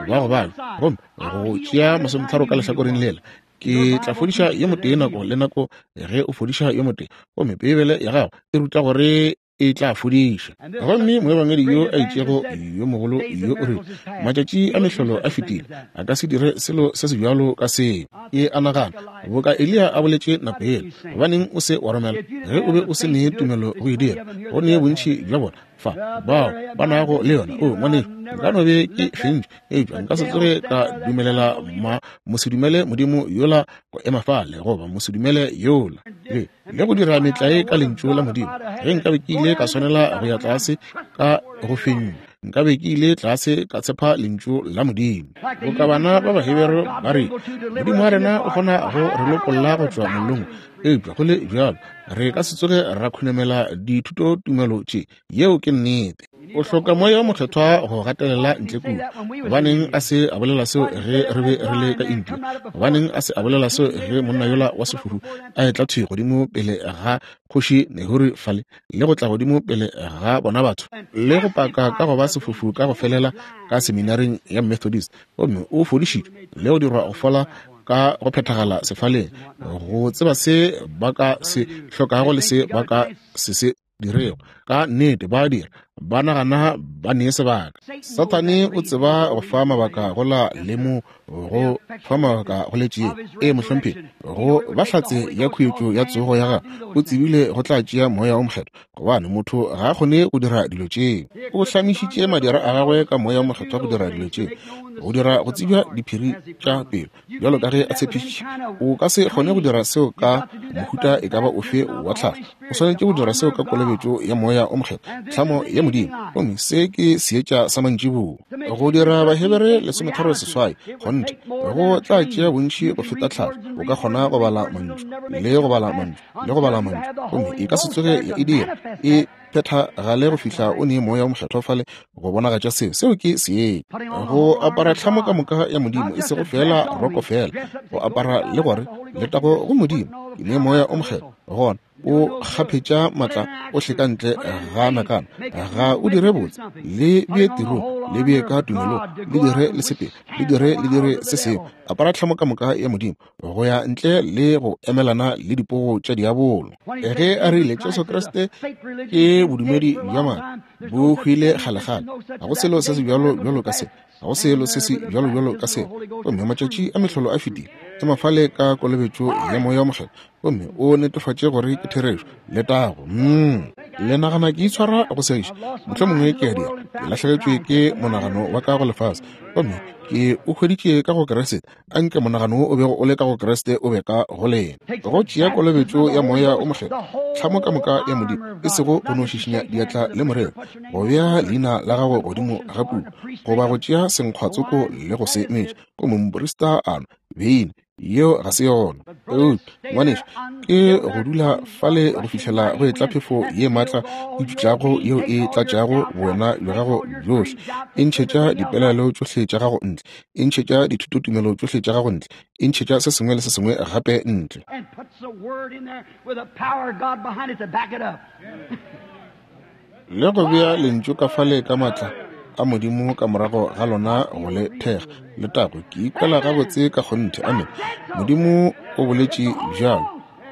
ba go babja, gomme go tšea masometharo ka lehlakoreng lela. Ke tla fodiša yo motee nako le nako ge o fodiša yo motee. Gomme Beibele ya gago e ruta gore e tla fodiša. Gomme moebangedi yo a itšego yo mogolo yo o rile, Matšatši a mehlolo a fetile, a ka se dire selo se sebjalo ka seo. Ke a nagana, boka Eliya a boletše nako yela, gobaneng o se wa romela ge o be o se ne tumelo go e dira? Go ne bontši bja bona fa bao ba nago le yona. O ngwanešu, nka no be ke fentšwe, eupša nka se tsoge ka dumelela ma mosedumele Modimo yola go ema fale, goba mosedumele yola le, le go dira metlae ka Lentšu la Modimo. Ge nkabe ke ile ka swanela go ya tlase ka go fenywa. Nkabe ke ile tlase ka tshepa Lentšu la Modimo. Boka bana ba Bahebere ba re, Modimo wa rena o kgona go re lokolla go tšwa mollong, eupša go le bjalo re ka se tsoge ra khunamela dithutotumelo tše. Yeo ke nnete. O hloka Moya wo Mokgethwa go gatelela ntle kua. Gobaneng a se a bolela seo ge re be re le ka India? Gobaneng a se a bolela seo ge monna yola wa sefufu a etla thwi godimo pele ga Kgoši Nehori fale, le go tla godimo pele ga bona batho, le go paka ka go ba sefufu ka go felela ka seminaring ya Methodist, gomme o fodišitšwe le go dirwa go fola ka go phethagala sefaleng, go tseba se ba ka se hlokago le se ba ka se se dirego. Ka nnete ba dira, ba nagana ba ne sebaka. Sathane o tseba go fa mabaka go la le mo go fa mabaka go letšeng. Ee, mohlomphegi, go ba hlatse ya khuetšo ya tsogo ya gagwe, o tsebile go tla tšea Moya wo Mokgethwa, gobane motho ga a kgone go dira dilo tšeo. O hlamišitše madira a gagwe ka Moya wo Mokgethwa go dira dilo tšeo, go dira go tsebja diphiri tša pelo, bjalo ka ge a tshepišitše. O ka se kgone go dira seo ka mohuta e ka ba ofe wa tlhago. O swanetše go dira seo ka kolobetšo ya Moya o Mokgethwa, tlhamo ya Modimo. Gomme se ke seetša sa mantšiboa. Go dira Bahebere 38, kgonthe, go tla tšea bontši go feta tlhago. O ka kgona go bala mantšu, le go bala mantšu, le go bala mantšu, gomme e ka se tsoge ya e dira e phethagale go fihla o ne Moya o Mokgethwa fale go bonagatša seo. Seo ke seetša. Go apara tlhamo ka moka ya Modimo, e sego feela roko feela, go apara le gore letago go Modimo, ke ne Moya o Mokgethwa gona o kgaphetša maatla ohle ka ntle ga nakana. Ga o dire botse, le bee tirong, le bee ka tumelong, le dire le sepele, le dire le dire se sengwe. Apara tlhamo ka moka ya Modimo go ya ntle le go emelana le dipogo tša diabolo. Ge a rile Jesu Kriste ke bodumedi bja maaka, bo hwile kgalekgale. Ga go selo se se bjalo bjalo ka se. Ga go selo se se bjalo bjalo ka se. Gomme matšatši a mehlolo a fetile. Ema fale ka kolobetšo ya Moya wo Mokgethwa gomme o netefatše gore ke therešo. Letago. Le nagana ke itshwara go segiša? Mohlomongwe ke a dira. Ke lahlegetšwe ke monagano wa ka go lefase, gomme ke o hweditše ka go Kriste. A nke monagano wo o bego o le ka go Kriste o be ka go lena. Go tšea kolobetšo ya Moya wo Mokgethwa, tlhamo ka moka ya Modimo, e sego go no šišinya diatla le morero, go bea leina la gago godimo ga puku, goba go tšea senkgwatsoko le go se metša, gomme moprista a nwa beine, yeo ga se yona. Eupša, ngwanešu, ke go dula fale go fihlela go etla phefo ye maatla e tšutlago yeo e tlatšago bowena bja gago bjohle, e ntšhetša dipelaelo tšohle tša gago ntle, e ntšhetša dithutotumelo tšohle tša gago ntle, e ntšhetša se sengwe le se sengwe gape ntle. Le go bea Lentšu ka fale ka maatla a Modimo ka morago ga lona go le thekga. Letago, ke ikwela gabotse ka kgonthe. Amene. Modimo o boletše bjalo.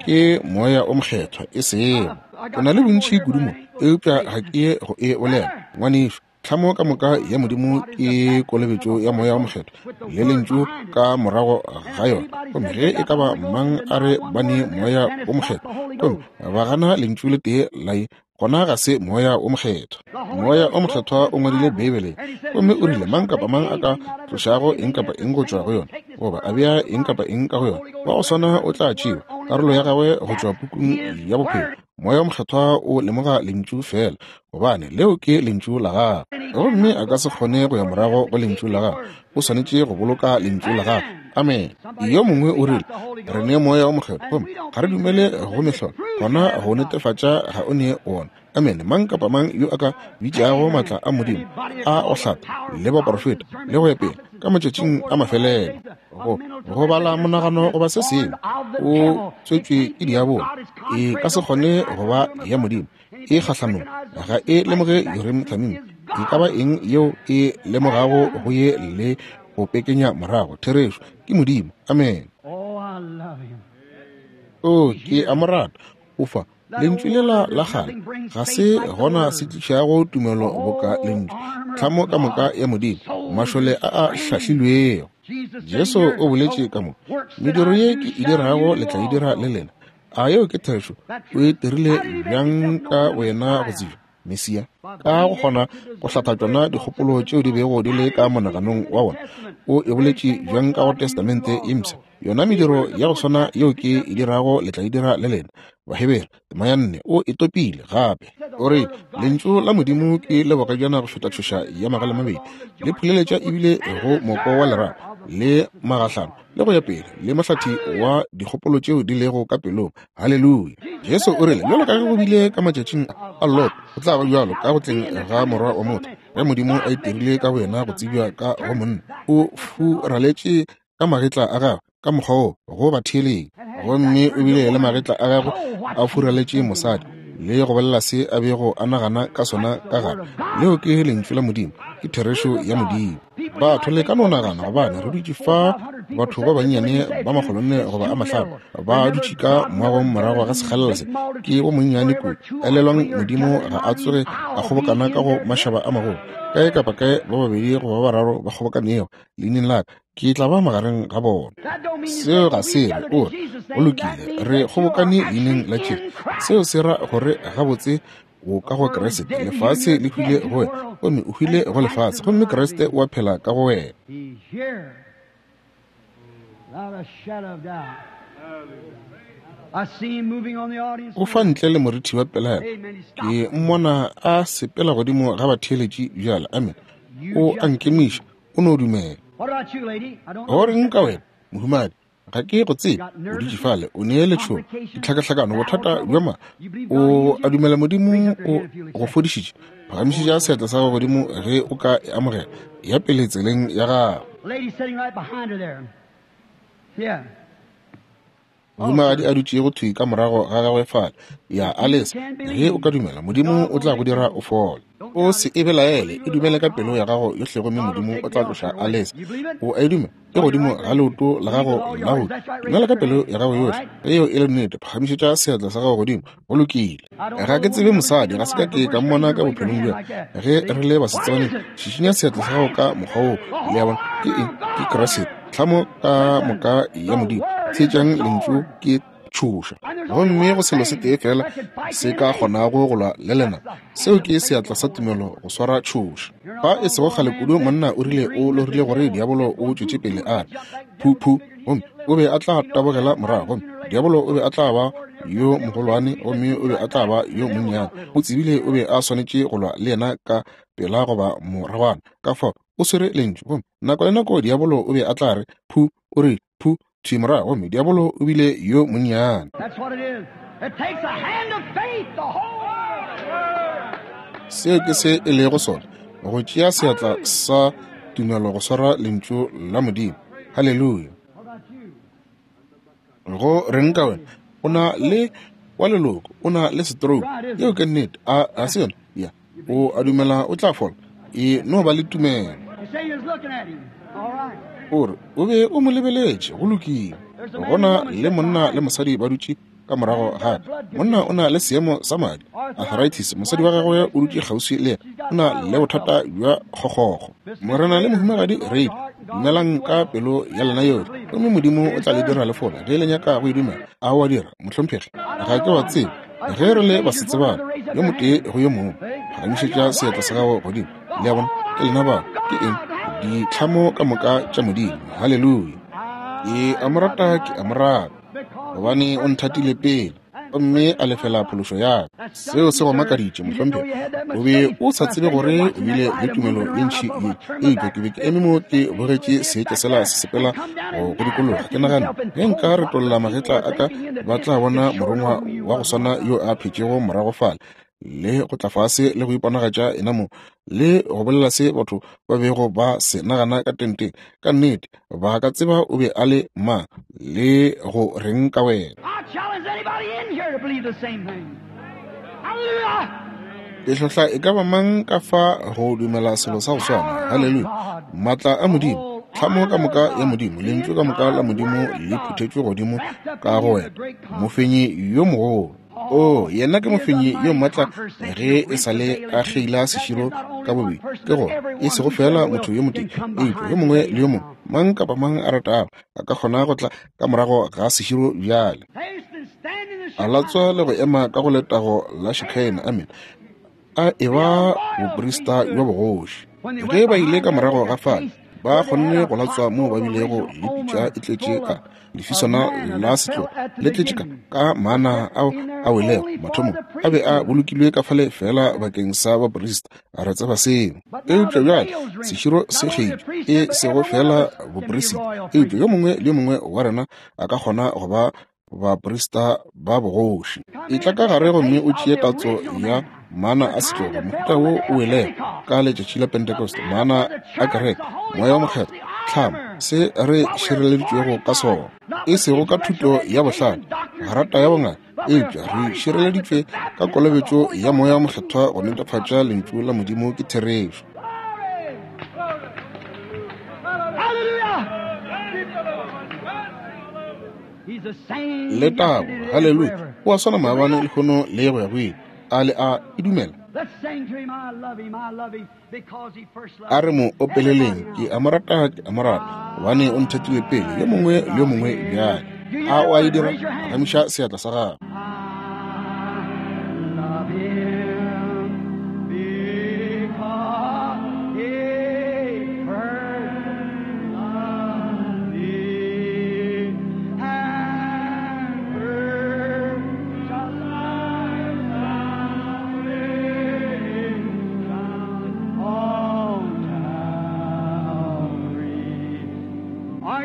Ke Moya o Mokgethwa, e sego. O na le bontši kudu mo, eupša ga ke ye go e bolela, ngwanešu. Tlhamo ka moka ya Modimo ke kolobetšo ya Moya wo Mokgethwa le Lentšu ka morago ga yona. Gomme ge e ka ba mang a re ba ne Moya wo Mokgethwa, gomme ba gana Lentšu le tee la ye, gona ga se Moya wo Mokgethwa. Moya wo Mokgethwa o ngwadile Beibele, gomme o rile mang kapa mang a ka tlošago eng kapa eng go tšwa go yona, goba a bea eng kapa eng ka go yona, wa go swana o tla tšewa karolo ya gagwe go tšwa pukung ya bophelo. Moya wo Mokgethwa o lemoga Lentšu feela, gobane leo ke Lentšu la Gagwe. Gomme a ka se kgone go ya morago go Lentšu la Gagwe. O swanetše go boloka Lentšu la Gagwe. Amene. Yo mongwe o rile, Re ne Moya wo Mokgethwa, gomme ga re dumele go mehlolo. Gona go netefatša ga o ne wona. Amene. Mang kapa mang yo a ka bitšago maatla a Modimo a go hlatha le baprofeta le go ya pele ka matšatšing a mafelelo, go go bala monagano goba se sengwe, o tswetšwe ke diabolo. E ka se kgone go ba ya Modimo. E kgahlanong, ga e lemoge Urim Thummim. E ka ba eng yeo e lemogago go ye le go pekenya morago therešo ke Modimo. Amene. O, ke a mo rata. O fa Lentšu lela la kgale ga se gona se tlišago tumelo boka Lentšu, tlhamo ka moka ya Modimo, mašole a a hlahlilwego. Jesu o boletše ka mo, mediro ye ke e dirago le tla e dira le lena. A yeo ke therešo? O e dirile bjang ka wena go tsebja? Mesia. Ka go kgona go hlatha tšona dikgopolo tšeo di bego di le ka monaganong wa bona, o e boletše bjang ka go Testamente ye Mpsha? Yona mediro ya go swana yeo ke e dirago le tla e dira le lena. Bahebere tema ya 4 o e topile gape. O re Lentšu la Modimo ke le bogajana go feta tšhoša ya magale mabedi, le phuleletša ebile go moko wa lerapo le magahlano le go ya pele, le mohlathi wa dikgopolo tšeo di lego ka pelong. Haleluya! Jesu o rile, bjalo ka ge go bile ka matšatšing a Lot, go tla ba bjalo ka go tleng ga Morwa wa motho. Ge Modimo a itirile ka boyena go tsebja ka go monna, o furaletše ka magetla a gagwe ka mokgwa wo go batheeleng, gomme o bile le magetla a gagwe a furaletše mosadi le go bolela se a bego a nagana ka sona ka gare. Leo ke Lentšu la Modimo, ke therešo ya Modimo. Batho le ka no nagana gobane re dutše fa batho ba bannyane ba makgolonne goba a mahlano ba dutše ka moagong morago ga sekgalela se, ke bo monnyane kudu. Elelwang, Modimo ga a tsoge a kgobokana ka go mašaba a magolo. Kae kapa kae ba babedi goba ba bararo ba kgobokanego leineng la ka, ke tla ba magareng ga bona. Seo ga se re o re go lokile re kgobokane leineng la Jesu. Seo se ra gore gabotse o ka go Kriste, lefase le hwile go wena, gomme o hwile go lefase, gomme Kriste o a phela ka go wena. O fa ntle le morithi wa pelaelo. Ke mmona a sepela godimo ga batheeletši bjale. Amen. O a nkemiša. O no dumela. Go reng ka wena, mohumadi? Ga ke go tsebe. O dutše fale, o ne letšhogo, ditlhakahlakano, bothata bja ma. O a dumela Modimo o go fodišitše? Phagamišetša seatla sa gago godimo ge o ka e amogela. Ya pele tseleng ya gago. Mohumagadi a dutšego thwi ka morago ga gagwe fale, ya Alice, ge o ka dumela, Modimo o tla go dira o fole. O se e belaele, e dumele ka pelo ya gago yohle gomme Modimo o tla tloša Alice. O a e dumela? E godimo ga leoto la gago la go dumela ka pelo ya gago yohle. Ge yeo e le nnete, phagamišetša seatla sa gago godimo. Go lokile. Ga ke tsebe mosadi, ga se ka ke ka mmona ka bophelong bja ge re le basetsebane. Šišinya seatla sa gago ka mokgwa woo. Le a bona? Ke eng? Ke Kriste. Tlhamo ka moka ya Modimo. Theetšang Lentšu ke tšhoša. Gomme go selo se tee fela se ka kgonago go lwa le lena, seo ke seatla sa tumelo go swara tšhoša. Fa e sego kgale kudu monna o rile o lorile gore diabolo o tšwetše pele a re phu phu, gomme o be a tla tabogela morago, gomme diabolo o be a tla ba yo mogolwane gomme o be a tla ba yo monnyane. O tsebile o be a swanetše go lwa le yena ka pela goba moragwana. Ka fao o swere lentšu, gomme nako le nako diabolo o be a tla re phu, o rile phu thwi morago, gomme diabolo o bile yo monnyane. Seo ke se e lego sona, go tšea seatla sa tumelo go swara lentšu la Modimo. Haleluya! Go reng ka wena? O na le wa leloko, o na le stroke. Yeo ke nnete, a ga se yona? Ya. O a dumela o tla fola? E no ba le tumelo. O re o be o mo lebeletše, go lokile. Go na le monna le mosadi ba dutše ka morago ga ka. Monna o na le seemo sa madi, arthritis. Mosadi wa gagwe o dutše kgauswi le yena, o na le bothata bja kgokgokgo. Morena le mohumagadi Reid, dumelang ka pelo ya lena yohle, gomme Modimo o tla le dira le fole ge le nyaka go e dumela. A o a dira, mohlomphegi? Ga ke wa tsebe ge re le basetsebane, yo motee go yo mongwe. Phagamišetša seatla sa gago godimo. Le a bona? Ke lena bao. Ke eng? Ditlhamo ka moka tša Modimo. Haleluya! Ke a mo rata, ke a mo rata, gobane o nthatile pele gomme a lefela phološo ya ka. Seo se go makaditše, mohlomphegi. O be o sa tsebe gore o bile le tumelo ye ntši ye. Eupša ke be ke eme mo ke bogetše seetša sela se sepela go go dikologa. Ke nagane, ge nka retolla magetla a ka, ba tla bona morongwa wa go swana yo a phetšego morago fale, le go tla fase le go iponagatša yena mo, le go bolela se batho ba bego ba se nagana ka tenteng. Ka nnete, ba ka tseba o be a le mang le go reng ka wena. Ke hlohla e ka ba mang ka fa go dumela selo sa go swana. Haleluya! Maatla a Modimo, tlhamo ka moka ya Modimo, Lentšu ka moka la Modimo le phuthetšwe godimo ka go wena, mofenyi yo mogolo. O, yena ke mofenyi yo maatla ge e sa le a kgeila seširo ka bobedi, ke gore e sego feela motho yo motee, eupša yo mongwe le yo mongwe, mang kapa mang a ratago, a ka kgona go tla ka morago ga seširo bjale. A latswa le go ema ka go letago la Shekinah. Amen. A eba boprista bja bogoši. Ge ba ile ka morago ga fale, ba kgonne go latswa moo ba bilego le pitša e tletše ka lefiswana la setlogo le tletše ka mana ao a welego mathomong a be a bolokilwe ka fale fela bakeng sa baprista. Re tseba seo. Eupša bjale seširo se kgeitšwe, e sego fela boprista, eupša yo mongwe le yo mongwe wa rena a ka kgona go ba baprista ba bogoši. Etla ka gare gomme o tšee tatso ya mana a setlogo, mohuta wo o welego ka letšatši la Pentecost, mana a kereke, Moya wa Mokgethwa, tlhamo, se re šireleditšwego ka sona, e sego ka thuto ya bohlale, grata ya bongaka, eupša re šireleditšwe ka kolobetšo ya Moya wa Mokgethwa go netefatša Lentšu la Modimo ke therešo. Letago, haleluya! O a swana maabane, lehono le go ya go ile. A le a e dumela? A re mo opeleleng, ke a mo rata, ke a mo rata, gobane o nthatile pele, yo mongwe le yo mongwe bjale. A o a e dira? Phagamiša seatla sa gago.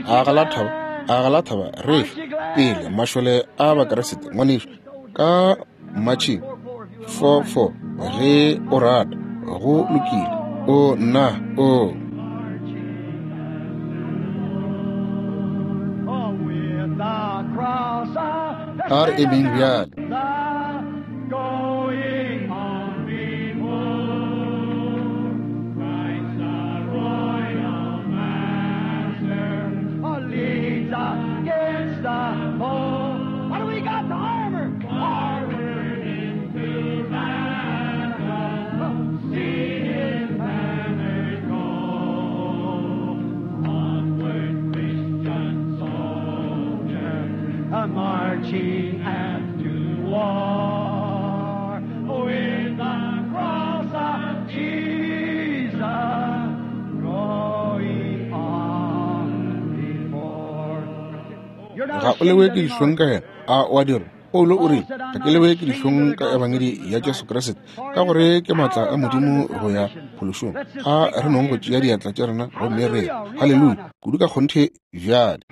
A ga la thaba, a ga la thaba, re fe pele mašole a Bakriste, ngwanešu, ka Matšhing 4:4, ge o rata. Go lokile. O nna o. A re emeng bjale. Marching after war with the cross of Jesus going on before. Ga o lewe ke dihlong ka yena, a o a dira? Paulo o rile, ga ke lewe ke dihlong ka ebangedi ya Jesu Kriste, ka gore ke maatla a Modimo go ya phološong. A re nong go tšea diatla tša rena gomme re haleluya kudu ka kgonthe bjale.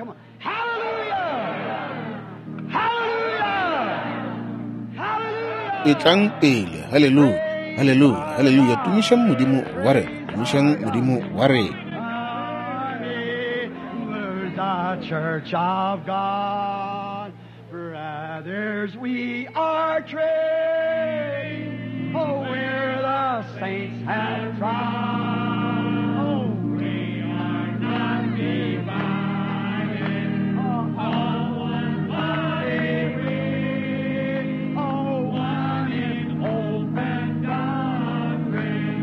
Etlang pele, haleluya, haleluya, haleluya. Tumišang Modimo wa rena, tumišang Modimo wa rena. The Church of God, brothers, we are trained, oh, where the saints have tried, oh, we are not divided, oh, all one body we, oh, one in hope and doctrine,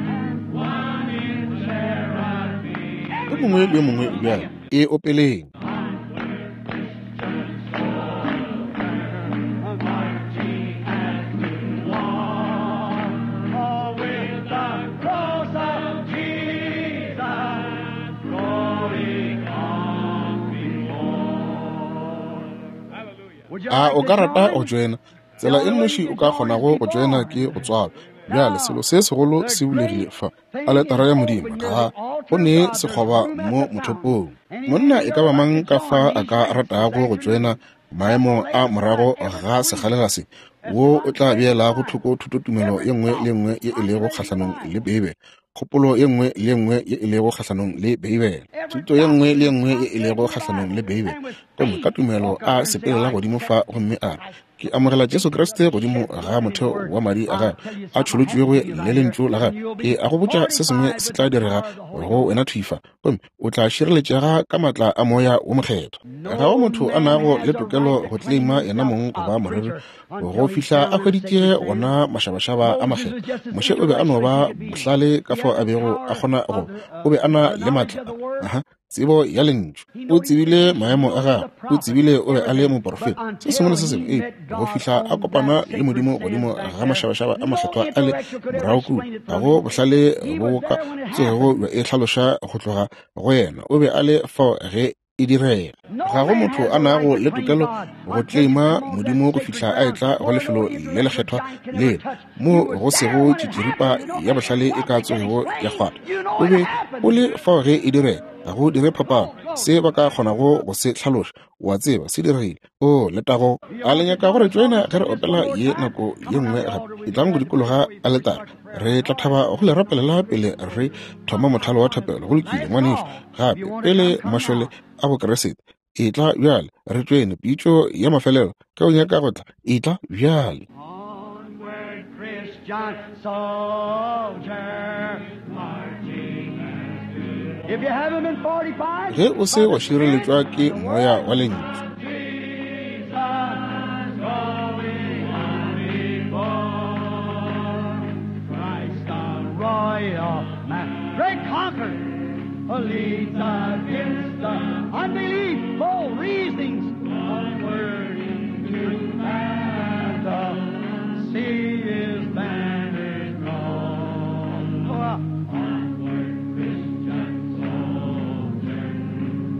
one in charity. Yo mongwe le yo mongwe bjale e opeleng. A o ka rata go joina? Tsela e nnoši o ka kgonago go joina ke go tswalwa. Bjale selo se segolo se bulegile fa, aletara ya Modimo, ga go ne sekgoba mo mothopong. Monna e ka ba mang ka fa a ka ratago go joina maemo a morago ga sekgalela se, wo o tla beelago thoko thutotumelo ye nngwe le nngwe ye e lego kgahlanong le Beibele, kgopolo ye nngwe le ye nngwe ye e lego kgahlanong le Beibele, thuto ye nngwe le ye nngwe ye e lego kgahlanong le Beibele, gomme ka tumelo a sepelela godimo fa gomme a re, ke amogela Jesu Kriste godimo ga motheo wa madi a gagwe a tšholotšwego le lentšu la gagwe. Ke a go botša se sengwe se tla direga go wena thwi fa, gomme o tla šireletšega ka maatla a Moya wo Mokgethwa. Ga go motho a nago le tokelo go claima yena mong go ba moreri go fihla a hweditše gona mašabašaba a makgethwa. Moshe o be a no ba bohlale ka fao a bego a kgona go, o be a na le maatla. Aha, tsebo ya Lentšu. O tsebile maemo a gagwe, o tsebile o be a le moporofeta, se sengwe le se sengwe, eupša go fihla a kopana le Modimo godimo ga mašabašaba a makgethwa a le morago kua, ga go bohlale bo ka tsogego bja e hlaloša go tloga go yena. O be a le fao ge e direga. Ga go motho a nago le tokelo go tleima Modimo go fihla a etla go lefelo le lekgethwa lela mo go sego tšitširipa ya bohlale e ka tsogego ya kgwata. O be o le fao ge e direga. Ga go dire phapano se ba ka kgonago go se hlaloša. O a tseba se diregile. O letago. A le nyaka go re tšoena ge re opela ye nako ye nngwe gape? Etlang go dikologa aletare. Re tla thaba go le rapelela pele re thoma mothalo wa thapelo. Go lokile, ngwanešu. Gape, pele mašole a Bokriste. Etla bjale, re tšoene pitšo ya mafelelo. Ge o nyaka go tla, etla bjale. Onward, Christian soldier, marching as to If you haven't been fortified, Ge o se wa šireletšwa ke moya wa Lentšu. Jesus going on before, Christ the royal man, great conqueror, leads against the unbelief, bold reasonings, onward into battle, see his banners drawn. Onward, Christian soldier,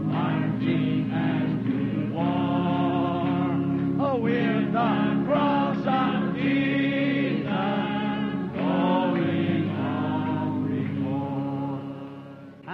marching as to war, with the cross of Jesus going on before.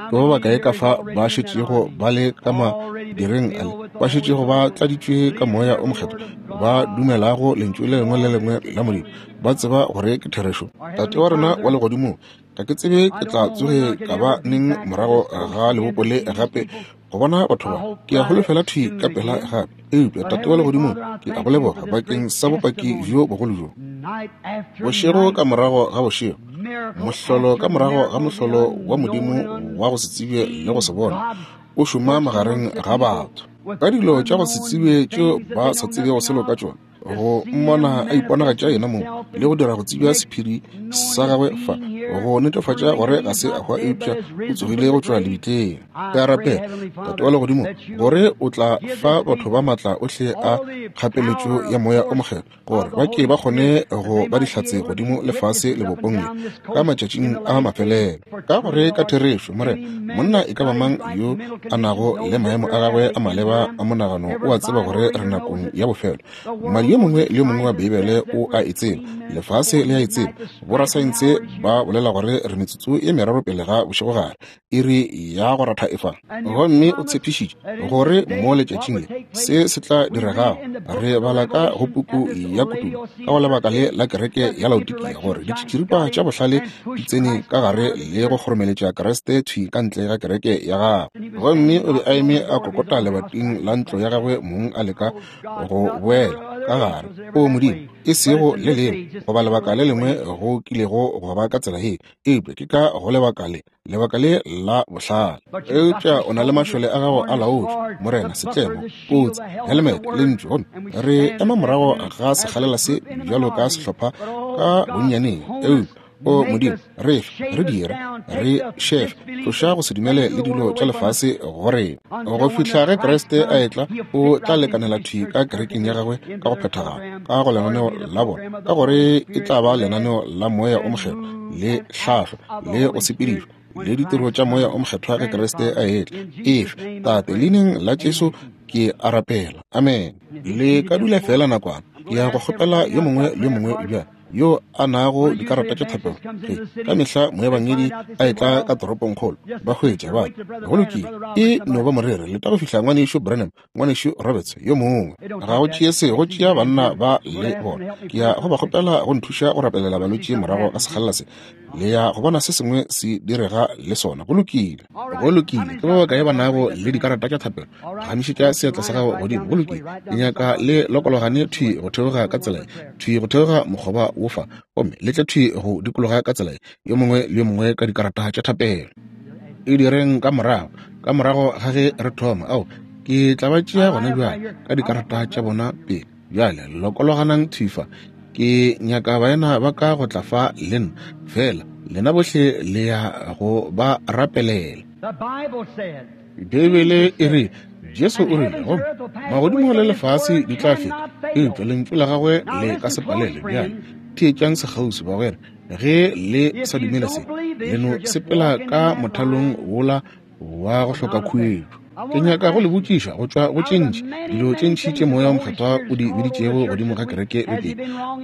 Ke ba bakae ka fa ba šetšego ba le ka madireng ale, ba šetšego ba tladitšwe ka Moya o Mokgethwa, ba dumelago Lentšu le lengwe le lengwe la Modimo, ba tseba gore ke therešo? Tate wa rena wa Legodimong, ga ke tsebe ke tla tsoge ka ba neng morago ga lebopo le gape go bona batho ba. Ke a holofela thwi ka pela gape. Eupša, Tate wa Legodimong, ke a go leboga bakeng sa bopaki bjo bogolo bjo. Night after Bošego ka night, morago ga bošego, miracle mohlolo after ka morago ga miracle, mohlolo wa Modimo unknown wa go se tsebje le go se unseen bona God o šoma working magareng amongst the ga people batho with ka dilo tša go se unknown tsebje tšeo things that ba they sa know tsebego nothing selo ka of, tšona, to go see mmona him a iponagatša manifest yena mong himself le go and dira go tsebja make sephiri known sa his gagwe fa, being here, go netefatša proving gore that ga he's se a not hwa dead eupša but is o risen tsogile from go the tšwa grave. lebitleng. I Ke a pray, rapela, Heavenly Tate Father, wa Legodimo, that you'll gore o tla give fa this batho ba people maatla ohle a all the kgapeletšo power ya of Moya o force Mokgethwa, gore of the ba ke Holy ba kgone Spirit, that go they ba might be dihlatse able to be godimo lefase witnesses up and lebopong le down this ka coast in matšatšing the a last days mafelelo. for Ka true, gore ka Lord. therešo, Morena, Any man monna that's e ka ba got his mang right yo mental a condition nago knows le that maemo we're a at gagwe the a end maleba time. a monagano Every o a tseba Bible gore re reader knows nakong it. ya bofelo. The Mmadi world yo knows mongwe it. le yo mongwe wa Scientists Beibele says that o we're a e tseba, 3 minutes lefase before le a e midnight. tseba. The striking Borasaense hour is here. ba bolela gore re metsotso e meraro pele ga bošegogare, iri ya go ratha e fa. And you Gomme o promised tshepišitše that in gore this day mo what letšatšing would le take place, se se tla we read diregago. in the book Re of the bala ka go Revelation puku at this ya Kutullo ka Laodicea go lebaka church le age la kereke that ya the Laodikia intellectual gore giants ditšitširipa got tša in bohlale and di pushed tsene Christ ka gare out of the le go church. kgoromeletša Kriste thwi ka ntle ga kereke ya gagwe. And he was Gomme standing o be a knocking on eme the a door of his kokota own house lebating trying la to ntlo ya get gagwe in. mong a leka Oh God, go not boela never other ka age gare. was ever O that Modimo, way. e But it's sego in le this lengwe age, it's goba the lebaka le intellectual lengwe age. go kilego go ba ka tsela ye, eupša ke ka go lebaka le, lebaka le la bohlale. But you've got Eupša your o na le soldiers, mašole a gago a harness, laotšwe, sword, the Morena, buckler, setlemo, the shield, kotsi, the helmet, the helemete, word, lentšu. Gomme and we re stand ema this morago afternoon ga as a sekgalela se group in a bjalo ka minority. sehlopha But oh ka God, bonnyaneng. hone us, Eupša, o make Modimo, us, re fe, shape re us dire, down, re take the šefe, disbelief tloša and go se dumele things le of the dilo world tša away from us lefase go rena. until Go when the fihla ge Christ Kriste a comes, etla, he'll o fit tla right into lekanela his thwi church ka kerekeng ya perfectly, gagwe into ka go their phethagala, program, ka go for it'll lenaneo be the la bona, program of ka the gore Holy e Spirit tla ba led lenaneo la Moya o and Mokgethwa moved le and acts hlahlo of the le go Holy Spirit sepedišwa when le ditiro Christ tša Moya o comes. Mokgethwa ge Grant it, Kriste a Father. etla. In Efe, Jesus' name I Tate, pray. leineng la Jesu Amen. ke a rapela. Amen. And if you Le seated ka just dula a fela moment, nakwana. I'm Ke going to ya go ask kgopela everybody yo now mongwe got le yo prayer mongwe cards. bjale yo a nago One usually dikarata tša thapelo. evangelist comes Ge into the ka city, mehla they moebangedi find out, they a say, etla well, ka toropongkgolo, just ba the hwetša preacher, ba wait till Brother go Branham, lokile. Brother E Roberts, no ba somebody. morere leta go fihla ngwanešu Branham, ngwanešu Roberts yo mongwe. They don't Ga take go that. tšee se, go It's tšea easy man banna too. ba I'm going le to ask them bona. to help me Ke pray ya for go ba the sick. kgopela go nthuša go rapelela We'll see balwetši something morago ga happen too. sekgalela se. Le ya go bona se sengwe se direga le sona. Go lokile. All Go right. How lokile. many's Ke ba got bakae prayer ba cards? nago Raise up le your hand. dikarata tša thapelo? All right. Phagamišetša Let's seatla sa line up gago right godimo. down Go this way, lokile. right Ke down this nyaka aisle, le right down lokologane this thwi way. go theoga ka Everyone tsela ye, for prayer. thwi go theoga mokgoba wo fa, gomme le tle thwi go dikologa ka tsela ye, yo mongwe le yo mongwe ka dikarata tša thapelo. E direng ka morago, ka morago ga ge re thoma. Ao, ke tla ba tšea Now gona line up right bjale here. ka I want dikarata my tša brother. bona pele. Bjale lokologanang thwi fa. Ke nyaka baena ba ka go tla fa le nna, fela lena bohle le ya go ba rapelela. Beibele e re, Jesu o rile, gomme magodimo le lefase di tla feta, eupša lentšu la gagwe le ka se palele. Bjale theetšang sekgauswi, bagwera. Ge le sa dumele se, le no sepela ka mothalong wola wa go hloka khuetšo. Ke nyaka go le botšiša go tšwa go tše ntši, dilo tše ntši tše Moya wo Mokgethwa o di biditšego godimo ga kereke bekeng.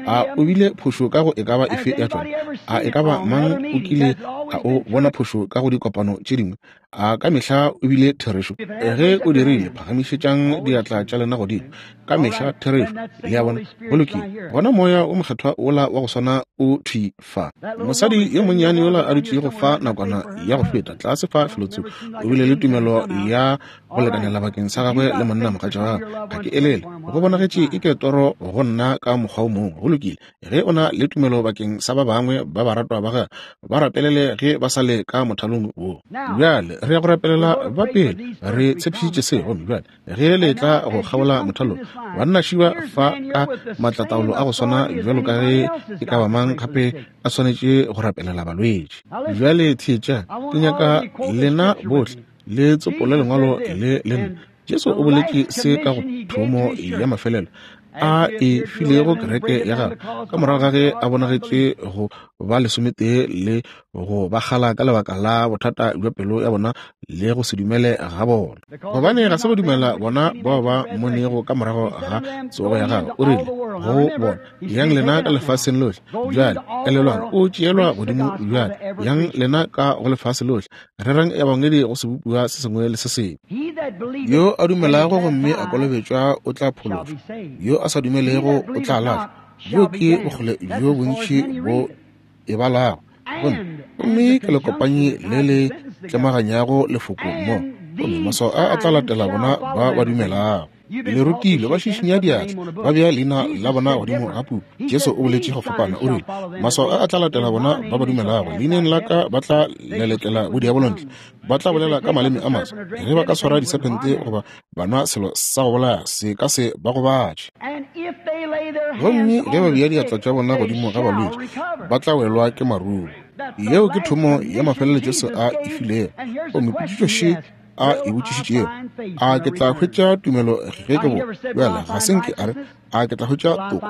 A o bile phošo ka go e ka ba efe ya tšona? A e ka ba mang o kile a o bona phošo ka go dikopano tše dingwe? A ka mehla o bile therešo? Ge o dirile, phagamišetšang diatla tša lena godimo. Ka mehla therešo. Le a bona? Go lokile. Gona Moya wo Mokgethwa wola wa go swana o thwi fa. Mosadi yo monnyane yola a dutšego fa nakwana ya go feta, tlase fa felotsoko, o bile le tumelo ya go lekanela bakeng sa gagwe le monna mogatša wa gagwe. Ga ke elele. Go bonagetše eke toro go nna ka mokgwa o mongwe. Go lokile. Ge o na le tumelo bakeng sa ba bangwe ba baratwa ba gago, ba rapelele ge ba sa le ka mothalong wo. Bjale re ya go rapelela ba pele. Re tshepišitše se, gomme bjale ge le tla go kgabola mothalong, banna šiba fa ka maatlataolo a go swana bjalo ka ge e ka ba mang gape a swanetše go rapelela balwetši. Bjale theetšang, ke nyaka lena bohle le tsopole lengwalo le le nna. Jesu o boletše se ka go thomo ya mafelelo a e filego kereke ya gagwe ka morago ga ge a bonagetše go ba lesometee le go ba kgala ka lebaka la bothata bja pelo ya bona le go se dumele ga bona, gobane ga se ba dumela bona bao ba mmonego ka morago ga tsogo ya gagwe. O rile go bona, Yang lena ka lefaseng lohle. Bjale elelwang, o tšeelwa godimo bjale. Yang lena ka go lefase lohle, rerang ebangedi go sebopiwa se sengwe le se sengwe. Yo a dumelago gomme a kolobetšwa o tla phološwa, yo a sa dumelego o tla lahlwa. Bjo ke bokgole bjo bontši bo e balago. Gomme ke lekopanyi le le tlemaganyago lefoko mo, gomme maswao a a tla latela bona ba ba dumelago. Le rutilwe, ba šišinya diatla, ba bea leina la bona godimo ga puku. Jesu o boletše go fapana, o rile, Maswao a a tla latela bona ba ba dumelago, leineng la ka ba tla lelekela bodiabolo ntle, ba tla bolela ka maleme a maswa, ge ba ka swara disephente goba ba nwa selo sa go bolaya, se ka se ba gobatše. Gomme ge ba bea diatla tša bona godimo ga balwetši, ba tla welwa ke marumo. Yeo ke thomo ya mafelelo Jesu a e filego. Gomme potšišo še a e botšišitšego, a ke tla hwetša tumelo ge ke boa? Bjale ga se nke a re, a ke tla hwetša toko,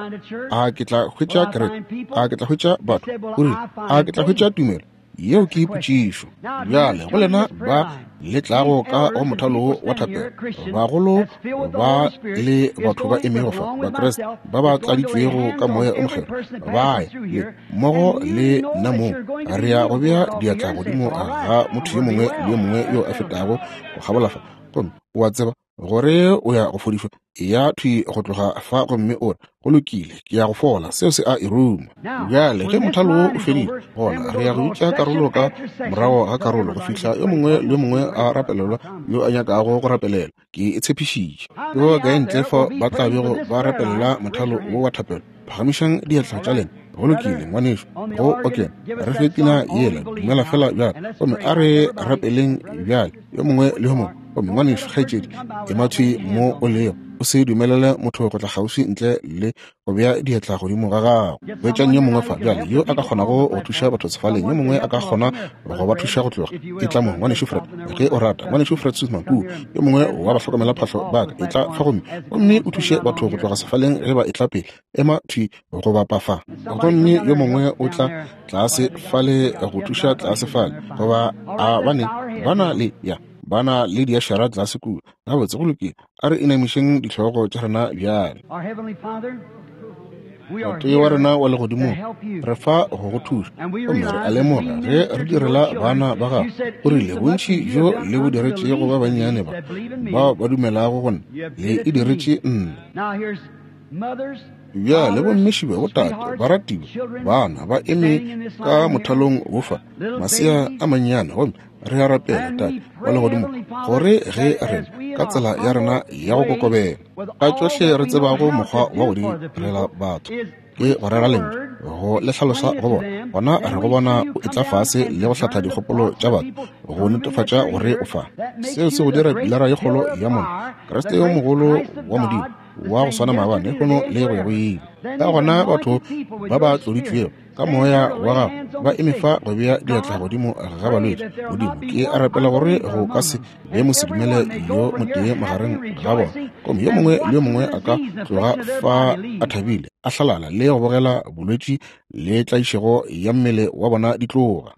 a ke tla hwetša kereke, a ke tla hwetša batho. O rile, a ke tla hwetša tumelo? Yeo ke potšišo. Bjale go lena ba le tlago ka go mothalo wo wa thapelo, bagolo ba le batho ba emego fa, Bakriste ba ba tladitšwego ka Moya o Mokgethwa, ba ye le mmogo le nna moo re ya go bea diatla godimo ga motho yo mongwe le yo mongwe yo a fetago go kgabola fa, gomme o a tseba gore o ya go fodišwa. Eya thwi go tloga fa gomme o re, Go lokile, ke ya go fola. Seo se a e ruma. Bjale ge mothalo wo o fedile, gona re ya go bitša karolo ka morago ga karolo go fihla yo mongwe le yo mongwe a rapelelwa yo a nyakago go rapelelwa. Ke e tshepišitše. Ke ba bakae ntle fa ba tla bego ba rapelela mothalo wo wa thapelo? Phagamišang diatla tša lena. Go lokile, ngwanešu. Go okena, re fe pina yela, Dumela Fela Bjale. Gomme a re rapeleng bjale, yo mongwe le yo mongwe. Gomme ngwanešu, kgaetšedi, ema thwi mo o lego. O se dumelele motho go tla kgauswi ntle le go bea diatla godimo ga gago. Hwetšang yo mongwe fa bjale yo a ka kgonago go thuša batho sefaleng, yo mongwe a ka kgona go ba thuša go tloga. Etla mo, Ngwanešu Fred, ge o rata. Ngwanešu Fred Sothmann kua, yo mongwe wa bahlokomelaphahlo ba ka, etla fa gomme, gomme o thuše batho go tloga sefaleng ge ba etla pele. Ema thwi go bapa fa. Gomme yo mongwe o tla tlase fale go thuša tlase fale, goba a ba ne, ba na le, ya, ba na le diašara tlase kua. Gabotse, go lokile. A re inamišeng dihlogo tša rena bjale. Tate wa rena wa legodimong, re fa go go thuša, gomme re a lemoga ge re direla bana ba gago. O rile, Bontši bjo le bo diretšego ba bannyane ba, bao ba dumelago go nna, le e diretše nna. Bjale bomme šibe, botate, baratiwa, bana ba eme ka mothalong wo fa, masea a mannyane, gomme re a rapela, Tate wa Legodimo, gore ge rena ka tsela ya rena ya go kokobela, ka tšohle re tsebago mokgwa wa go direla batho, ke go rera Lentšu, go le hlalosa go bona, gona re go bona o etla fase le go hlatha dikgopolo tša batho, go netefatša gore o fa. Seo se go dira pilara ye kgolo ya mollo, Kriste yo mogolo wa Modimo, wa go swana maabane, lehono le go ya go ile. Ka gona batho ba ba tloditšwego Ka Moya wa Gago ba eme fa go bea diatla godimo ga balwetši. Modimo, ke a rapela gore go ka se be mosedumele yo motee magareng ga bona, gomme yo mongwe le yo mongwe a ka tloga fa a thabile, a hlalala le go bogela bolwetši le tlaišego ya mmele wa bona di tloga.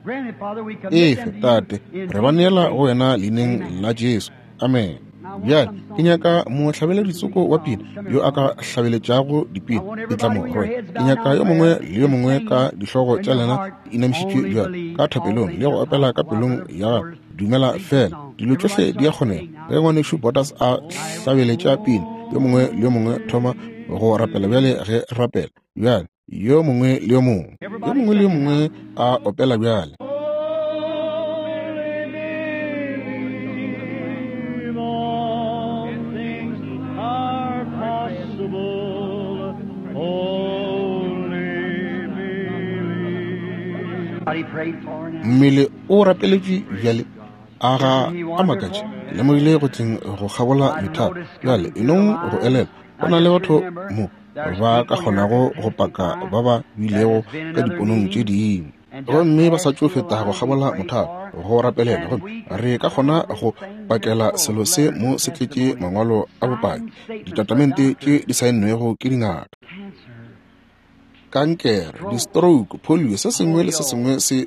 Efe, Tate, re ba neela go Wena Leineng la Jesu. Amen. Bjale ke nyaka mohlabeleditsoko wa pina yo a ka hlabeletšago dipina ditlamorwe. Ke nyaka yo mongwe le yo mongwe ka dihlogo tša lena di inamišitšwe bjale ka thapelong le go opela ka pelong ya gago. Dumela fela, dilo tšohle di a kgonega. Ge ngwanešu Borders a hlabeletša pina, yo mongwe le yo mongwe thoma go rapela bjale ge rapela bjale. Yo mongwe le yo mongwe, yo mongwe le yo mongwe a opela bjale. Mmele o rapeletšwe bjale. A ga a makatše? Lemogile go tleng go kgabola methalo. Bjale enong go elelwa, go na le batho mo ba ka kgonago go paka ba ba bilego ka diponong tše dingwe gomme ba sa tšo feta go kgabola mothalo go rapelela, gomme re ka kgona go pakela selo se mo se tletše mangwalo a bopaki, ditatamente tše di saennwego ke dingaka, kankere, di-stroke, polio, se sengwe le se sengwe se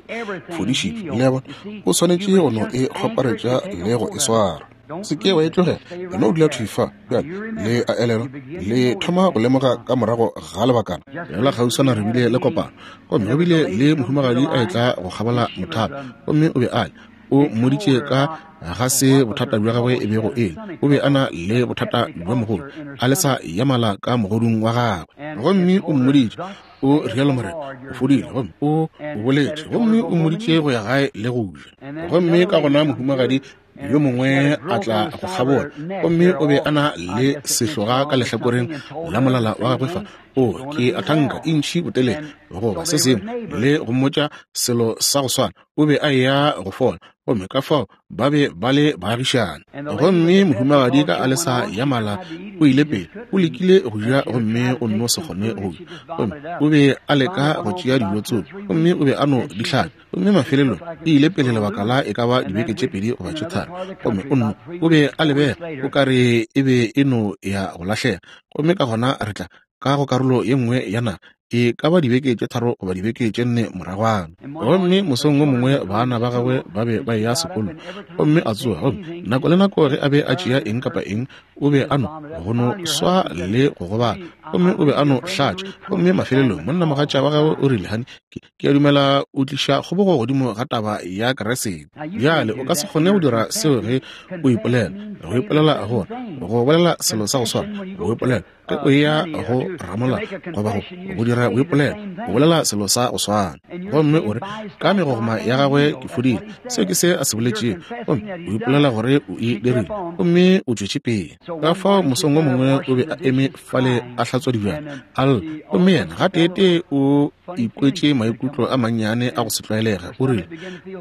fodišitšwe. Le a bona, o swanetše go no e kgoparetša le go e swara. Se ke wa e tlogela, e no dula thwi fa. Bjale, le a elelwa, le thoma go lemoga ka morago ga lebakana. Bjala kgauswana re bile le kopano, gomme go bile le mohumagadi a etla go kgabola mothalo, gomme o be a le, o mmoditše ka ga se bothata bja gagwe e bego e le. O be a na le bothata bja mogolo, a lesa ya mala ka mogodung wa gagwe. Gomme o mmoditše, o rialo Morena, o fodile, gomme o o boletše, gomme o mmoditše go ya gae le go ja. Gomme ka gona mohumagadi yo mongwe a tla go kgabola, gomme o be a na le sehloga ka lehlakoreng la molala wa gagwe fa, o ke a thanka intšhi botelele goba se sengwe, le go mmotša selo sa go swana, o be a eya go fola. Gomme ka fao ba be ba le baagišane. Gomme mohumagadi ka alesa ya mala o ile pele, o lekile go ja gomme o nno se kgone go ja. Gomme o be a leka go tšea dijo tsoko, gomme o be a no di hlaka. Gomme mafelelong e ile pele lebaka la e ka ba dibeke tše pedi goba tše tharo, gomme o nno o be a lebega o ka re e be e no ya go lahlega. Gomme ka gona re tla ka go karolo ye nngwe ya naga, e ka ba dibeke tše 3 goba dibeke tše 4 moragwana. Gomme mosong wo mongwe bana ba gagwe ba be ba eya sekolong, gomme a tsoga, gomme nako le nako ge a be a tšea eng kapa eng, o be a no go no swa le go gobala, gomme o be a no hlatša. Gomme mafelelong monnamogatša wa gagwe o rile, Hani, ke, ke a dumela o tliša kgobogo godimo ga taba ya Keresete. Bjale o ka se kgone go dira seo ge o ipolela. Go ipolela gore go bolela selo sa go swana, go ipolela ge o eya go ramola goba go dira boipolelo, o bolela selo sa go swana. Gomme o re, ka megogoma ya gagwe ke fodile. Seo ke se a se boletšego. Gomme o ipolela gore o e dirile, gomme o tšwetše pele. Ka fao mosong wo mongwe o be a eme fale a hlatswa dibjana, a lla, gomme yena gateetee o ikwetše maikutlo a mannyane a go se tlwaelege. O rile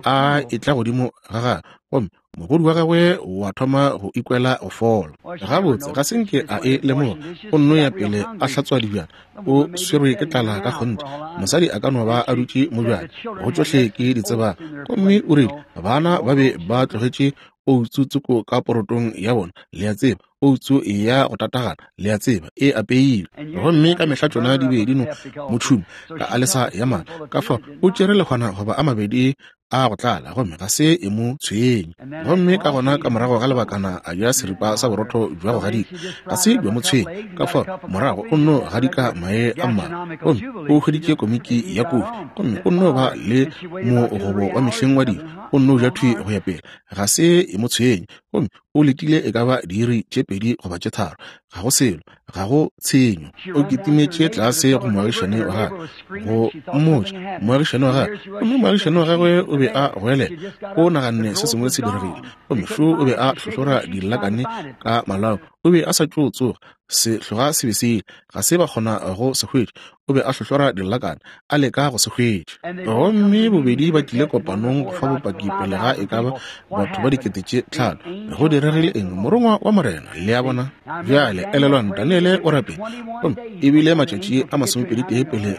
a etla godimo ga gagwe, gomme mogodu wa gagwe wa thoma go ikwela go fola. Gabotse, ga se nke a e lemoga. O nno ya pele a hlatswa dibjana. O swerwe ke tlala ka kgonthe. Mosadi a ka no ba a dutše mo bjale, go tšohle ke di tsebang. Gomme o rile bana ba be ba tlogetše outsu tsoko ka porotong ya bona, le a tseba, outsu ya go tatagana, le a tseba, e apeilwe. Gomme ka mehla tšona di be di no mo tšhuma ka alesa ya mala. Ka fao o tšere lehwana goba a mabedi a go tlala, gomme ga se e mo tshwenye. Gomme ka gona ka morago ga lebakana a ja seripa sa borotho bja go gadika, ga se bja mo tshwenya. Ka fao morago o nno gadika mae a mmalwa, gomme o hweditše komiki ya kofi, gomme o nno ba le mogobo wa mehleng wa dijo, o nno ja thwi go ya pele, ga se e mo tshwenye. Gomme o letile e ka ba diiri tše 2 goba tše 3, ga go selo, ga go tshenyo. O kitimetše tlase go moagišane wa gagwe go mmotša, moagišane wa gagwe, gomme moagišane wa gagwe o be a goelela, o naganne se sengwe se diregile, gomme šo o be a hlohlora dillakane ka malao. O be a sa tšo tsoga, sehloga se be se ile, ga se ba kgona go se hwetša. O be a hlohlora dillakana, a leka go se hwetša. Gomme bobedi ba tlile kopanong go fa bopaki pele ga e ka ba batho ba 5000. Go diregile eng? Morongwa wa Morena, le a bona. Bjale, elelwang, Daniele o rapetše, gomme e bile matšatši a 21 pele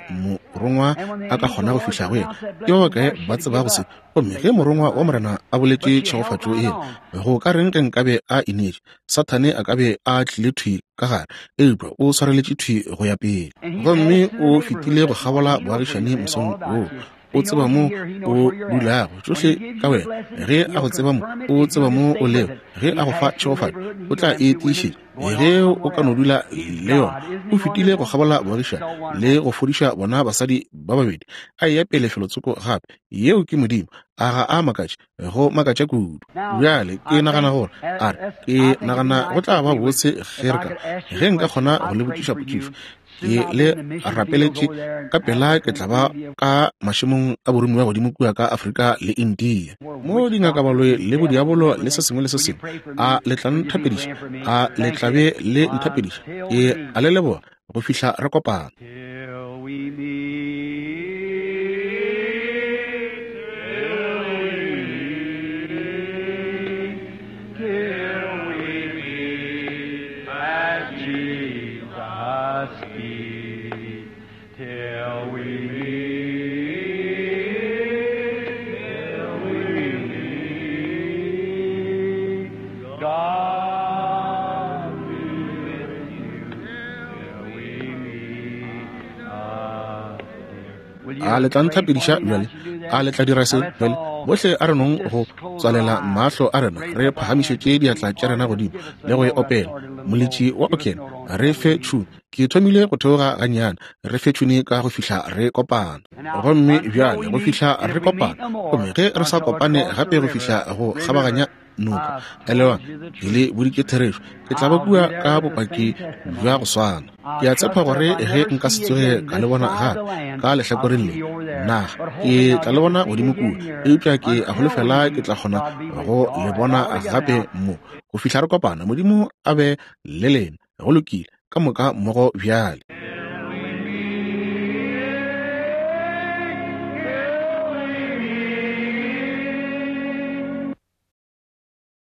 morongwa a ka kgona go fihla go yena. Ke ba bakae ba tsebago se? Gomme ge Morongwa wa Morena a boletše tšhegofatšo yela, go ka reng ge nkabe a ineetše? Sathane a ka be a tlile thwi ka gare, eupša o swareletše thwi go ya pele. Gomme o fetile go kgabola boagišane mosong woo. O tseba mo o dulago, tšohle ka wena. Ge a go tseba mo, o tseba mo o lego. Ge a go fa tšhegofatšo, o tla e tiišetša. Ge o ka no dula le yona. O fetile go kgabola boagišane le go fodiša bona basadi ba babedi, a eya pele felotsoko gape. Yeo ke Modimo. A ga a makatše? Go makatša kudu. Bjale ke nagana gore, a re, ke nagana go tla ba botse ge re ka, ge nka kgona go le botšiša potšišo. Ke le rapeletše, ka pela ke tla ba ka mašemong a boromiwa godimo kua ka Afrika le India, mo dingakabaloi le bodiabolo le se sengwe le se sengwe. A le tla nthapediša? A le tla be le nthapediša? Ke a le leboga go fihla re kopana. Till we meet, till we meet, till we meet at Jesus' feet. Till we meet, till we meet, God be with you till we meet again. Will you A le tla pray for nthapediša me now bjale? as you do A that? le tla dira Now se let's bjale? all Bohle a re nong just go close tswalela our eyes, mahlo a rena, raise re up our hands phagamišetše and diatla sing, tša or rena just godimo give us a le go e note. I opela. started a little low. Moletši wa Give us a okene, note on re till we fe meet. tšhune. Ke thomile go theoga gannyane, re fe tšhune ka go fihla re kopana. And now, Gomme until bjale we go meet, fihla and re if we meet kopana, no more, gomme ge re sa until kopane across the gape go river, fihla go remember, kgabaganya noka, I've told elelwang, you the ke le truth. boditše therešo. Ke tla ba I'll be kua there ka with the bopaki same bja testimony. go swana. I'll Ke a tshepa trust that gore if I ge never nka se see you tsoge again ka le this bona side of gape the land, ka I'll lehlakoreng see le, you over there. naga, But ke hoping I'll tla le get to bona see you godimo again kua. here Eupša ke a until we holofela ke meet, tla kgona God be with go you. All le right, bona all together gape now. mo. Go fihla re kopana, Modimo a be le lena. Go lokile, ka moka mmogo bjale.